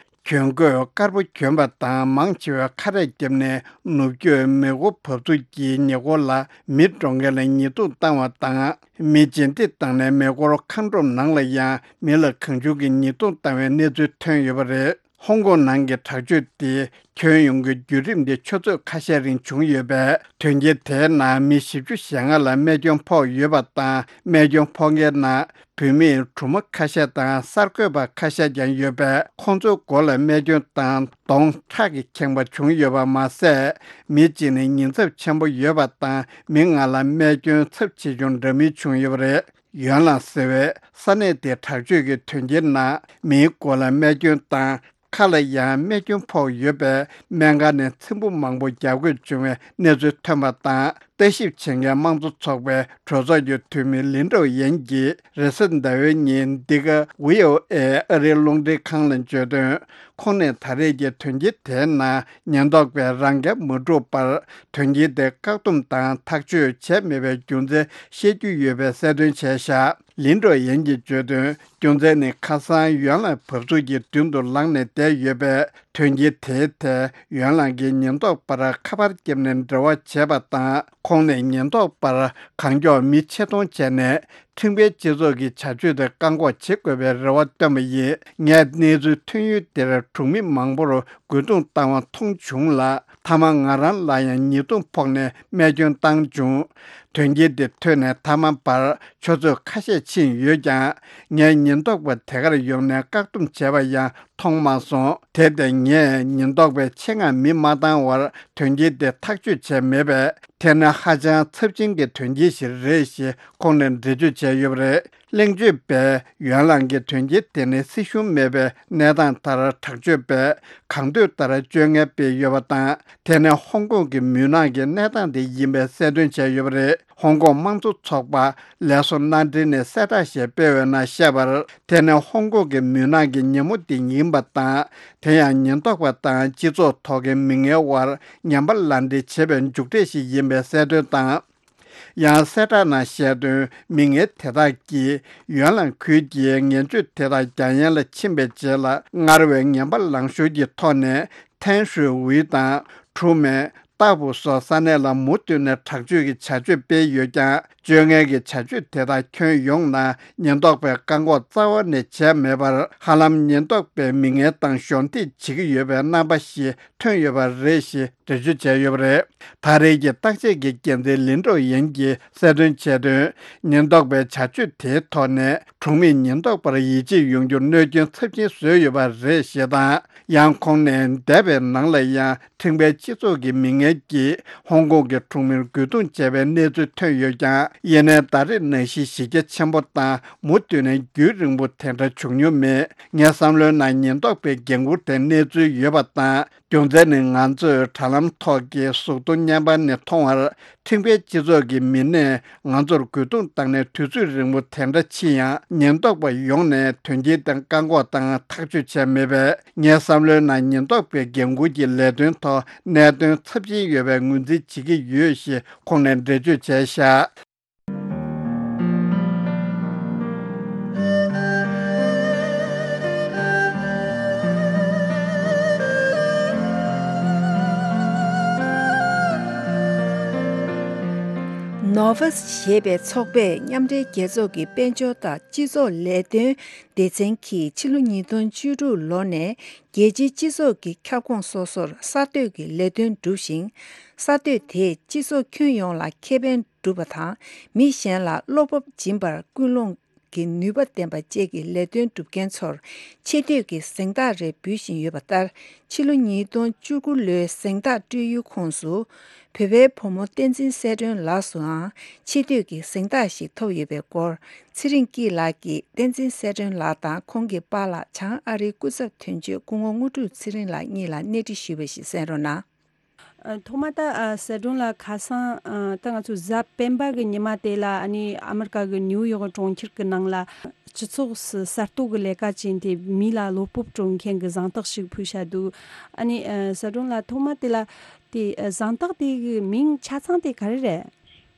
གྱོན་གོས་དཀར་པོ་གྱོན་པ་དང་མང་ཆེ་བས་ཁ་རས་བརྒྱབ་ནས་ནུབ་རྒྱུད་མེ་འཁོར་བབས་ཚུགས་ཀྱི་ཉེ་འཁོར་ལ་མི་འགྲོ་མཁན་ལ་ཉེས་རྡུང་བཏང་བ་དང་། མི་རྗེས་འདེད་བཏང་ནས་མེ་འཁོར་ཁང་སྒྲོམ་ནང་ལ་ཡང་མི་ལ་གང་བྱུང་གིས་ཉེས་རྡུང་བཏང་བའི་གནས་ཚུལ་ཐོན་ཡོད་པ་རེད། ཧོང་ཀོང་ནང་གི་དྲག་སྤྱོད་དེ་ཁྱོན་ཡོངས་ཀྱི་བརྒྱུད་རིམ་དེ་ཆུ་ཚོད་ཁ་ཤས་རིང་བྱུང་ཡོད་པས། དོན་རྐྱེན་དེའི་ནང་མི་བཞི་བཅུ་ཞེ་ལྔ་ལ་རྨས་སྐྱོན་ཕོག་ཡོད་པ་དང་། རྨས་སྐྱོན་ཕོག་མཁན་ནང་བུད་མེད་གྲུང་མ་ཁ་ཤས་དང་གསར་འགོད་པ་ཁ་ཤས་ཀྱང་ཡོད་པས། ཁོང་ཚོའི་མགོ་ལ་རྨས་སྐྱོན་དང་གདོང་ཁྲག་གིས་ཁེངས་པ་བྱུང་ཡོད་པ་མ་ཟད། མི་གཅིག་ནི་ཉེན་ཚབས་ཆེན་པོ་ཡོད་པ་དང་། མི་ལྔ་ལ་རྨས་སྐྱོན་ཚབས་ཆེ་ཆུང་འདྲ་མིན་བྱུང་ཡོད་པ་རེད། ཡོན་ལང་ཟེར་བའི་ས་གནས་དེའི་དྲག་སྤྱོད་ཀྱི་དོན་རྐྱེན་ནང་མིའི་མགོ་ལ་རྨས་སྐྱོན་དང་། ཁ་ལ་ཡང་རྨས་སྐྱོན་ཕོག་ཡོད་པས། སྨན་ཁང་ནས་ཚེམ་བུ་མང་པོ་བརྒྱབ་དགོས་བྱུང་བའི་གནས་ཚུལ་ཐོན་པ་དང་། ལྟ་ཞིབ་བྱེད་མཁན་དམངས་གཙོ་ཚོགས་པའི་གྲོས་ཚོགས་ཀྱི་འཐུས་མི་ལིན་ཀྲོའུ་ཡན་གྱིས་རེས་གཟའ་ཟླ་བའི་ཉིན་འདི་ག་ཝི་ཨོ་ཨེ་ཨ་རིའི་རླུང་འཕྲིན་ཁང་ལ་བརྗོད་དོན། ཁོང་ནས་ད་རེས་ཀྱི་དོན་རྐྱེན་དེའི་ནང་ཉེན་རྟོག་པས་རང་འགན་མ་བསྒྲུབས་པར། དོན་རྐྱེན་དེ་བཀག་སྡོམ་དང་ཐག་གཅོད་བྱས་མེད་པའི་རྒྱུ་མཚན་བཤད་རྒྱུ་ཡོད་པའི་གསལ་སྟོན་བྱས་བཞག་ལིན་ཀྲོའུ་ཡན་གྱིས་བརྗོད་དོན། རྒྱུ་མཚན་ནི་ཁ་སང་ཡོན་ལང་བབས་ཚུགས་ཀྱི་མདུན་དུ་ལངས་ནས་བསྡད་ཡོད་པས། དོན་རྐྱེན་དེའི་ཐད་ཡོན་ལང་གིས་ཉེན་རྟོག་པར་ཁ་པར་བརྒྱབ་ནས་འབྲེལ་བ་བྱས་པ་དང་། ཁོང་ནས་ཉེན་རྟོག་པར་གང་མགྱོགས་མི་ཆེད་གཏོང་བྱས་ནས། ཁྲིམས་འགལ་སྤྱི་ཚོགས་ཀྱི་བྱ་སྤྱོད་དེ་བཀག་འགོག་བྱེད་དགོས་པའི་རེ་བ་བཏོན་པ་ཡིན། ངས་གནས་ཚུལ་ཐོན་ཡུལ་དེར་གྲོང་མི་མང་པོར་རྒོལ་རྡུང་བཏང་བ་མཐོང་བྱུང་ལ། མཐའ་མ་ང་རང་ལ་ཡང་ཉེས་རྡུང་ཕོག་ནས་རྨས་སྐྱོན་བཏང་བྱུང་། དོན་རྐྱེན་དེ་ཐོན་ནས་མཐའ་མ་བར་ཆུ་ཚོད་ཁ་ཤས་ཕྱིན་ཡོད་ཀྱང་། ངས་ཉེན་རྟོག་པ་དེ་གར་ཡོང་ནས་བཀག་སྡོམ་བྱས་པ་ཡང་མཐོང་མ་སོང་། དེ་ལྟར་ངས་ཉེན་རྟོག་པའི་ཆེད་མངགས་མི་མ་བཏང་བར་དོན་རྐྱེན་དེ་ཐག་གཅོད་བྱས་མེད་པས། དེ་ནི་ཧ་ཅང་ཚབས་ཆེན་གྱི་དོན་རྐྱེན་ཞིག་རེད་ཞེས་ཁོང་ནས་འགྲེལ་བརྗོད་བྱས་ཡོད་པ་རེད། གླེང་བརྗོད་པས་ཡོན་ལང་གི་དོན་རྐྱེན་དེ་ནི་སྲིད་གཞུང་མེད་པའི་གནས་སྟངས་ལྟར། དྲག་སྤྱོད་པས་གང་འདོད་ལྟར་སྤྱོད་ངན་སྤེལ་ཡོད་པ་དང་། དེ་ནི་ཧོང་ཀོང་གི་མུན་ནག་གི་གནས་སྟངས་དེ་ཡིན་པའི་གསལ་སྟོན་བྱས་ཡོད་པ་རེད། ཧོང་ཀོང་དམངས་གཙོ་ཚོགས་པ་ལས་བཟོ་མནའ་འབྲེལ་ནས་གསལ་བསྒྲགས་ཤིག་སྤེལ་བའི་ནང་བཤད་པར། དེ་ནི་ཧོང་ཀོང་གི་མུན་ནག་གི་ཉིན་མོ་དེ་ཡིན་པ་དང་། དེ་ཡང་ཉེན་རྟོག་པ་དང་སྤྱི་ཚོགས་ཐོག་གི་མི་ངན་དབར་ངན་པ་ལག་འབྲེལ་བྱས་པའི་མཇུག་འབྲས་ཤིག་ཡིན་པའི་གསལ་སྟོན་དང་། ཡང་གསལ་བསྒྲགས་ནང་བཤད་དོན། མི་ངན་དེ་དག་གིས་ཡོན་ལང་ཁུལ་གྱི་ངན་སྤྱོད་དེ་དག་རྒྱ་ཡན་ལ་ཕྱིན་པའི་རྗེས་ལ། སྔར་བས་ངན་པ་ལངས་ཤོར་གྱི་ཐོག་ནས་ཐན་ཧྲུའེ་ཝུའེ་དང་ཁྲུའུ་མེན། ཏཱ་ཕུའུ་སོགས་ས་གནས་ལ་མུ་མཐུད་ནས་དྲག་སྤྱོད་ཀྱི་བྱ་སྤྱོད་སྤེལ་ཡོད་ཀྱང་། སྤྱོད་ངན་གྱི་བྱ་སྤྱོད་དེ་དག་ཁྱོན་ཡོངས་ནང་ཉེན་རྟོག་པས་བཀག་འགོག་རྩ་བ་ནས་བྱས་མེད་པར། ཧ་ལམ་ཉེན་རྟོག་པས་མི་ངན་དང་གཞོགས་འདེགས་བྱེད་ཀྱི་ཡོད་པའི་རྣམ་པ་ཞིག་ཐོན་ཡོད་པ་རེད་ཞེས་འགྲེལ་བརྗོད་བྱས་ཡོད་པ་རེད། ད་རེས་ཀྱི་བརྟག་དཔྱད་ཀྱི་འགན་འཛིན་ལིན་ཀྲོའུ་ཡན་གྱིས་གསལ་སྟོན་བྱས་དོན། ཉེན་རྟོག་པའི་བྱ་སྤྱོད་དེའི་ཐོག་ནས་གྲོང་མིས་ཉེན་རྟོག་པར་ཡིད་ཆེས་ཡོང་རྒྱུར་གནོད་སྐྱོན་ཚབས་ཆེན་བཟོས་ཡོད་པ་རེད་ཞེས་དང་། ཡང་ཁོང་ནས་འདས་པའི་ནང་ལ་ཡང་ཁྲིམས་འགལ་སྤྱི་ཚོགས་ཀྱི་མི་ངན་གྱིས་ཧོང་ཀོང་གི་གྲོང་མིར་རྒོལ་རྡུང་བྱས་པའི་གནས་ཚུལ་ཐོན་ཡོད་ཀྱང་། ཡིན་ནའི་ད་རེས་ནང་བཞིན་གཞི་རྒྱ་ཆེན་པོ་དང་མུ་མཐུད་ནས་རྒྱུན་རིང་པོ་དེ་འདྲ་བྱུང་མྱོང་མེད། ངའི་བསམ་བློའི་ནང་ཉེན་རྟོག་པའི་འགན་འཁུར་དེ་གནས་ཚུལ་ཡོད་པ་དང་། རྒྱུ་མཚན་ནི་ང་ཚོས་དྲ་ལམ་ཐོག་གི་གཟུགས་མཐོང་བརྙན་པར་ནས་མཐོང་བར། ཁྲིམས་འགལ་སྤྱི་ཚོགས་ཀྱི་མི་སྣས་ང་ཚོར་རྒོལ་རྡུང་བཏང་ནས་དུས་ཚོད་རིང་པོ་དེ་འདྲ་ཕྱིན་ཡང་། ཉེན་རྟོག་པ་ཡོང་ནས་དོན་རྐྱེན་དེ་བཀག་འགོག་དང་ཐག་གཅོད་བྱས་མེད་པས། ངའི་བསམ་བློའི་ནང་ཉེན་རྟོག་པའི་འགན་འཁུར་གྱི་ལས་དོན་ཐོག་གནད་དོན་ཚབས་ཆེན་ཡོད་པའི་ངོས་འཛིན་བྱེད་ཀྱི་ཡོད་ཞེས་ཁོང་ནས་འགྲེལ་བརྗོད་བྱས་བཞག་ནོ་ཝཱས་ཞེས་པའི་ཚོགས་པས་མཉམ་འབྲེལ་རྒྱལ་ཚོགས་ཀྱི་དཔལ་འབྱོར་དང་སྤྱི་ཚོགས་ལས་དོན་སྡེ་ཚན་གྱིས་ཕྱི་ལོ་ཉིས་སྟོང་བཅུ་དྲུག་ལོ་ནས་རྒྱལ་སྤྱིའི་སྤྱི་ཚོགས་ཀྱི་ཁྱབ་ཁོངས་སོ་སོར་གསར་གཏོད་ཀྱི་ལས་དོན་བསྒྲུབས་ཤིང་། གསར་གཏོད་དེས་སྤྱི་ཚོགས་ཁྱོན་ཡོངས་ལ་ཁེ་ཕན་སྒྲུབ་པ་དང་། མི་གཞན་ལ་བློ་སྤོབས་སྦྱིན་པར་སྐུལ་སློང་ གི་ནུས་པ་ལྡན་པ་བཅས་ཀྱི་ལས་དོན་སྒྲུབ་མཁན་ཚོར་ཆེ་བསྟོད་ཀྱི་གཟེངས་རྟགས་རེ་འབུལ་བཞིན་ཡོད་པ་ལྟར། ཕྱི་ལོ་ཉིས་སྟོང་བཅུ་དགུ་ལོའི་གཟེངས་རྟགས་སྤྲོད་ཡུལ་ཁོངས་སུ། བོད་པའི་བུ་མོ་བསྟན་འཛིན་གསལ་སྒྲོན་ལགས་སུའང་ཆེ་བསྟོད་ཀྱི་གཟེངས་རྟགས་ཤིག་ཐོབ་ཡོད་པའི་སྐོར། ཚེ་རིང་སྐྱིད་ལགས་ཀྱིས་བསྟན་འཛིན་གསལ་སྒྲོན་ལགས་དང་ཁོང་གི་པཱ་ལགས་བྱང་ཨ་རིའི་སྐུ་ཚབ་དོན་གཅོད་སྐུ་ངོ་དངོས་གྲུབ་ཚེ་རིང་ལགས་གཉིས་ལ་གནས་འདྲི་ཞུས་པ་ཞིག་གསན་རོགས་གནང་། ཨ། ཐོག་མ་ད་ཨ་གསལ་སྒྲོན་ལགས། ཁ་སང་ཨ་ད་ང་ཚོ་གཟའ་སྤེན་པ་གི་ཉི་མ་དེ་ལ་ཨ་ནི་ཨ་མི་རི་ཀ་གི་ནིའུ་ཡོག་གྲོང་ཁྱེར་གྱི་ནང་ལ་སྤྱི་ཚོགས་སུ་གསར་གཏོད་ཀྱི་ལས་ཀ་བྱས་ཏེ་མི་ལ་བློ་སྤོབས་སྤྲོད་མཁན་གྱི་གཟེངས་རྟགས་ཤིག་ཕུལ་བཞག་འདུག་ཨ་ནི་ཨ་གསལ་སྒྲོན་ལགས། ཐོག་མ་དེ་ལ་དེ་ཨ་གཟེངས་རྟགས་དེ་གི་མིང་ཆ་ཚང་དེ་ག་རེ་རེད།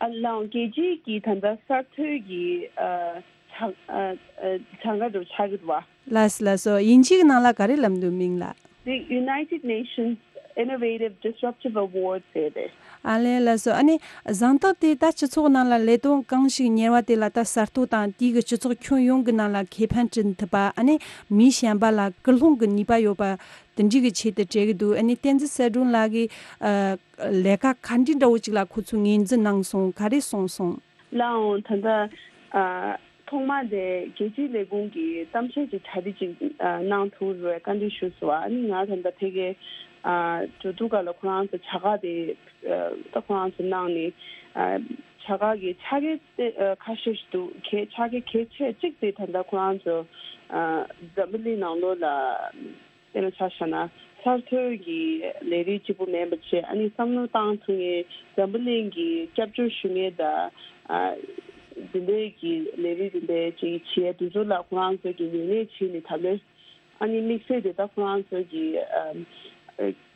ཨ་ལའང་རྒྱལ་སྤྱིའི་གི་ད་ལྟ་གསར་གཏོད་ཀྱི་ཨ་ཆ་ཨ་ཨ་ཆ་འགའ་འགྲོ་ཆགས་ཀྱི་འདུག་བ། ལགས་སོ་ལགས་སོ། དབྱིན་ཇིའི་ནང་ལ་ག་རེ་ལབ་འདུག་མིང་ལ། The United Nations Innovative Disruptive Award ཟེར་ཏེ། ཨ་ལས་ལགས་སོ། ཨ་ནི་གཟེངས་རྟགས་དེ་ད་སྤྱི་ཚོགས་ནང་ལ་ལས་དོན་གང་ཞིག་གཉེར་བ་དེ་ལ་ད་གསར་གཏོད་དང་དེའི་གི་སྤྱི་ཚོགས་ཁྱོན་ཡོངས་ཀྱི་ནང་ལ་ཁེ་ཕན་བསྐྲུན་ཐུབ་པ། ཨ་ནི་མི་གཞན་པ་ལ་སྐུལ་སློང་གི་ནུས་པ་ཡོད་པ་དེ་འདྲའི་གི་ཆེད་དུ་སྤྲད་ཀྱི་འདུག་ཨ་ནི་བསྟན་འཛིན་གསལ་སྒྲོན་ལགས་ཀྱི་ཨ་ལས་ཀ་ག་འདྲའི་འདྲ་བོ་ཅིག་ལ་ཁོ་ཚོས་ངོས་འཛིན་གནང་སོང་། ག་རེ་གསུངས་སོང་། ལའང་ད་ལྟ་ཨ་ཐོག་མ་དེ་རྒྱལ་སྤྱིའི་ལས་ཁུངས་ཀྱིས་གཏམ་བཤད་ཅིག་གྲ་སྒྲིག་ཅིག་ཨ་གནང་ཐུབ་རེད་བཀའ་འདྲི་ཞུས་སོང་། ཨ་ནི་ང་ད་ལྟ་ཕ་གིར་ཨ་འགྲོ་དུས་སྒང་ལ་ཁོ་རང་ཚོ་བྱ་དགའ་དེ་ཨ་ད་ཁོ་རང་ཚོ་གནང་ནས་ཨ་བྱ་དགའ་གི་ཆ་ག་དེ་ཨ་ཁ་ཤས་ཤིག་འདུག་གལ་ཆ་ག་གལ་ཆེ་གཅིག་དེ་ད་ལྟ་ཁོ་རང་ཚོ་ཨ་འཛམ་བུ་གླིང་ནང་ལོགས་ལ། དཔེར་ན་ཆ་བཞག་ན་གསར་གཏོད་ཀྱི་ལས་རིགས་གཅིག་པུ་མིན་པ་བྱས། ཨ་ནི་བསམ་བློ་བཏང་ཐུབ་མཁན་འཛམ་བུ་གླིང་གི་སྐྱབས་བཅོལ་ཞུ་མཁན་དང་ཨ་འདི་འདྲའི་གི་ལས་རིགས་འདི་འདྲའི་ཅིག་བྱེད་ཡ་དེ་ཚོ་ལ་ཁོ་རང་ཚོ་གི་ངོས་ལེན་བྱས་ནས་ད་ལོ་ཨ་ནི་དམིགས་བསལ་དེ་ད་ཁོ་རང་ཚོ་གི་ཨ་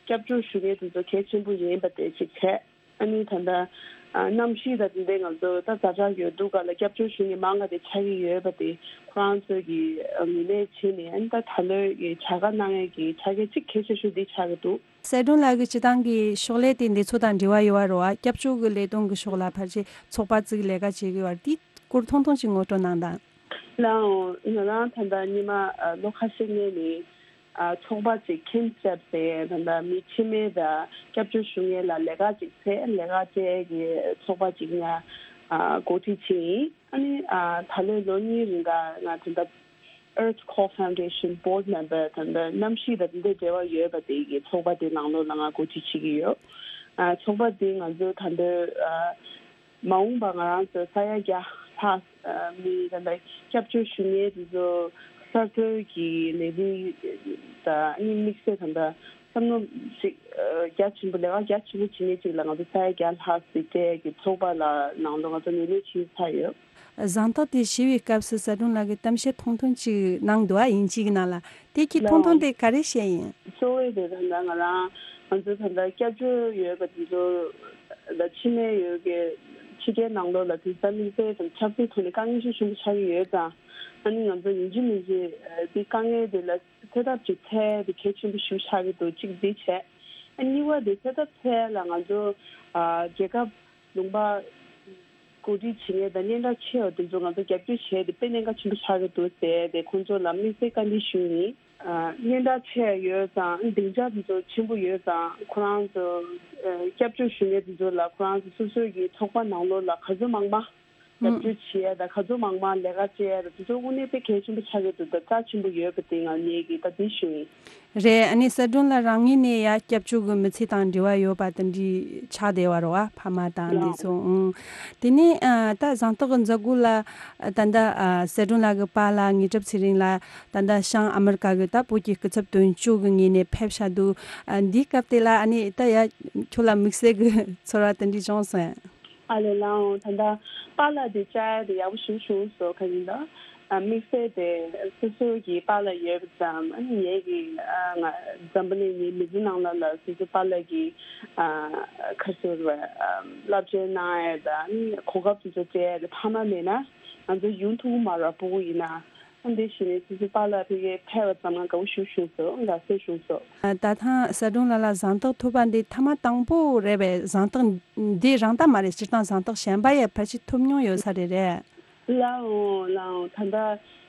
སྐྱབས་བཅོལ་ཞུ་མཁན་དེ་ཚོ་གལ་ཆེན་པོ་ཡིན་པ་དེ་ཅིག་བྱས། ཨ་ནི་ད་ལྟ་ཨ་གནམ་གཤིས་དང་དེ་འདྲའི་ང་ཚོ་ད་ཛ་དྲག་ཡོད་དུས་སྒང་ལ་སྐྱབས་བཅོལ་ཞུ་མཁན་མང་ང་དེ་ཆགས་ཀྱི་ཡོད་པ་དེ་ཁོ་རང་ཚོས་ཀྱི་ངོས་ལེན་བྱས་ནས། ཨ་ནི་ད་ད་ལོའི་གི་བྱ་དགའ་གནང་ཡས་ཀྱི་ཆ་ག་གཅིག་གལ་ཆེ་ཤོས་འདི་ཆགས་ཀྱི་འདུག་གསལ་སྒྲོན་ལགས་ཀྱི་སྤྱིར་བཏང་གི་ཕྱག་ལས་དེ་འདི་ཚོ་དང་འབྲེལ་བ་ཡོད་པ་རེད་བ། སྐྱབས་བཅོལ་གྱི་ལས་དོན་གྱི་ཕྱོགས་ལ་ཕལ་ཆེར་ཚོགས་པ་བཙུགས་ལས་ཀ་བྱེད་ཀྱི་ཡོད་པ་འདི་སྐོར་ཐུང་ཐུང་ཅིག་ངོ་སྤྲོད་གནང་དང་། ལའང་ང་རང་ད་ལྟ་སྔོན་མ་ཨ་ལོ་ཁ་ཤས་སྔོན་ནས་ཨ་ཚོགས་པ་ཅིག་ཁིན་སི་ཊེབ་ཟེར་ད་ལྟ་མི་འཆི་མེད་དང་སྐྱབས་བཅོལ་ཞུ་མཁན་ལ་ལས་ཀ་ཅིག་བྱས། ལས་ཀ་བྱེད་ཀྱི་ཚོགས་པ་ཅིག་ང་ཨ་འགོ་ཁྲིད་བྱས་ཡིན། ཨ་ནི་ཨ་ད་ལོའི་ལོ་གཉིས་རིང་ག་ང་ད་ལྟ་Earth Call Foundation Board Member ད་ལྟ་གནམ་གཤིས་དང་དེ་འདྲའི་འབྲེལ་བ་ཡོད་པ་དེ་གི་ཚོགས་པ་དེ་ནང་ལོགས་ལ་ང་འགོ་ཁྲིད་བྱེད་ཀྱི་ཡོད། ཨ་ཚོགས་པ་དེ་ང་ཚོ་ད་ལྟ་ཨ་མ་འོངས་པ་ང་རང་ཚོ་ས་ཡ་བརྒྱ་ལྷག་ཨ་མི་ད་ལྟ་སྐྱབས་བཅོལ་ཞུ་མཁན་དེ་ཚོ་གསར་གཏོད་ཀྱི་ལས་རིགས་དང་ཨ་ནི་དམིགས་བསལ་ད་ལྟ་བསམ་བློ་ཞིག་ཨ་རྒྱ་ཆེན་པོ་ལས་ཀ་རྒྱ་ཆེན་པོ་བྱེད་མཁན་ཅིག་ལ་ང་ཚོ་ས་ཡ་བརྒྱ་ལྷག་ཙམ་སྤྲད་ཀྱི་ཚོགས་པ་ལ་ནང་ལོགས་ང་ཚོ་ངོས་ལེན་བྱེད་ཚར་ཡོད། གཟེངས་རྟགས་དེ་ཞུ་བའི་སྐབས་སུ་གསལ་སྒྲོན་ལགས་ཀྱིས་གཏམ་བཤད་ཐུང་ཐུང་ཅིག་གནང་འདུག་ཨ། དབྱིན་ཇིའི་ནང་ལ། དེ་གི་ཐུང་ཐུང་དེ་ག་རེ་བཤད་ཡིན། གཙོ་བོ་དེ་ད་ལྟ་ང་རང་ང་ཚོ་ད་ལྟ་སྐྱབས་བཅོལ་ཡོད་པ་དེ་ཚོ་ད་ཕྱི་ནས་ཡོད་ཀྱི་ཕྱི་རྒྱལ་ནང་ལོགས་ལ་དེང་སང་དམིགས་བསལ་དང་ཆབ་སྲིད་ཐོག་ནས་དཀའ་ངལ་ཤུགས་ཆེན་པོ་ཆགས་ཀྱི་ཡོད་ཙང་། ཨ་ནི་ང་ཚོ་ཡིན་གཅིག་མིན་གཅིག་དེ་དཀའ་ངལ་དེ་ལ་སེལ་ཐབས་ཅིག་འཚོལ་དེ་གལ་ཆེན་པོ་ཞིག་ཆགས་ཀྱི་འདུག་གཅིག་འདི་བྱས། ཨ་གཉིས་པ་དེ་སེལ་ཐབས་འཚོལ་ལ་ང་ཚོ་ཨ་རྒྱལ་ཁབ་ལུང་པ་གོ་སྒྲིག་བྱེད་མཁན་དང་སྙན་གྲགས་ཆེ་བ་དེ་ཚོ་ང་ཚོ་རྒྱབ་སྐྱོར་བྱས་ཏེ་དཔེ་གནད་འགག་ཆེན་པོ་ཆགས་ཀྱི་འདུག་ཟེར་ཏེ་ཁོང་ཚོ་ལ་དམིགས་བསལ་བཀའ་འདྲི་ཞུས་ཡིན། ཨ་སྙན་གྲགས་ཆེ་ཡོད་ཙང་སྡིངས་ཆ་དེ་ཚོ་ཆེན་པོ་ཡོད་ཙང་ཁོ་རང་ཚོ་ཨ་སྐྱབས་བཅོལ་ཞུ་མཁན་དེ་ཚོ་ལ་ཁོ་རང་ཚོ་སོ་སོའི་གི་ཚོགས་པ་ནང་ལོགས་ལ་ག་ཚོད་མང་མང་རྒྱབ་སྐྱོར་བྱེད་ཡ་དང་ག་ཚོད་མང་མང་ལས་ཀ་བྱེད་ཡ་དང་དེ་ཚོ་དངོས་གནས་དཔེ་གལ་ཆེན་པོ་ཆགས་ཀྱི་འདུག་ད་རྩ་ཆེན་པོ་ཡོད་པ་དེ་ང་ངས་གི་ད་དེ་ཞུ་ཡིན། རེད། ཨ་ནི་གསལ་སྒྲོན་ལགས་རང་ཉིད་ནས་ཡ་སྐྱབས་བཅོལ་གྱི་མི་ཚེ་དང་འབྲེལ་བ་ཡོད་པ་དེ་འདྲའི་ཆགས་བསྡད་པ་རེད་བ། ཕ་མ་དང་འདི་ཚོ། ཨང་། དེ་ནས་ཨ་ད་གཟེངས་རྟགས་ཀྱི་མཛད་སྒོ་ལ་ད་ལྟ་ཨ་གསལ་སྒྲོན་ལགས་ཀྱི་པཱ་ལགས་དངོས་གྲུབ་ཚེ་རིང་ལགས་ད་ལྟ་བྱང་ཨ་མི་རི་ཀ་གི་ད་བོད་ཀྱི་སྐུ་ཚབ་དོན་གཅོད་ཀྱི་ངོས་ནས་ཕེབས་བཞག་འདུག་ཨ་འདིའི་སྐབས་དེ་ལ་ཨ་ནི་ད་ཡ་ཁྱོད་ལ་དམིགས་བསལ་གྱི་ཚོར་བ་དེ་འདྲ་བྱུང་སོང་། ཨ་ལས་ལའང་ད་ལྟ་པཱ་ལགས་དེ་བཅར་ཡ་དེ་ཡག་པོ་ཞིག་བྱུང་སོང་། ག་ཡིན་ད་ཨ་དམིགས་བསལ་དེ་སོ་སོ་གི་པཱ་ལགས་ཡོད་པ་ཙམ། ཨ་ནི་ངེད་ཀྱི་ཨ་ང་འཛམ་བུ་གླིང་ངའི་མི་ཚེ་ནང་ལ་ལ་སོ་སོ་པཱ་ལགས་ཀྱི་ཨ་ག་ཟེར་བ་ཨ་བསླབ་བྱ་གནང་ཡ་དང་ཨ་ནི་གོ་སྐབས་དེ་ཚོ་སྤྲད་ཡ་དེ་ཕ་མ་མེད་ན་ང་ཚོ་ཡོང་ཐུབ་ཀྱི་མ་རེད། སྤུ་གུ་ཡིན་ན། འདི་བྱས་ནས་སོ་སོའི་པཱ་ལགས་ཕ་གིར་ཕེབས་པ་ཙམ་ལ་དགའ་བོ་ཞེ་པོ་བྱུང་སོང་། དགའ་བསུ་བྱུང་སོང་། ད་ཐེངས་གསལ་སྒྲོན་ལགས་ལ་གཟེངས་རྟགས་ཐོབ་པ་འདི་ཐེངས་མ་དང་པོ་རེད་པས། གཟེངས་རྟགས་འདི་རང་ད་མ་རེད། སྤྱིར་བཏང་གཟེངས་རྟགས་གཞན་པ་ཡང་ཕལ་ཆེར་ཐོབ་མྱོང་ཡོད་ས་རེད། རེད། ལའང་ལའང་ད་ལྟ་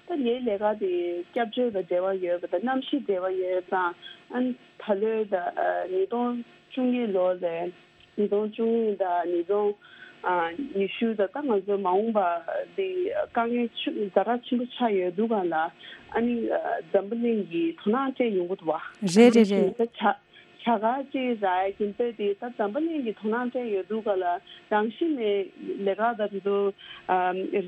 ད་ངའི་ལས་ཀ་དེ་སྐྱབས་བཅོལ་དང་འབྲེལ་བ་ཡོད་པ་དང་གནམ་གཤིས་འབྲེལ་བ་ཡོད་ཙང་། ཨ་ནི་ད་ལོའི་ད་ཉིས་སྟོང་བཅུ་གཉིས་ལོ་ལས། ཉིས་སྟོང་བཅུ་གཉིས་དང་ཉིས་སྟོང་ ཨ་ཉི་ཤུ་ད་ལྟ་ང་ཚོ་མ་འོངས་པ་འདི་དཀའ་ངལ་ཆུ་ཛ་དྲག་ཆེན་པོ་ཆགས་ཡོད་འདུག་ག་ལ། ཨ་ནི་ཨ་འཛམ་བུ་གླིང་གི་དོ་སྣང་སྤྲད་ཡོང་གི་འདུག་བ། རེད་རེད་རེད། ད་ཆ་བྱ་དགའ་ཅིག་རག་ཡ་ཀྱི་དཔེ་དེ་ད་འཛམ་བུ་གླིང་གི་དོ་སྣང་སྤྲད་ཡོད་འདུག་ག་ལ། རང་བཞིན་ནས་ལས་ཀ་ད་དེ་ཚོ་ཨ་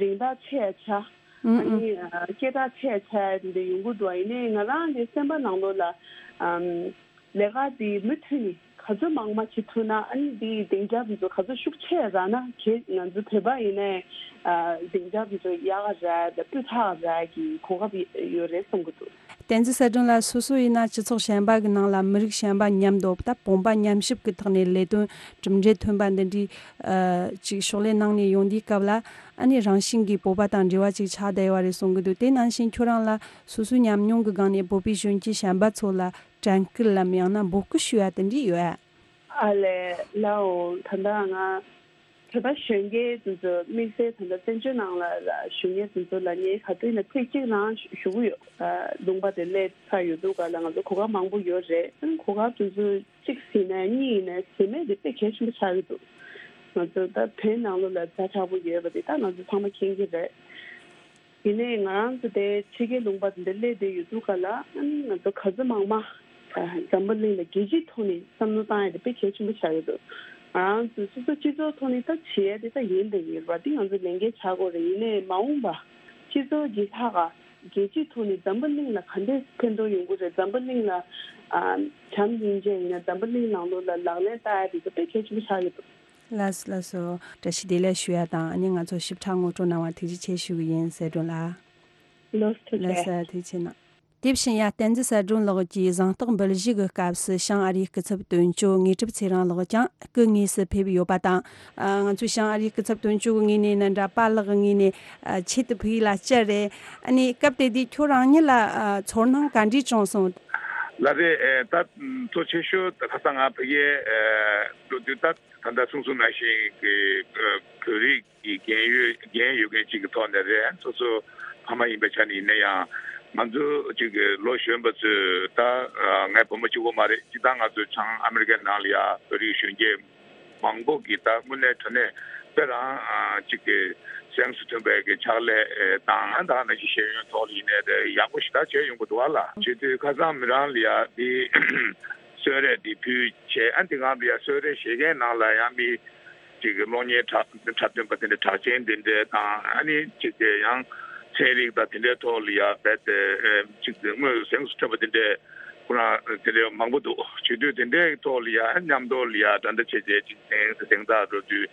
རིན་ཐང་ཆེ་ཡ་ཆགས། ཨ་ཨ་ནི་ཨ་སྐད་གྲགས་ཆེ་ཆེ་འདི་ཡོང་གི་འདུག་ཡིན་ནའི་ང་རང་གི་སེམས་པ་ནང་ལོགས་ལ་ཨམ་ལས་ཀ་འདི་མུ་མཐུད་ནས་ག་ཚོད་མང་མང་བྱེད་ཐུབ་ན། ཨ་ནི་འདིའི་སྡིངས་ཆ་འདི་ཚོ་ག་ཚོད་ཤུགས་ཆེ་རག་ན་གལ་ང་ཚོ་བོད་པ་ཡིན་ནའི་ཨ་སྡིངས་ཆ་འདི་ཚོ་ཡག་ག་རག་དང་སྤུས་དག་རག་གི་གོ་སྐབས་ཡོད་རེད་བསམ་གི་འདུག་བསྟན་འཛིན་གསལ་སྒྲོན་ལགས། སོ་སོ་ཡིན་ན་སྤྱི་ཚོགས་གཞན་པ་གི་ནང་ལ་མི་རིགས་གཞན་པ་མཉམ་དུ་ད་བུམ་པ་མཉམ་གཤིབ་ཀྱི་ཐོག་ནས་ལས་དོན་གྲུབ་འབྲས་ཐོན་པ་འདི་འདྲའི་ཨ་ཅིག་ཕྱག་ལས་གནང་ནས་ཡོང་དུས་སྐབས་ལ། ཨ་ནི་རང་བཞིན་གྱིས་བོད་པ་དང་འབྲེལ་བ་ཅིག་ཆགས་བསྡད་ཡོད་རེད་གསུང་གི་འདུག་དེ་ནང་བཞིན་ཁྱོད་རང་ལ་སོ་སོའི་ཉམས་མྱོང་གི་སྒང་ནས་བོད་པའི་གཞོན་སྐྱེས་གཞན་པ་ཚོ་ལ་དྲན་སྐུལ་ལམ་ཡང་ན་འབོད་སྐུལ་ཞུ་ཡ་དེ་འདྲ་ཡོད་ཨ། ཨ་ལས་ལའོ། ད་ལྟ་ང་བོད་པ་གཞོན་སྐྱེས་དེ་ཚོ་དམིགས་བསལ་ད་ལྟ་བཙན་བྱོལ་ནང་ལ་ལ་བཞུགས་མཁན་དེ་ཚོ་ལ་ངས་ག་དུས་ཡིན་ན་ཚིག་གཅིག་རང་ཞུ་གི་ཡོད། ལུང་པ་དེ་སླེབས་ཚར་ཡོད་འདུག་ག་ལ་ང་ཚོ་གོ་སྐབས་མང་པོ་ཡོད་རེད། གོ་སྐབས་དེ་ཚོ་གཅིག་ཟིན་ནས་གཉིས་ཡིན་ནས་ཟིན་མེད་དེ་དཔེ་གལ་ཆེན་པོ་ཆགས་ཀྱི་འདུག་ང་ཚོ་ད་བོད་ནང་ལོགས་ལ་ཛ་དྲག་པོ་ཡོད་པ་དེ་ད་ང་ཚོ་ཚང་མ་མཁྱེན་གྱི་རེད། ཡིན་ནའི་ང་རང་ཚོ་དེ་ཕྱི་རྒྱལ་ལུང་པ་དེ་འདྲ་སླེབས་བསྡད་ཡོད་འདུག་ག་ལ། ཨ་ནི་ང་ཚོ་ག་ཚོད་མང་མང་འཛམ་བུ་གླིང་ལ་རྒྱལ་སྤྱིའི་ཐོག་ནས་བསམ་བློ་བཏང་ཡ་དེ་དཔེ་གལ་ཆེན་པོ་ཆགས་ཡོད་འདུག་ང་རང་ཚོ་སོ་སོ་སྤྱི་ཚོགས་ཐོག་ནས་ད་བྱེད་ཡ་དེ་ད་ཡིན་དང་ཡིན་རེད་པ། དེ་ང་ཚོ་ལས་འགན་ཆགས་དགོས་རེད། ཡིན་ནའི་མ་འོངས་པ་སྤྱི་ཚོགས་ཀྱི་ལྷག་ག་རྒྱལ་སྤྱིའི་ཐོག་ནས་འཛམ་བུ་གླིང་ལ་ག་འདྲས་ཕན་ཐོགས་ཡོང་གི་རེད། འཛམ་བུ་གླིང་ལ་ཨ་བྱམས་སྙིང་རྗེ་ཡིན་ན་འཛམ་བུ་གླིང་ནང་ལོགས་ལ་ལག་ལེན་བསྟར་ཡ་དེ་ཚོ་དཔེ་གལ་ཆེན་པོ་ཆགས་ཡོད་འདུག་ལགས་སོ་ལགས་སོ། བཀྲ་ཤིས་བདེ་ལེགས་ཞུ་ཡ་དང་ཨ་ནི་ང་ཚོ་ཞིབ་ཕྲ་ངོ་སྤྲོད་གནང་བ་ཐུགས་རྗེ་ཆེ་ཞུ་གི་ཡིན་གསལ་སྒྲོན་ལགས། ལགས་སོ་ཐུགས་རྗེ་ཆེ་གནང་། དེ་བཞིན་ཡ་བསྟན་འཛིན་གསལ་སྒྲོན་ལགས་ཀྱིས་གཟེངས་རྟགས་འབུལ་བཞེས་ཀྱི་སྐབས་སུ་བྱང་ཨ་རིའི་སྐུ་ཚབ་དོན་གཅོད་དངོས་གྲུབ་ཚེ་རིང་ལགས་ཀྱང་སྐུ་དངོས་སུ་ཕེབས་ཡོད་པ་དང་། ཨ་ང་ཚོས་བྱང་ཨ་རིའི་སྐུ་ཚབ་དོན་གཅོད་ཀྱི་ངོས་ནས་ནི་འདྲ་པཱ་ལགས་ཀྱི་ངོས་ནས་ཨ་ཆེད་དུ་ཕུལ་ཡིག་ལ་བཅར་རེད། ཨ་ནི་སྐབས་དེ་དུས་ཁྱོད་རང་ཉིད་ལ་ཨ་ཚོར་སྣང་ག་འདྲས་བྱུང་སོང་། ལགས་རེད། ཨེ་ད་གཙོ་ཆེ་ཤོས་ད་ཁ་སང་ང་ཕ་གིའི་ཨེ་འགྲོ་དུས་ད་ད་ལྟ་གསུངས་སོང་ནང་བཞིན་གྱི་ཨེ་བོད་རིགས་ཀྱི་རྒན་ཡོད་རྒན་ཡོད་མཁན་གཅིག་གི་ཐོག་ནས་རེད། སོ་སོ་ཕ་མ་ཡིན་པའི་ཆ་ནས་ཡིན་ན་ཡང་ང་ཚོ་གཅིག་གི་ལོ་གཞོན་པ་ཚོས་ད་ཨ་ངའི་བུ་མོ་གཅིག་པོ་མ་རེད། སྤྱིར་བཏང་ང་ཚོ་བྱང་ཨ་མི་རི་ཀའི་ནང་ལ་ཡ་བོད་རིགས་གཞོན་སྐྱེས་མང་པོ་གིས་ད་དངོས་གནས་དྲང་གནས་དཔེ་རང་ཨ་གཅིག་གི་སེམས་སུ་མཐུན་པའི་གི་ཕྱག་ལས་ཨེ་དང་ཨ་ད་ནང་བཞིན་ཤེས་ཡོན་ཐོག་ལ་ཡིན་ནའི་དེ་ཡག་པོ་ཞེ་དྲག་བྱས་ཡོང་གི་འདུག་ཨ་ལ། བྱེད་དུས་ཁ་སང་མི་རང་ལ་ཡ་འདི་གསོལ་རས་འདི་ཕུལ་བྱས། ཨ་འདི་སྒང་ལ་ཡ་གསོལ་རས་བཞེས་མཁན་ནང་ལ་ཡང་མི་གཅིག་གི་གློག་བརྙན་འཁྲབ་འཁྲབ་སྟོན་པ་དེ་འདྲ་གྲགས་ཅན་དེ་འདྲ་དང་། ཨ་ནི་གཅིག་གི་ཡང་ཚན་རིག་དང་དེ་འདྲའི་ཐོག་ལ་ཡ་རྦད་དེ་ཨེ་གཅིག་གི་དངོས་སུ་གཟེངས་སུ་ཐོན་པ་དེ་འདྲའི་ཁོ་རང་དེ་འདྲའི་མང་པོ་འདུག་བྱེད་དུས་དེ་འདྲའི་ཐོག་ལ་ཡ་མཉམ་དུ་ལ་ཡ་འགྲན་ཟླ་ཆེ་ཆེ་གཅིག་གཟེངས་གཟེངས་རྟགས་འགྲོ་དུས་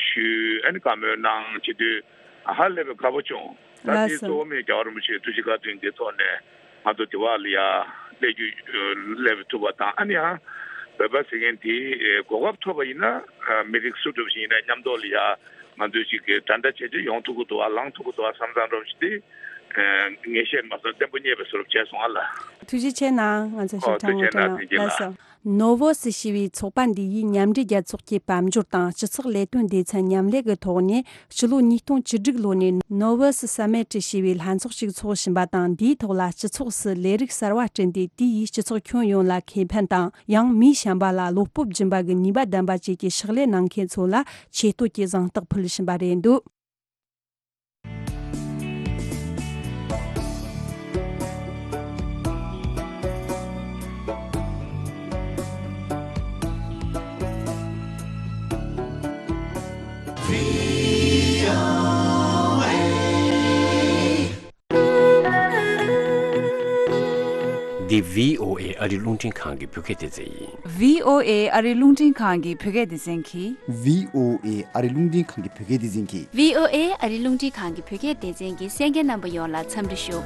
ཞུས། ཨ་ནི་བཀའ་མོལ་གནང་བྱེད་དུས་ཧ་ལས་པའི་དགའ་པོ་བྱུང་། ད་ལགས་དེ་སོ། གཙོ་བོ་མི་རྒྱལ་བ་རིན་པོ་ཆེའི་ཐུགས་རྗེ་བཀའ་དྲིན་གྱི་ཐོག་ནས་ང་ཚོ་དེ་བ་ལ་ཡ་སླེབས་རྒྱུ་སླེབས་ཐུབ་པ་དང་། ཨ་ནི་ཡང་བོད་པ་ཟེར་མཁན་དེ་གོ་སྐབས་ཐོབ་པ་ཡིན་ན་མི་རིགས་སུ་འགྲོ་བཞིན་ཡིན་ན་མཉམ་དུ་ལ་ཡ་ང་ཚོས་ཅིག་གི་འགྲན་ཟླ་བྱས་རྗེས་ཡོང་ཐུབ་ཀྱི་འདུག་བ་ལངས་ཐུབ་ཀྱི་འདུག་བ་བསམ་བསམ་འགྲོ་བཞིན་དེ་ངེས་ཤེས་མ་སོང་བརྟན་པོ་རྙེད་པའི་བཟོ་འདྲ་བྱས་སོང་ཨ་ལ། ཐུགས་རྗེ་ཆེ་གནང་། ང་ཚོ་ཞིབ་ཕྲ་ངོ་སྤྲོད་གནང་། ལགས་སོ། ནོ་ཝོ་སི་ཞེས་པའི་ཚོགས་པ་འདི་ཡིས་མཉམ་འབྲེལ་རྒྱལ་ཚོགས་ཀྱི་དཔལ་འབྱོར་དང་སྤྱི་ཚོགས་ལས་དོན་སྡེ་ཚན་མཉམ་ལས་ཀྱི་ཐོག་ནས་སྤྱི་ལོ་ཉིས་སྟོང་བཅུ་དྲུག་ལོ་ནས་ནོ་ཝོ་སི་སམ་མིཊ་ཞེས་པའི་ལྷན་ཚོགས་ཤིག་ཚོགས་བཞིན་པ་དང་། འདིའི་ཐོག་ལ་སྤྱི་ཚོགས་སུ་ལས་རིགས་གསར་བ་བསྐྲུན་ཏེ་དེ་ཡིས་སྤྱི་ཚོགས་ཁྱོན་ཡོངས་ལ་ཁེ་ཕན་དང་། ཡང་མིའི་བྱམས་པ་ལ་བློ་སྤོབས་སྦྱིན་པ་གི་ནུས་པ་ལྡན་པ་བཅས་ཀྱི་ཕྱག་ལས་གནང་མཁན་ཚོ་ལ་ཆེ་བསྟོད་ཀྱི་གཟེངས་རྟགས་ཕུལ་བཞིན་པ་རེད་འདུག་འདི་བྷི་ཨོ་ཨེ་ཨ་རི་རླུང་འཕྲིན་ཁང་གི་བོད་སྐད་སྡེ་ཚན་ཡིན། བྷི་ཨོ་ཨེ་ཨ་རི་རླུང་འཕྲིན་ཁང་གི་བོད་སྐད་སྡེ་ཚན་གྱིས། བྷི་ཨོ་ཨེ་ཨ་རི་རླུང་འཕྲིན་ཁང་གི་བོད་སྐད་སྡེ་ཚན་གྱིས། བྷི་ཨོ་ཨེ་ཨ་རི་རླུང་འཕྲིན་ཁང་གི་བོད་སྐད་སྡེ་ཚན་གྱི་གསན་མཁན་རྣམ་པ་ཡོངས་ལ་འཚམས་འདྲི་ཞུ།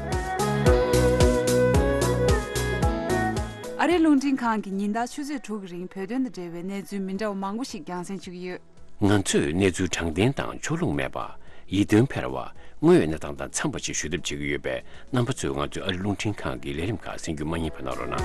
ཨ་རི་རླུང་འཕྲིན་ཁང་གིས་ཉིན་ལྟར་ཆུ་ཚོད་དྲུག་གི་རིང་བོད་དོན་དང་འབྲེལ་བའི་གནས་ཚུལ་མི་འདྲ་བ་མང་པོ་ཞིག་རྒྱང་སྲིང་ཞུ་གི་ཡོད། ང་ཚོས་གནས་ཚུལ་དྲང་བདེན་དང་ཕྱོགས་ལྷུང་མེད་པ། ཡིད་རྟོན་འཕེར་བ། དངོས་ཡོད་གནས་སྟངས་དང་འཚམས་པ་ཞིག་ཞུ་ཐབས་བྱེད་ཀྱི་ཡོད་པས། རྣམ་པ་ཚོས་ང་ཚོའི་ཨ་རི་རླུང་འཕྲིན་ཁང་གི་ལས་རིམ་ཁག་གསན་རྒྱུ་མ་བསྙེལ་བ་གནང་རོགས་གནང་།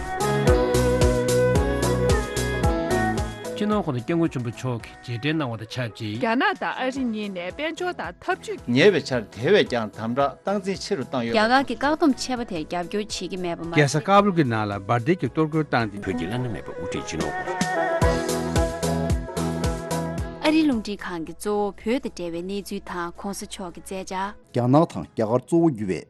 སྤྱི་ནོར་༸གོང་ས་༸སྐྱབས་མགོན་ཆེན་པོ་མཆོག་གིས་རྗེས་དྲན་གནང་བ་དང་ཆབས་ཅིག་རྒྱ་ནག་དང་ཨ་རི་གཉིས་ནས་དཔལ་འབྱོར་དང་འཐབ་ཇུས་ཉེ་བའི་ཆར་དེ་བས་ཀྱང་དམ་དྲག་སྟངས་འཛིན་ཆེ་རུ་བཏང་ཡོད། རྒྱ་གར་གྱི་བཀག་སྡོམ་ཆད་པ་དེར་རྒྱབ་སྐྱོར་བྱེད་ཀྱི་མེད་པ་མ་ཟད། རྒྱལ་ས་ཀ་བུལ་གྱི་ནང་ལ་འབར་མདེལ་གྱི་གཏོར་རྒོལ་བཏང་སྟེ། བོད་ཀྱི་བླ་ན་མེད་པའི་དབུ་ཁྲིད་སྤྱི་ནོར་༸གོང་ས་ ཨ་རིའི་རླུང་འཕྲིན་ཁང་གིས་གཙོ་བོ་བོད་དང་འབྲེལ་བའི་གནས་ཚུལ་དང་གོང་ས་མཆོག་གི་མཛད་འཆར། རྒྱ་ནག་དང་རྒྱ་གར་གཙོ་བོ་གྱུར་བའི་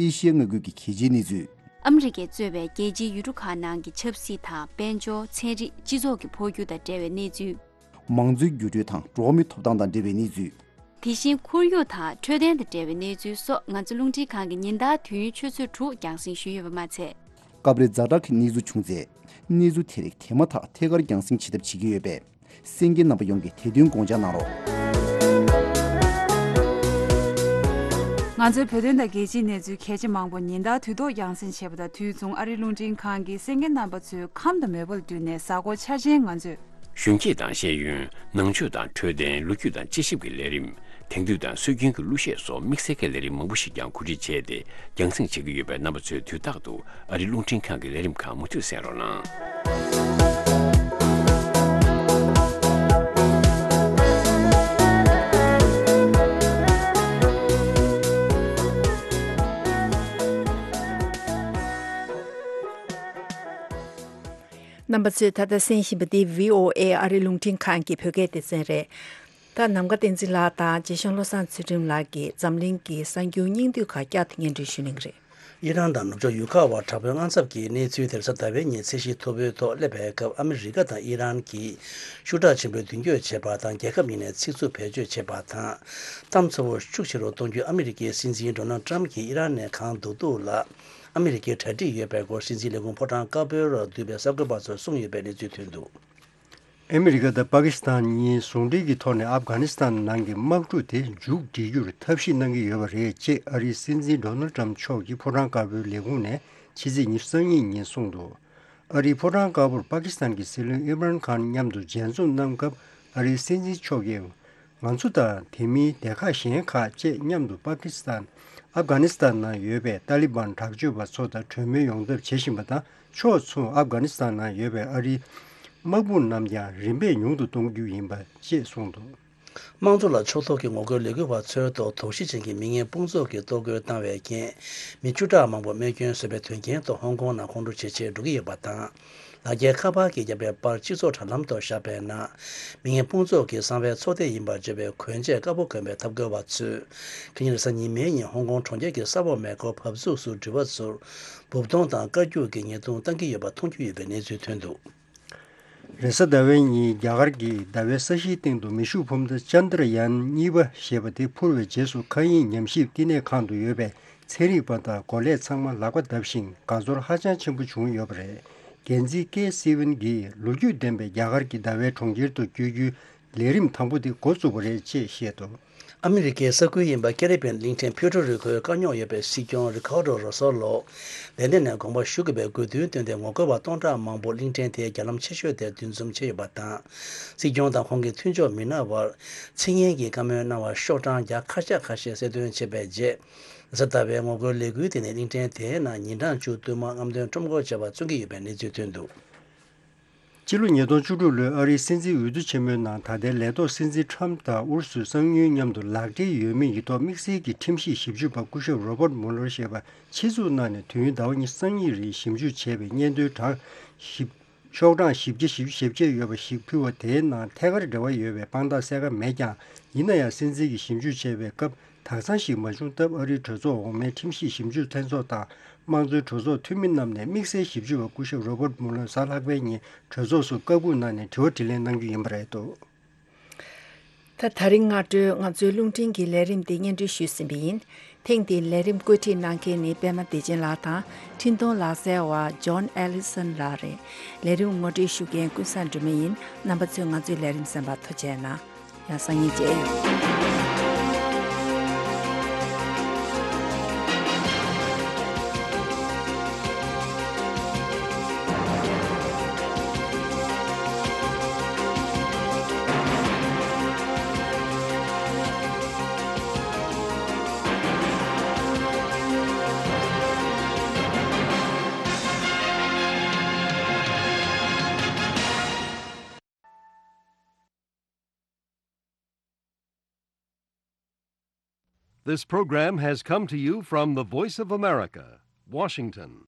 ཨེ་ཤི་ཡའི་མངའ་ཁུལ་གྱི་གལ་ཆེའི་གནས་ཚུལ། ཨ་མི་རི་ཀས་གཙོས་པའི་རྒྱལ་སྤྱིའི་ཡུལ་གྲུ་ཁག་ནང་གི་ཆབ་སྲིད་དང་དཔལ་འབྱོར། ཚན་རིག་སྤྱི་ཚོགས་ཀྱི་འཕོ་འགྱུར་དང་འབྲེལ་བའི་གནས་ཚུལ། མང་གཙོའི་འགྱུར་འགྲོས་དང་འགྲོ་བ་མིའི་ཐོབ་ཐང་དང་འབྲེལ་བའི་གནས་ཚུལ། དེ་བཞིན་ཁོར་ཡུག་དང་འཕྲོད་བསྟེན་དང་འབྲེལ་བའི་གནས་ཚུལ་སོགས་ང་ཚོའི་རླུང་འཕྲིན་ཁང་གིས་ཉིན་ལྟར་དུས་ཡུན་ཆུ་ཚོད་དྲུག་རྒྱང་སྲིང་ཞུས་ཡོད་པ་མ་ཚད། སྐབས་རེ་ཛ་དྲག་གི་གནས་ཚུལ་བྱུང་ཚེ། གནས་ཚུལ་དེ་རིགས་དེ་མ་ཐག་ཐད་ཀར་རྒྱང་སྲིང་བྱེད་ཐབས་བྱེད་ཀྱི་ཡོད་པས། གསན་མཁན་རྣམ་པ་ཡོངས་ཀྱིས་དེ་དོན་དགོངས་འཇགས་གནང་རོགས། ང་ཚོའི་བོད་དོན་དང་རྒྱལ་སྤྱིའི་གནས་ཚུལ་གལ་ཆེ་མང་པོ་ཉིན་ལྟར་དུས་ཐོག་རྒྱང་སྲིང་བྱེད་པ་དང་དུས་མཚུངས་ཨ་རིའི་རླུང་འཕྲིན་ཁང་གིས་གསན་མཁན་རྣམ་པ་ཚོའི་ཁམས་དང་མོས་པ་ལ་བསྟུན་ནས་གཟའ་འཁོར་འཆར་ཅན་ང་ཚོས། གཞོན་སྐྱེས་དང་ཤེས་ཡོན། ནང་ཆོས་དང་འཕྲོད་བསྟེན། ལོ་རྒྱུས་དང་དཔྱད་ཞིབ་ཀྱི་ལས་རིམ། དེང་དུས་དང་སྲོལ་རྒྱུན་གྱི་གླུ་གཞས་སོགས་དམིགས་བསལ་གྱི་ལས་རིམ་མང་པོ་ཞིག་ཀྱང་གོ་སྒྲིག་བྱས་ཏེ་རྒྱང་སྲིང་བྱེད་ཀྱི་ཡོད་པས། རྣམ་པ་ཚོས་དུས་རྟག་ཏུ་ཨ་རིའི་རླུང་འཕྲིན་ཁང་གི་ལས་རིམ་ཁག་མུ་མཐུད་གསན་རོགས་གནང་། རྣམ་པ་ཚོས་ད་ལྟ་གསན་བཞིན་པ་འདི་བྷི་ཨོ་ཨེ་ཨ་རིའི་རླུང་འཕྲིན་ཁང་གི་བོད་སྐད་སྡེ་ཚན་རེད། ད་ནམ་མཁའ་བསྟན་འཛིན་ལགས་དང་རྗེ་ཤང་བློ་བཟང་ཚུལ་ཁྲིམས་ལགས་ཀྱིས་འཛམ་གླིང་གི་གསར་འགྱུར་སྙིང་བསྡུས་ཁག་བསྐྱར་དུ་སྙན་སྒྲོན་ཞུ་གནང་གི་རེད། ཨི་རན་དང་ནུབ་ཕྱོགས་ཡུལ་ཁག་དབར་དྲག་པོའི་དངངས་འཚབ་ཀྱི་གནས་ཚུལ་དེ་རེས་གཟའ་ཟླ་བའི་ཉིན་ཚད་གཞི་མཐོ་པོའི་ཐོག་སླེབས་པའི་སྐབས། ཨ་མི་རི་ཀ་དང་ཨི་རན་གྱིས་ཤུགས་དྲག་ཆེན་པོས་མདུན་སྐྱོད་བྱས་པ་དང་། རྒྱལ་ཁབ་གཉིས་ནས་ཚིག་རྩུབ་བེད་སྤྱོད་བྱས་པ་དང་། གཏམ་ཚ་བོ་ཤུགས་ཆེ་རུ་གཏོང་རྒྱུ། ཨ་མི་རི་ཀའི་སྲིད་འཛིན་ཌོ་ནལ་ཊམ་གྱིས་ཨི་རན་ནས་གང་བསྡུར་བསྡུར་ལ་ཨ་མི་རི་ཀའི་གྲ་སྒྲིག་ཡོད་པའི་སྐོར་སྲིད་འཛིན་ལས་ཁུངས་ཕོ་བྲང་དཀར་པོའི་རུ་བསྡུས་པའི་གསར་འགོད་པ་ཚོར་གསུངས་ཡོད་པའི་གནས་ཚུལ་ཐོན་འདུག། ཨ་མི་རི་ཀ་དང་པ་ཀི་སི་ཐན་གཉིས་ཟུང་འབྲེལ་གྱི་ཐོག་ནས་ཨབ་གྷ་ནི་སི་ཐན་ནང་གི་དམག་གྲུ་དེ་མཇུག་སྒྲིལ་རྒྱུར་ཐབས་ཤེས་གནང་གི་ཡོད་པ་རེད་ཅེས་ཨ་རིའི་སྲིད་འཛིན་ཌོ་ནལ་ཊམ་མཆོག་གིས་ཕོ་བྲང་དཀར་པོའི་ལས་ཁུངས་ནས་ཕྱི་ཚེས་ཉི་ཤུ་རྩ་གཉིས་ཉིན་གསུངས་འདུག། ཨ་རིའི་ཕོ་བྲང་དཀར་པོར་པ་ཀི་སི་ཐན་གྱི་སྲིད་བློན་ཨིམ་རན་ཁཱན་མཉམ་དུ་མཇལ་འཛོམས་གནང་སྐབས། ཨ་རིའི་སྲིད་འཛིན་མཆོག་གིས། ང་ཚོ་དང་དེ་མིན་སྡེ་ཁག་གཞན་ཁག་བཅས་མཉམ་དུ་པ་ཀི་སི་ཐན། ཨབ་གྷ་ནི་སི་ཐན་ནང་ཡོད་པའི་ཏཱ་ལི་བན་དྲག་སྤྱོད་པ་ཚོ་དང་གྲོས་མོལ་ཡོང་ཐབས་བྱེད་བཞིན་པ་དང་། ཕྱོགས་མཚུངས་ཨབ་གྷ་ནི་སི་ཐན་ནང་ཡོད་པའི་ཨ་རིའི་དམག་དཔུང་རྣམས་ཀྱང་རིམ་པས་ཉུང་དུ་གཏོང་རྒྱུ་ཡིན་པ་ཅེས་གསུངས་འདུག། དམངས་གཙོ་ལ་ཕྱོགས་གཏོགས་ཀྱི་ངོ་རྒོལ་ལས་འགུལ་བ་ཚོའི་ཐོག་དོགས་གཞི་ཅན་གྱི་མི་ངན་དཔུང་ཚོགས་ཀྱིས་གཏོར་རྒོལ་བཏང་བའི་རྐྱེན། མི་བཅུ་ཕྲག་མང་པོ་རྨས་སྐྱོན་བཟོས་པའི་དོན་རྐྱེན་ཐོག་ཧོང་ཀོང་ནང་ཁོང་ཁྲོ་ཇེ་ཆེར་འགྲོ་གི་ཡོད་པ་དང་། ལག་འཁྱེར་ཁ་པར་གྱིས་བརྒྱབ་པའི་པར་སྤྱི་ཚོགས་དྲ་ལམ་ཐོག་བཞག་པའི་ནང་། མི་ངན་དཔུང་ཚོགས་ཀྱི་གསང་བའི་ཚོགས་སྡེ་ཡིན་པར་བརྗོད་པའི་གོན་ཆས་དཀར་པོ་གོན་པའི་ཐབས་སྐྱོ་བ་ཚོས། ཁ་ཉིན་རེས་གཟའ་ཉི་མའི་ཉིན་ཧོང་ཀོང་གྲོང་ཁྱེར་གྱི་ས་འོག་མེ་འཁོར་བབས་ཚུགས་སུ་འགྲུལ་བ་ཚོར་འབུབ་གཏོང་དང་བཀའ་བཀྱོག་གི་ཉེས་རྡུང་བཏང་གི་ཡོད་པ་མཐོང་རྒྱུ་ཡོད་པའི་གནས་ཚུལ་ཐོན་འདུག། རེས་གཟའ་ཟླ་བའི་ཉིན་རྒྱ་གར་གྱི་ཟླ་བའི་ས་གཞིའི་སྟེང་དུ་མེ་ཤུགས་འཕུར་མདའ་ཅན་དྲ་ཡན་གཉིས་པ་ཞེས་པ་དེ་འཕུར་བའི་རྗེས་སུ་མཁའ་དབྱིངས་ཉམས་ཞིབ་བསྟི་གནས་ཁང་དུ་ཡོད་པའི་ཚན་རིག་པ་དང་འགོ་ལས་ཚང་མ་ལག་པ་བརྡབས་ཤིང་དགའ་ཚོར་ཧ་ཅང་ཆེན་པོ་བྱུང་ཡོད་པ་རེད། འགན་འཛིན་ཀེ་སི་ཝིན་གྱིས་ལོ་རྒྱུས་ལྡན་པའི་རྒྱ་གར་གྱི་ཟླ་བའི་གྲོང་ཁྱེར་དུ་བསྐྱོད་རྒྱུའི་ལས་རིམ་དང་པོ་དེ་འགོ་བཙུགས་པ་རེད་ཅེས་བཤད་འདུག། ཨ་མི་རི་ཀའི་ས་ཁུལ་ཡིན་པ་ཀེ་རི་བྷི་ཡན་གླིང་ཕྲན་ཕུའེ་ཊོ་རི་ཁོའི་དཀའ་རྙོག་ཡོད་པའི་སྲིད་སྐྱོང་རི་ཁཱར་ཌོ་རོ་སོ་ལོ། ལན་ཌན་ནས་དགོངས་པ་ཞུ་དགོས་པའི་དགོས་འདུན་བཏོན་ཏེ་ངོ་རྒོལ་བ་སྟོང་ཕྲག་མང་པོ་གླིང་ཕྲན་དེའི་རྒྱ་ལམ་ཆེ་ཤོས་དེར་འདུ་འཛོམས་བྱས་ཡོད་པ་དང་། སྲིད་སྐྱོང་དང་ཁོང་གི་མཐུན་ཕྱོགས་མི་སྣ་བར་ཚིག་ངན་གྱི་བཀའ་མོལ་གནང་བར་ཤོག་གྲངས་བརྒྱ་ཁ་ཤས་ཁ་ཤས་གསལ་སྟོན་བྱས་པའི་རྗེས། གཟའ་ཟླ་བའི་ངོ་རྒོལ་ལས་འགུལ་དེ་ནི་གླིང་ཕྲན་དེའི་ནང་ཉིན་གྲངས་བཅུ་བསྟུད་མར་རྔམ་སྟོན་ཁྲོམ་སྐོར་བྱས་པ་མཚོན་གྱི་ཡོད་པའི་གནས་ཚུལ་ཐོན་འདུག། སྤྱི་ལོ་ཉིས་སྟོང་བཅུ་དྲུག་ལོའི་ཨ་རིའི་སྲིད་འཛིན་འོས་བསྡུ་ཆེན་མོའི་ནང་ད་ལྟའི་ལས་ཐོག་སྲིད་འཛིན་ཁྲམ་དང་ཨུ་རུ་སུའི་གསང་ཉུལ་མཉམ་དུ་ལག་འབྲེལ་ཡོད་མེད་ཀྱི་ཐོག་དམིགས་བསལ་གྱི་ཁྲིམས་ཞིབ་ཞིབ་འཇུག་པ་སྐུ་ཞབས་རོ་བར་མུ་ལར་ཞེས་པ་ཆེད་འཛུགས་གནང་ནས་དུས་ཡུན་ཟླ་བ་ཉི་ཤུ་རྩ་གཉིས་རིང་ཞིབ་འཇུག་བྱས་པའི་སྙན་ཐོའི་གྲངས་ཞིབ་ཤོག་གྲངས་བཞི་བརྒྱ་བཞི་བཅུ་ཞེ་བརྒྱད་ཡོད་པ་ཞིག་ཕུལ་བ་དེའི་ནང་ཐད་ཀར་འབྲེལ་བ་ཡོད་པའི་དཔང་རྟགས་གསལ་ཁ་མེད་ཀྱང་། ཡིན་ན་ཡང་སྲིད་འཛིན་གྱིས་ཞིབ་འཇུག་བྱས་པའི་སྐབས། དག་མཚམས་ཤིག་མ་བྱུང་སྟབས། ཨ་རིའི་གྲོས་ཚོགས་འོག་མའི་ཁྲིམས་ཞིབ་ཞིབ་འཇུག་ལྷན་ཚོགས་དང་དམངས་གཙོའི་གྲོས་ཚོགས་འཐུས་མི་རྣམས་ནས་དམིགས་བསལ་ཞིབ་འཇུག་པ་སྐུ་ཞབས་རོ་བར་མུ་ལར་གཟའ་ལྷག་པའི་ཉིན་གྲོས་ཚོགས་སུ་བཀའ་སྒུག་གནང་ནས་དྲི་བ་དྲིས་ལན་གནང་རྒྱུ་ཡིན་པ་རེད་འདུག། ད་ད་རིང་སྔ་དྲོའི་ང་ཚོའི་རླུང་འཕྲིན་གྱི་ལས་རིམ་འདི་སྙན་སྒྲོན་ཞུས་ཟིན་པ་ཡིན། ཐེངས་འདིའི་ལས་རིམ་བཀོད་སྒྲིག་གནང་མཁན་ནི་པད་མ་བདེ་ཆེན་ལགས་དང་འཕྲིན་གཏོང་ལག་རྩལ་བ་ཇོན་ཨེ་ལི་སན་ལགས་རེད། ལས་རིམ་ངོ་སྤྲོད་ཞུ་མཁན་ཀུན་བཟང་སྒྲོལ་མ་ཡིན། རྣམ་པ་ཚོས་ང་ཚོའི་ལས་རིམ་གསན་པར་ཐུགས་རྗེ་གནང་། ཡང་སང་ཉིན་མཇལ་ཡོང་། This program has come to you from the Voice of America, Washington.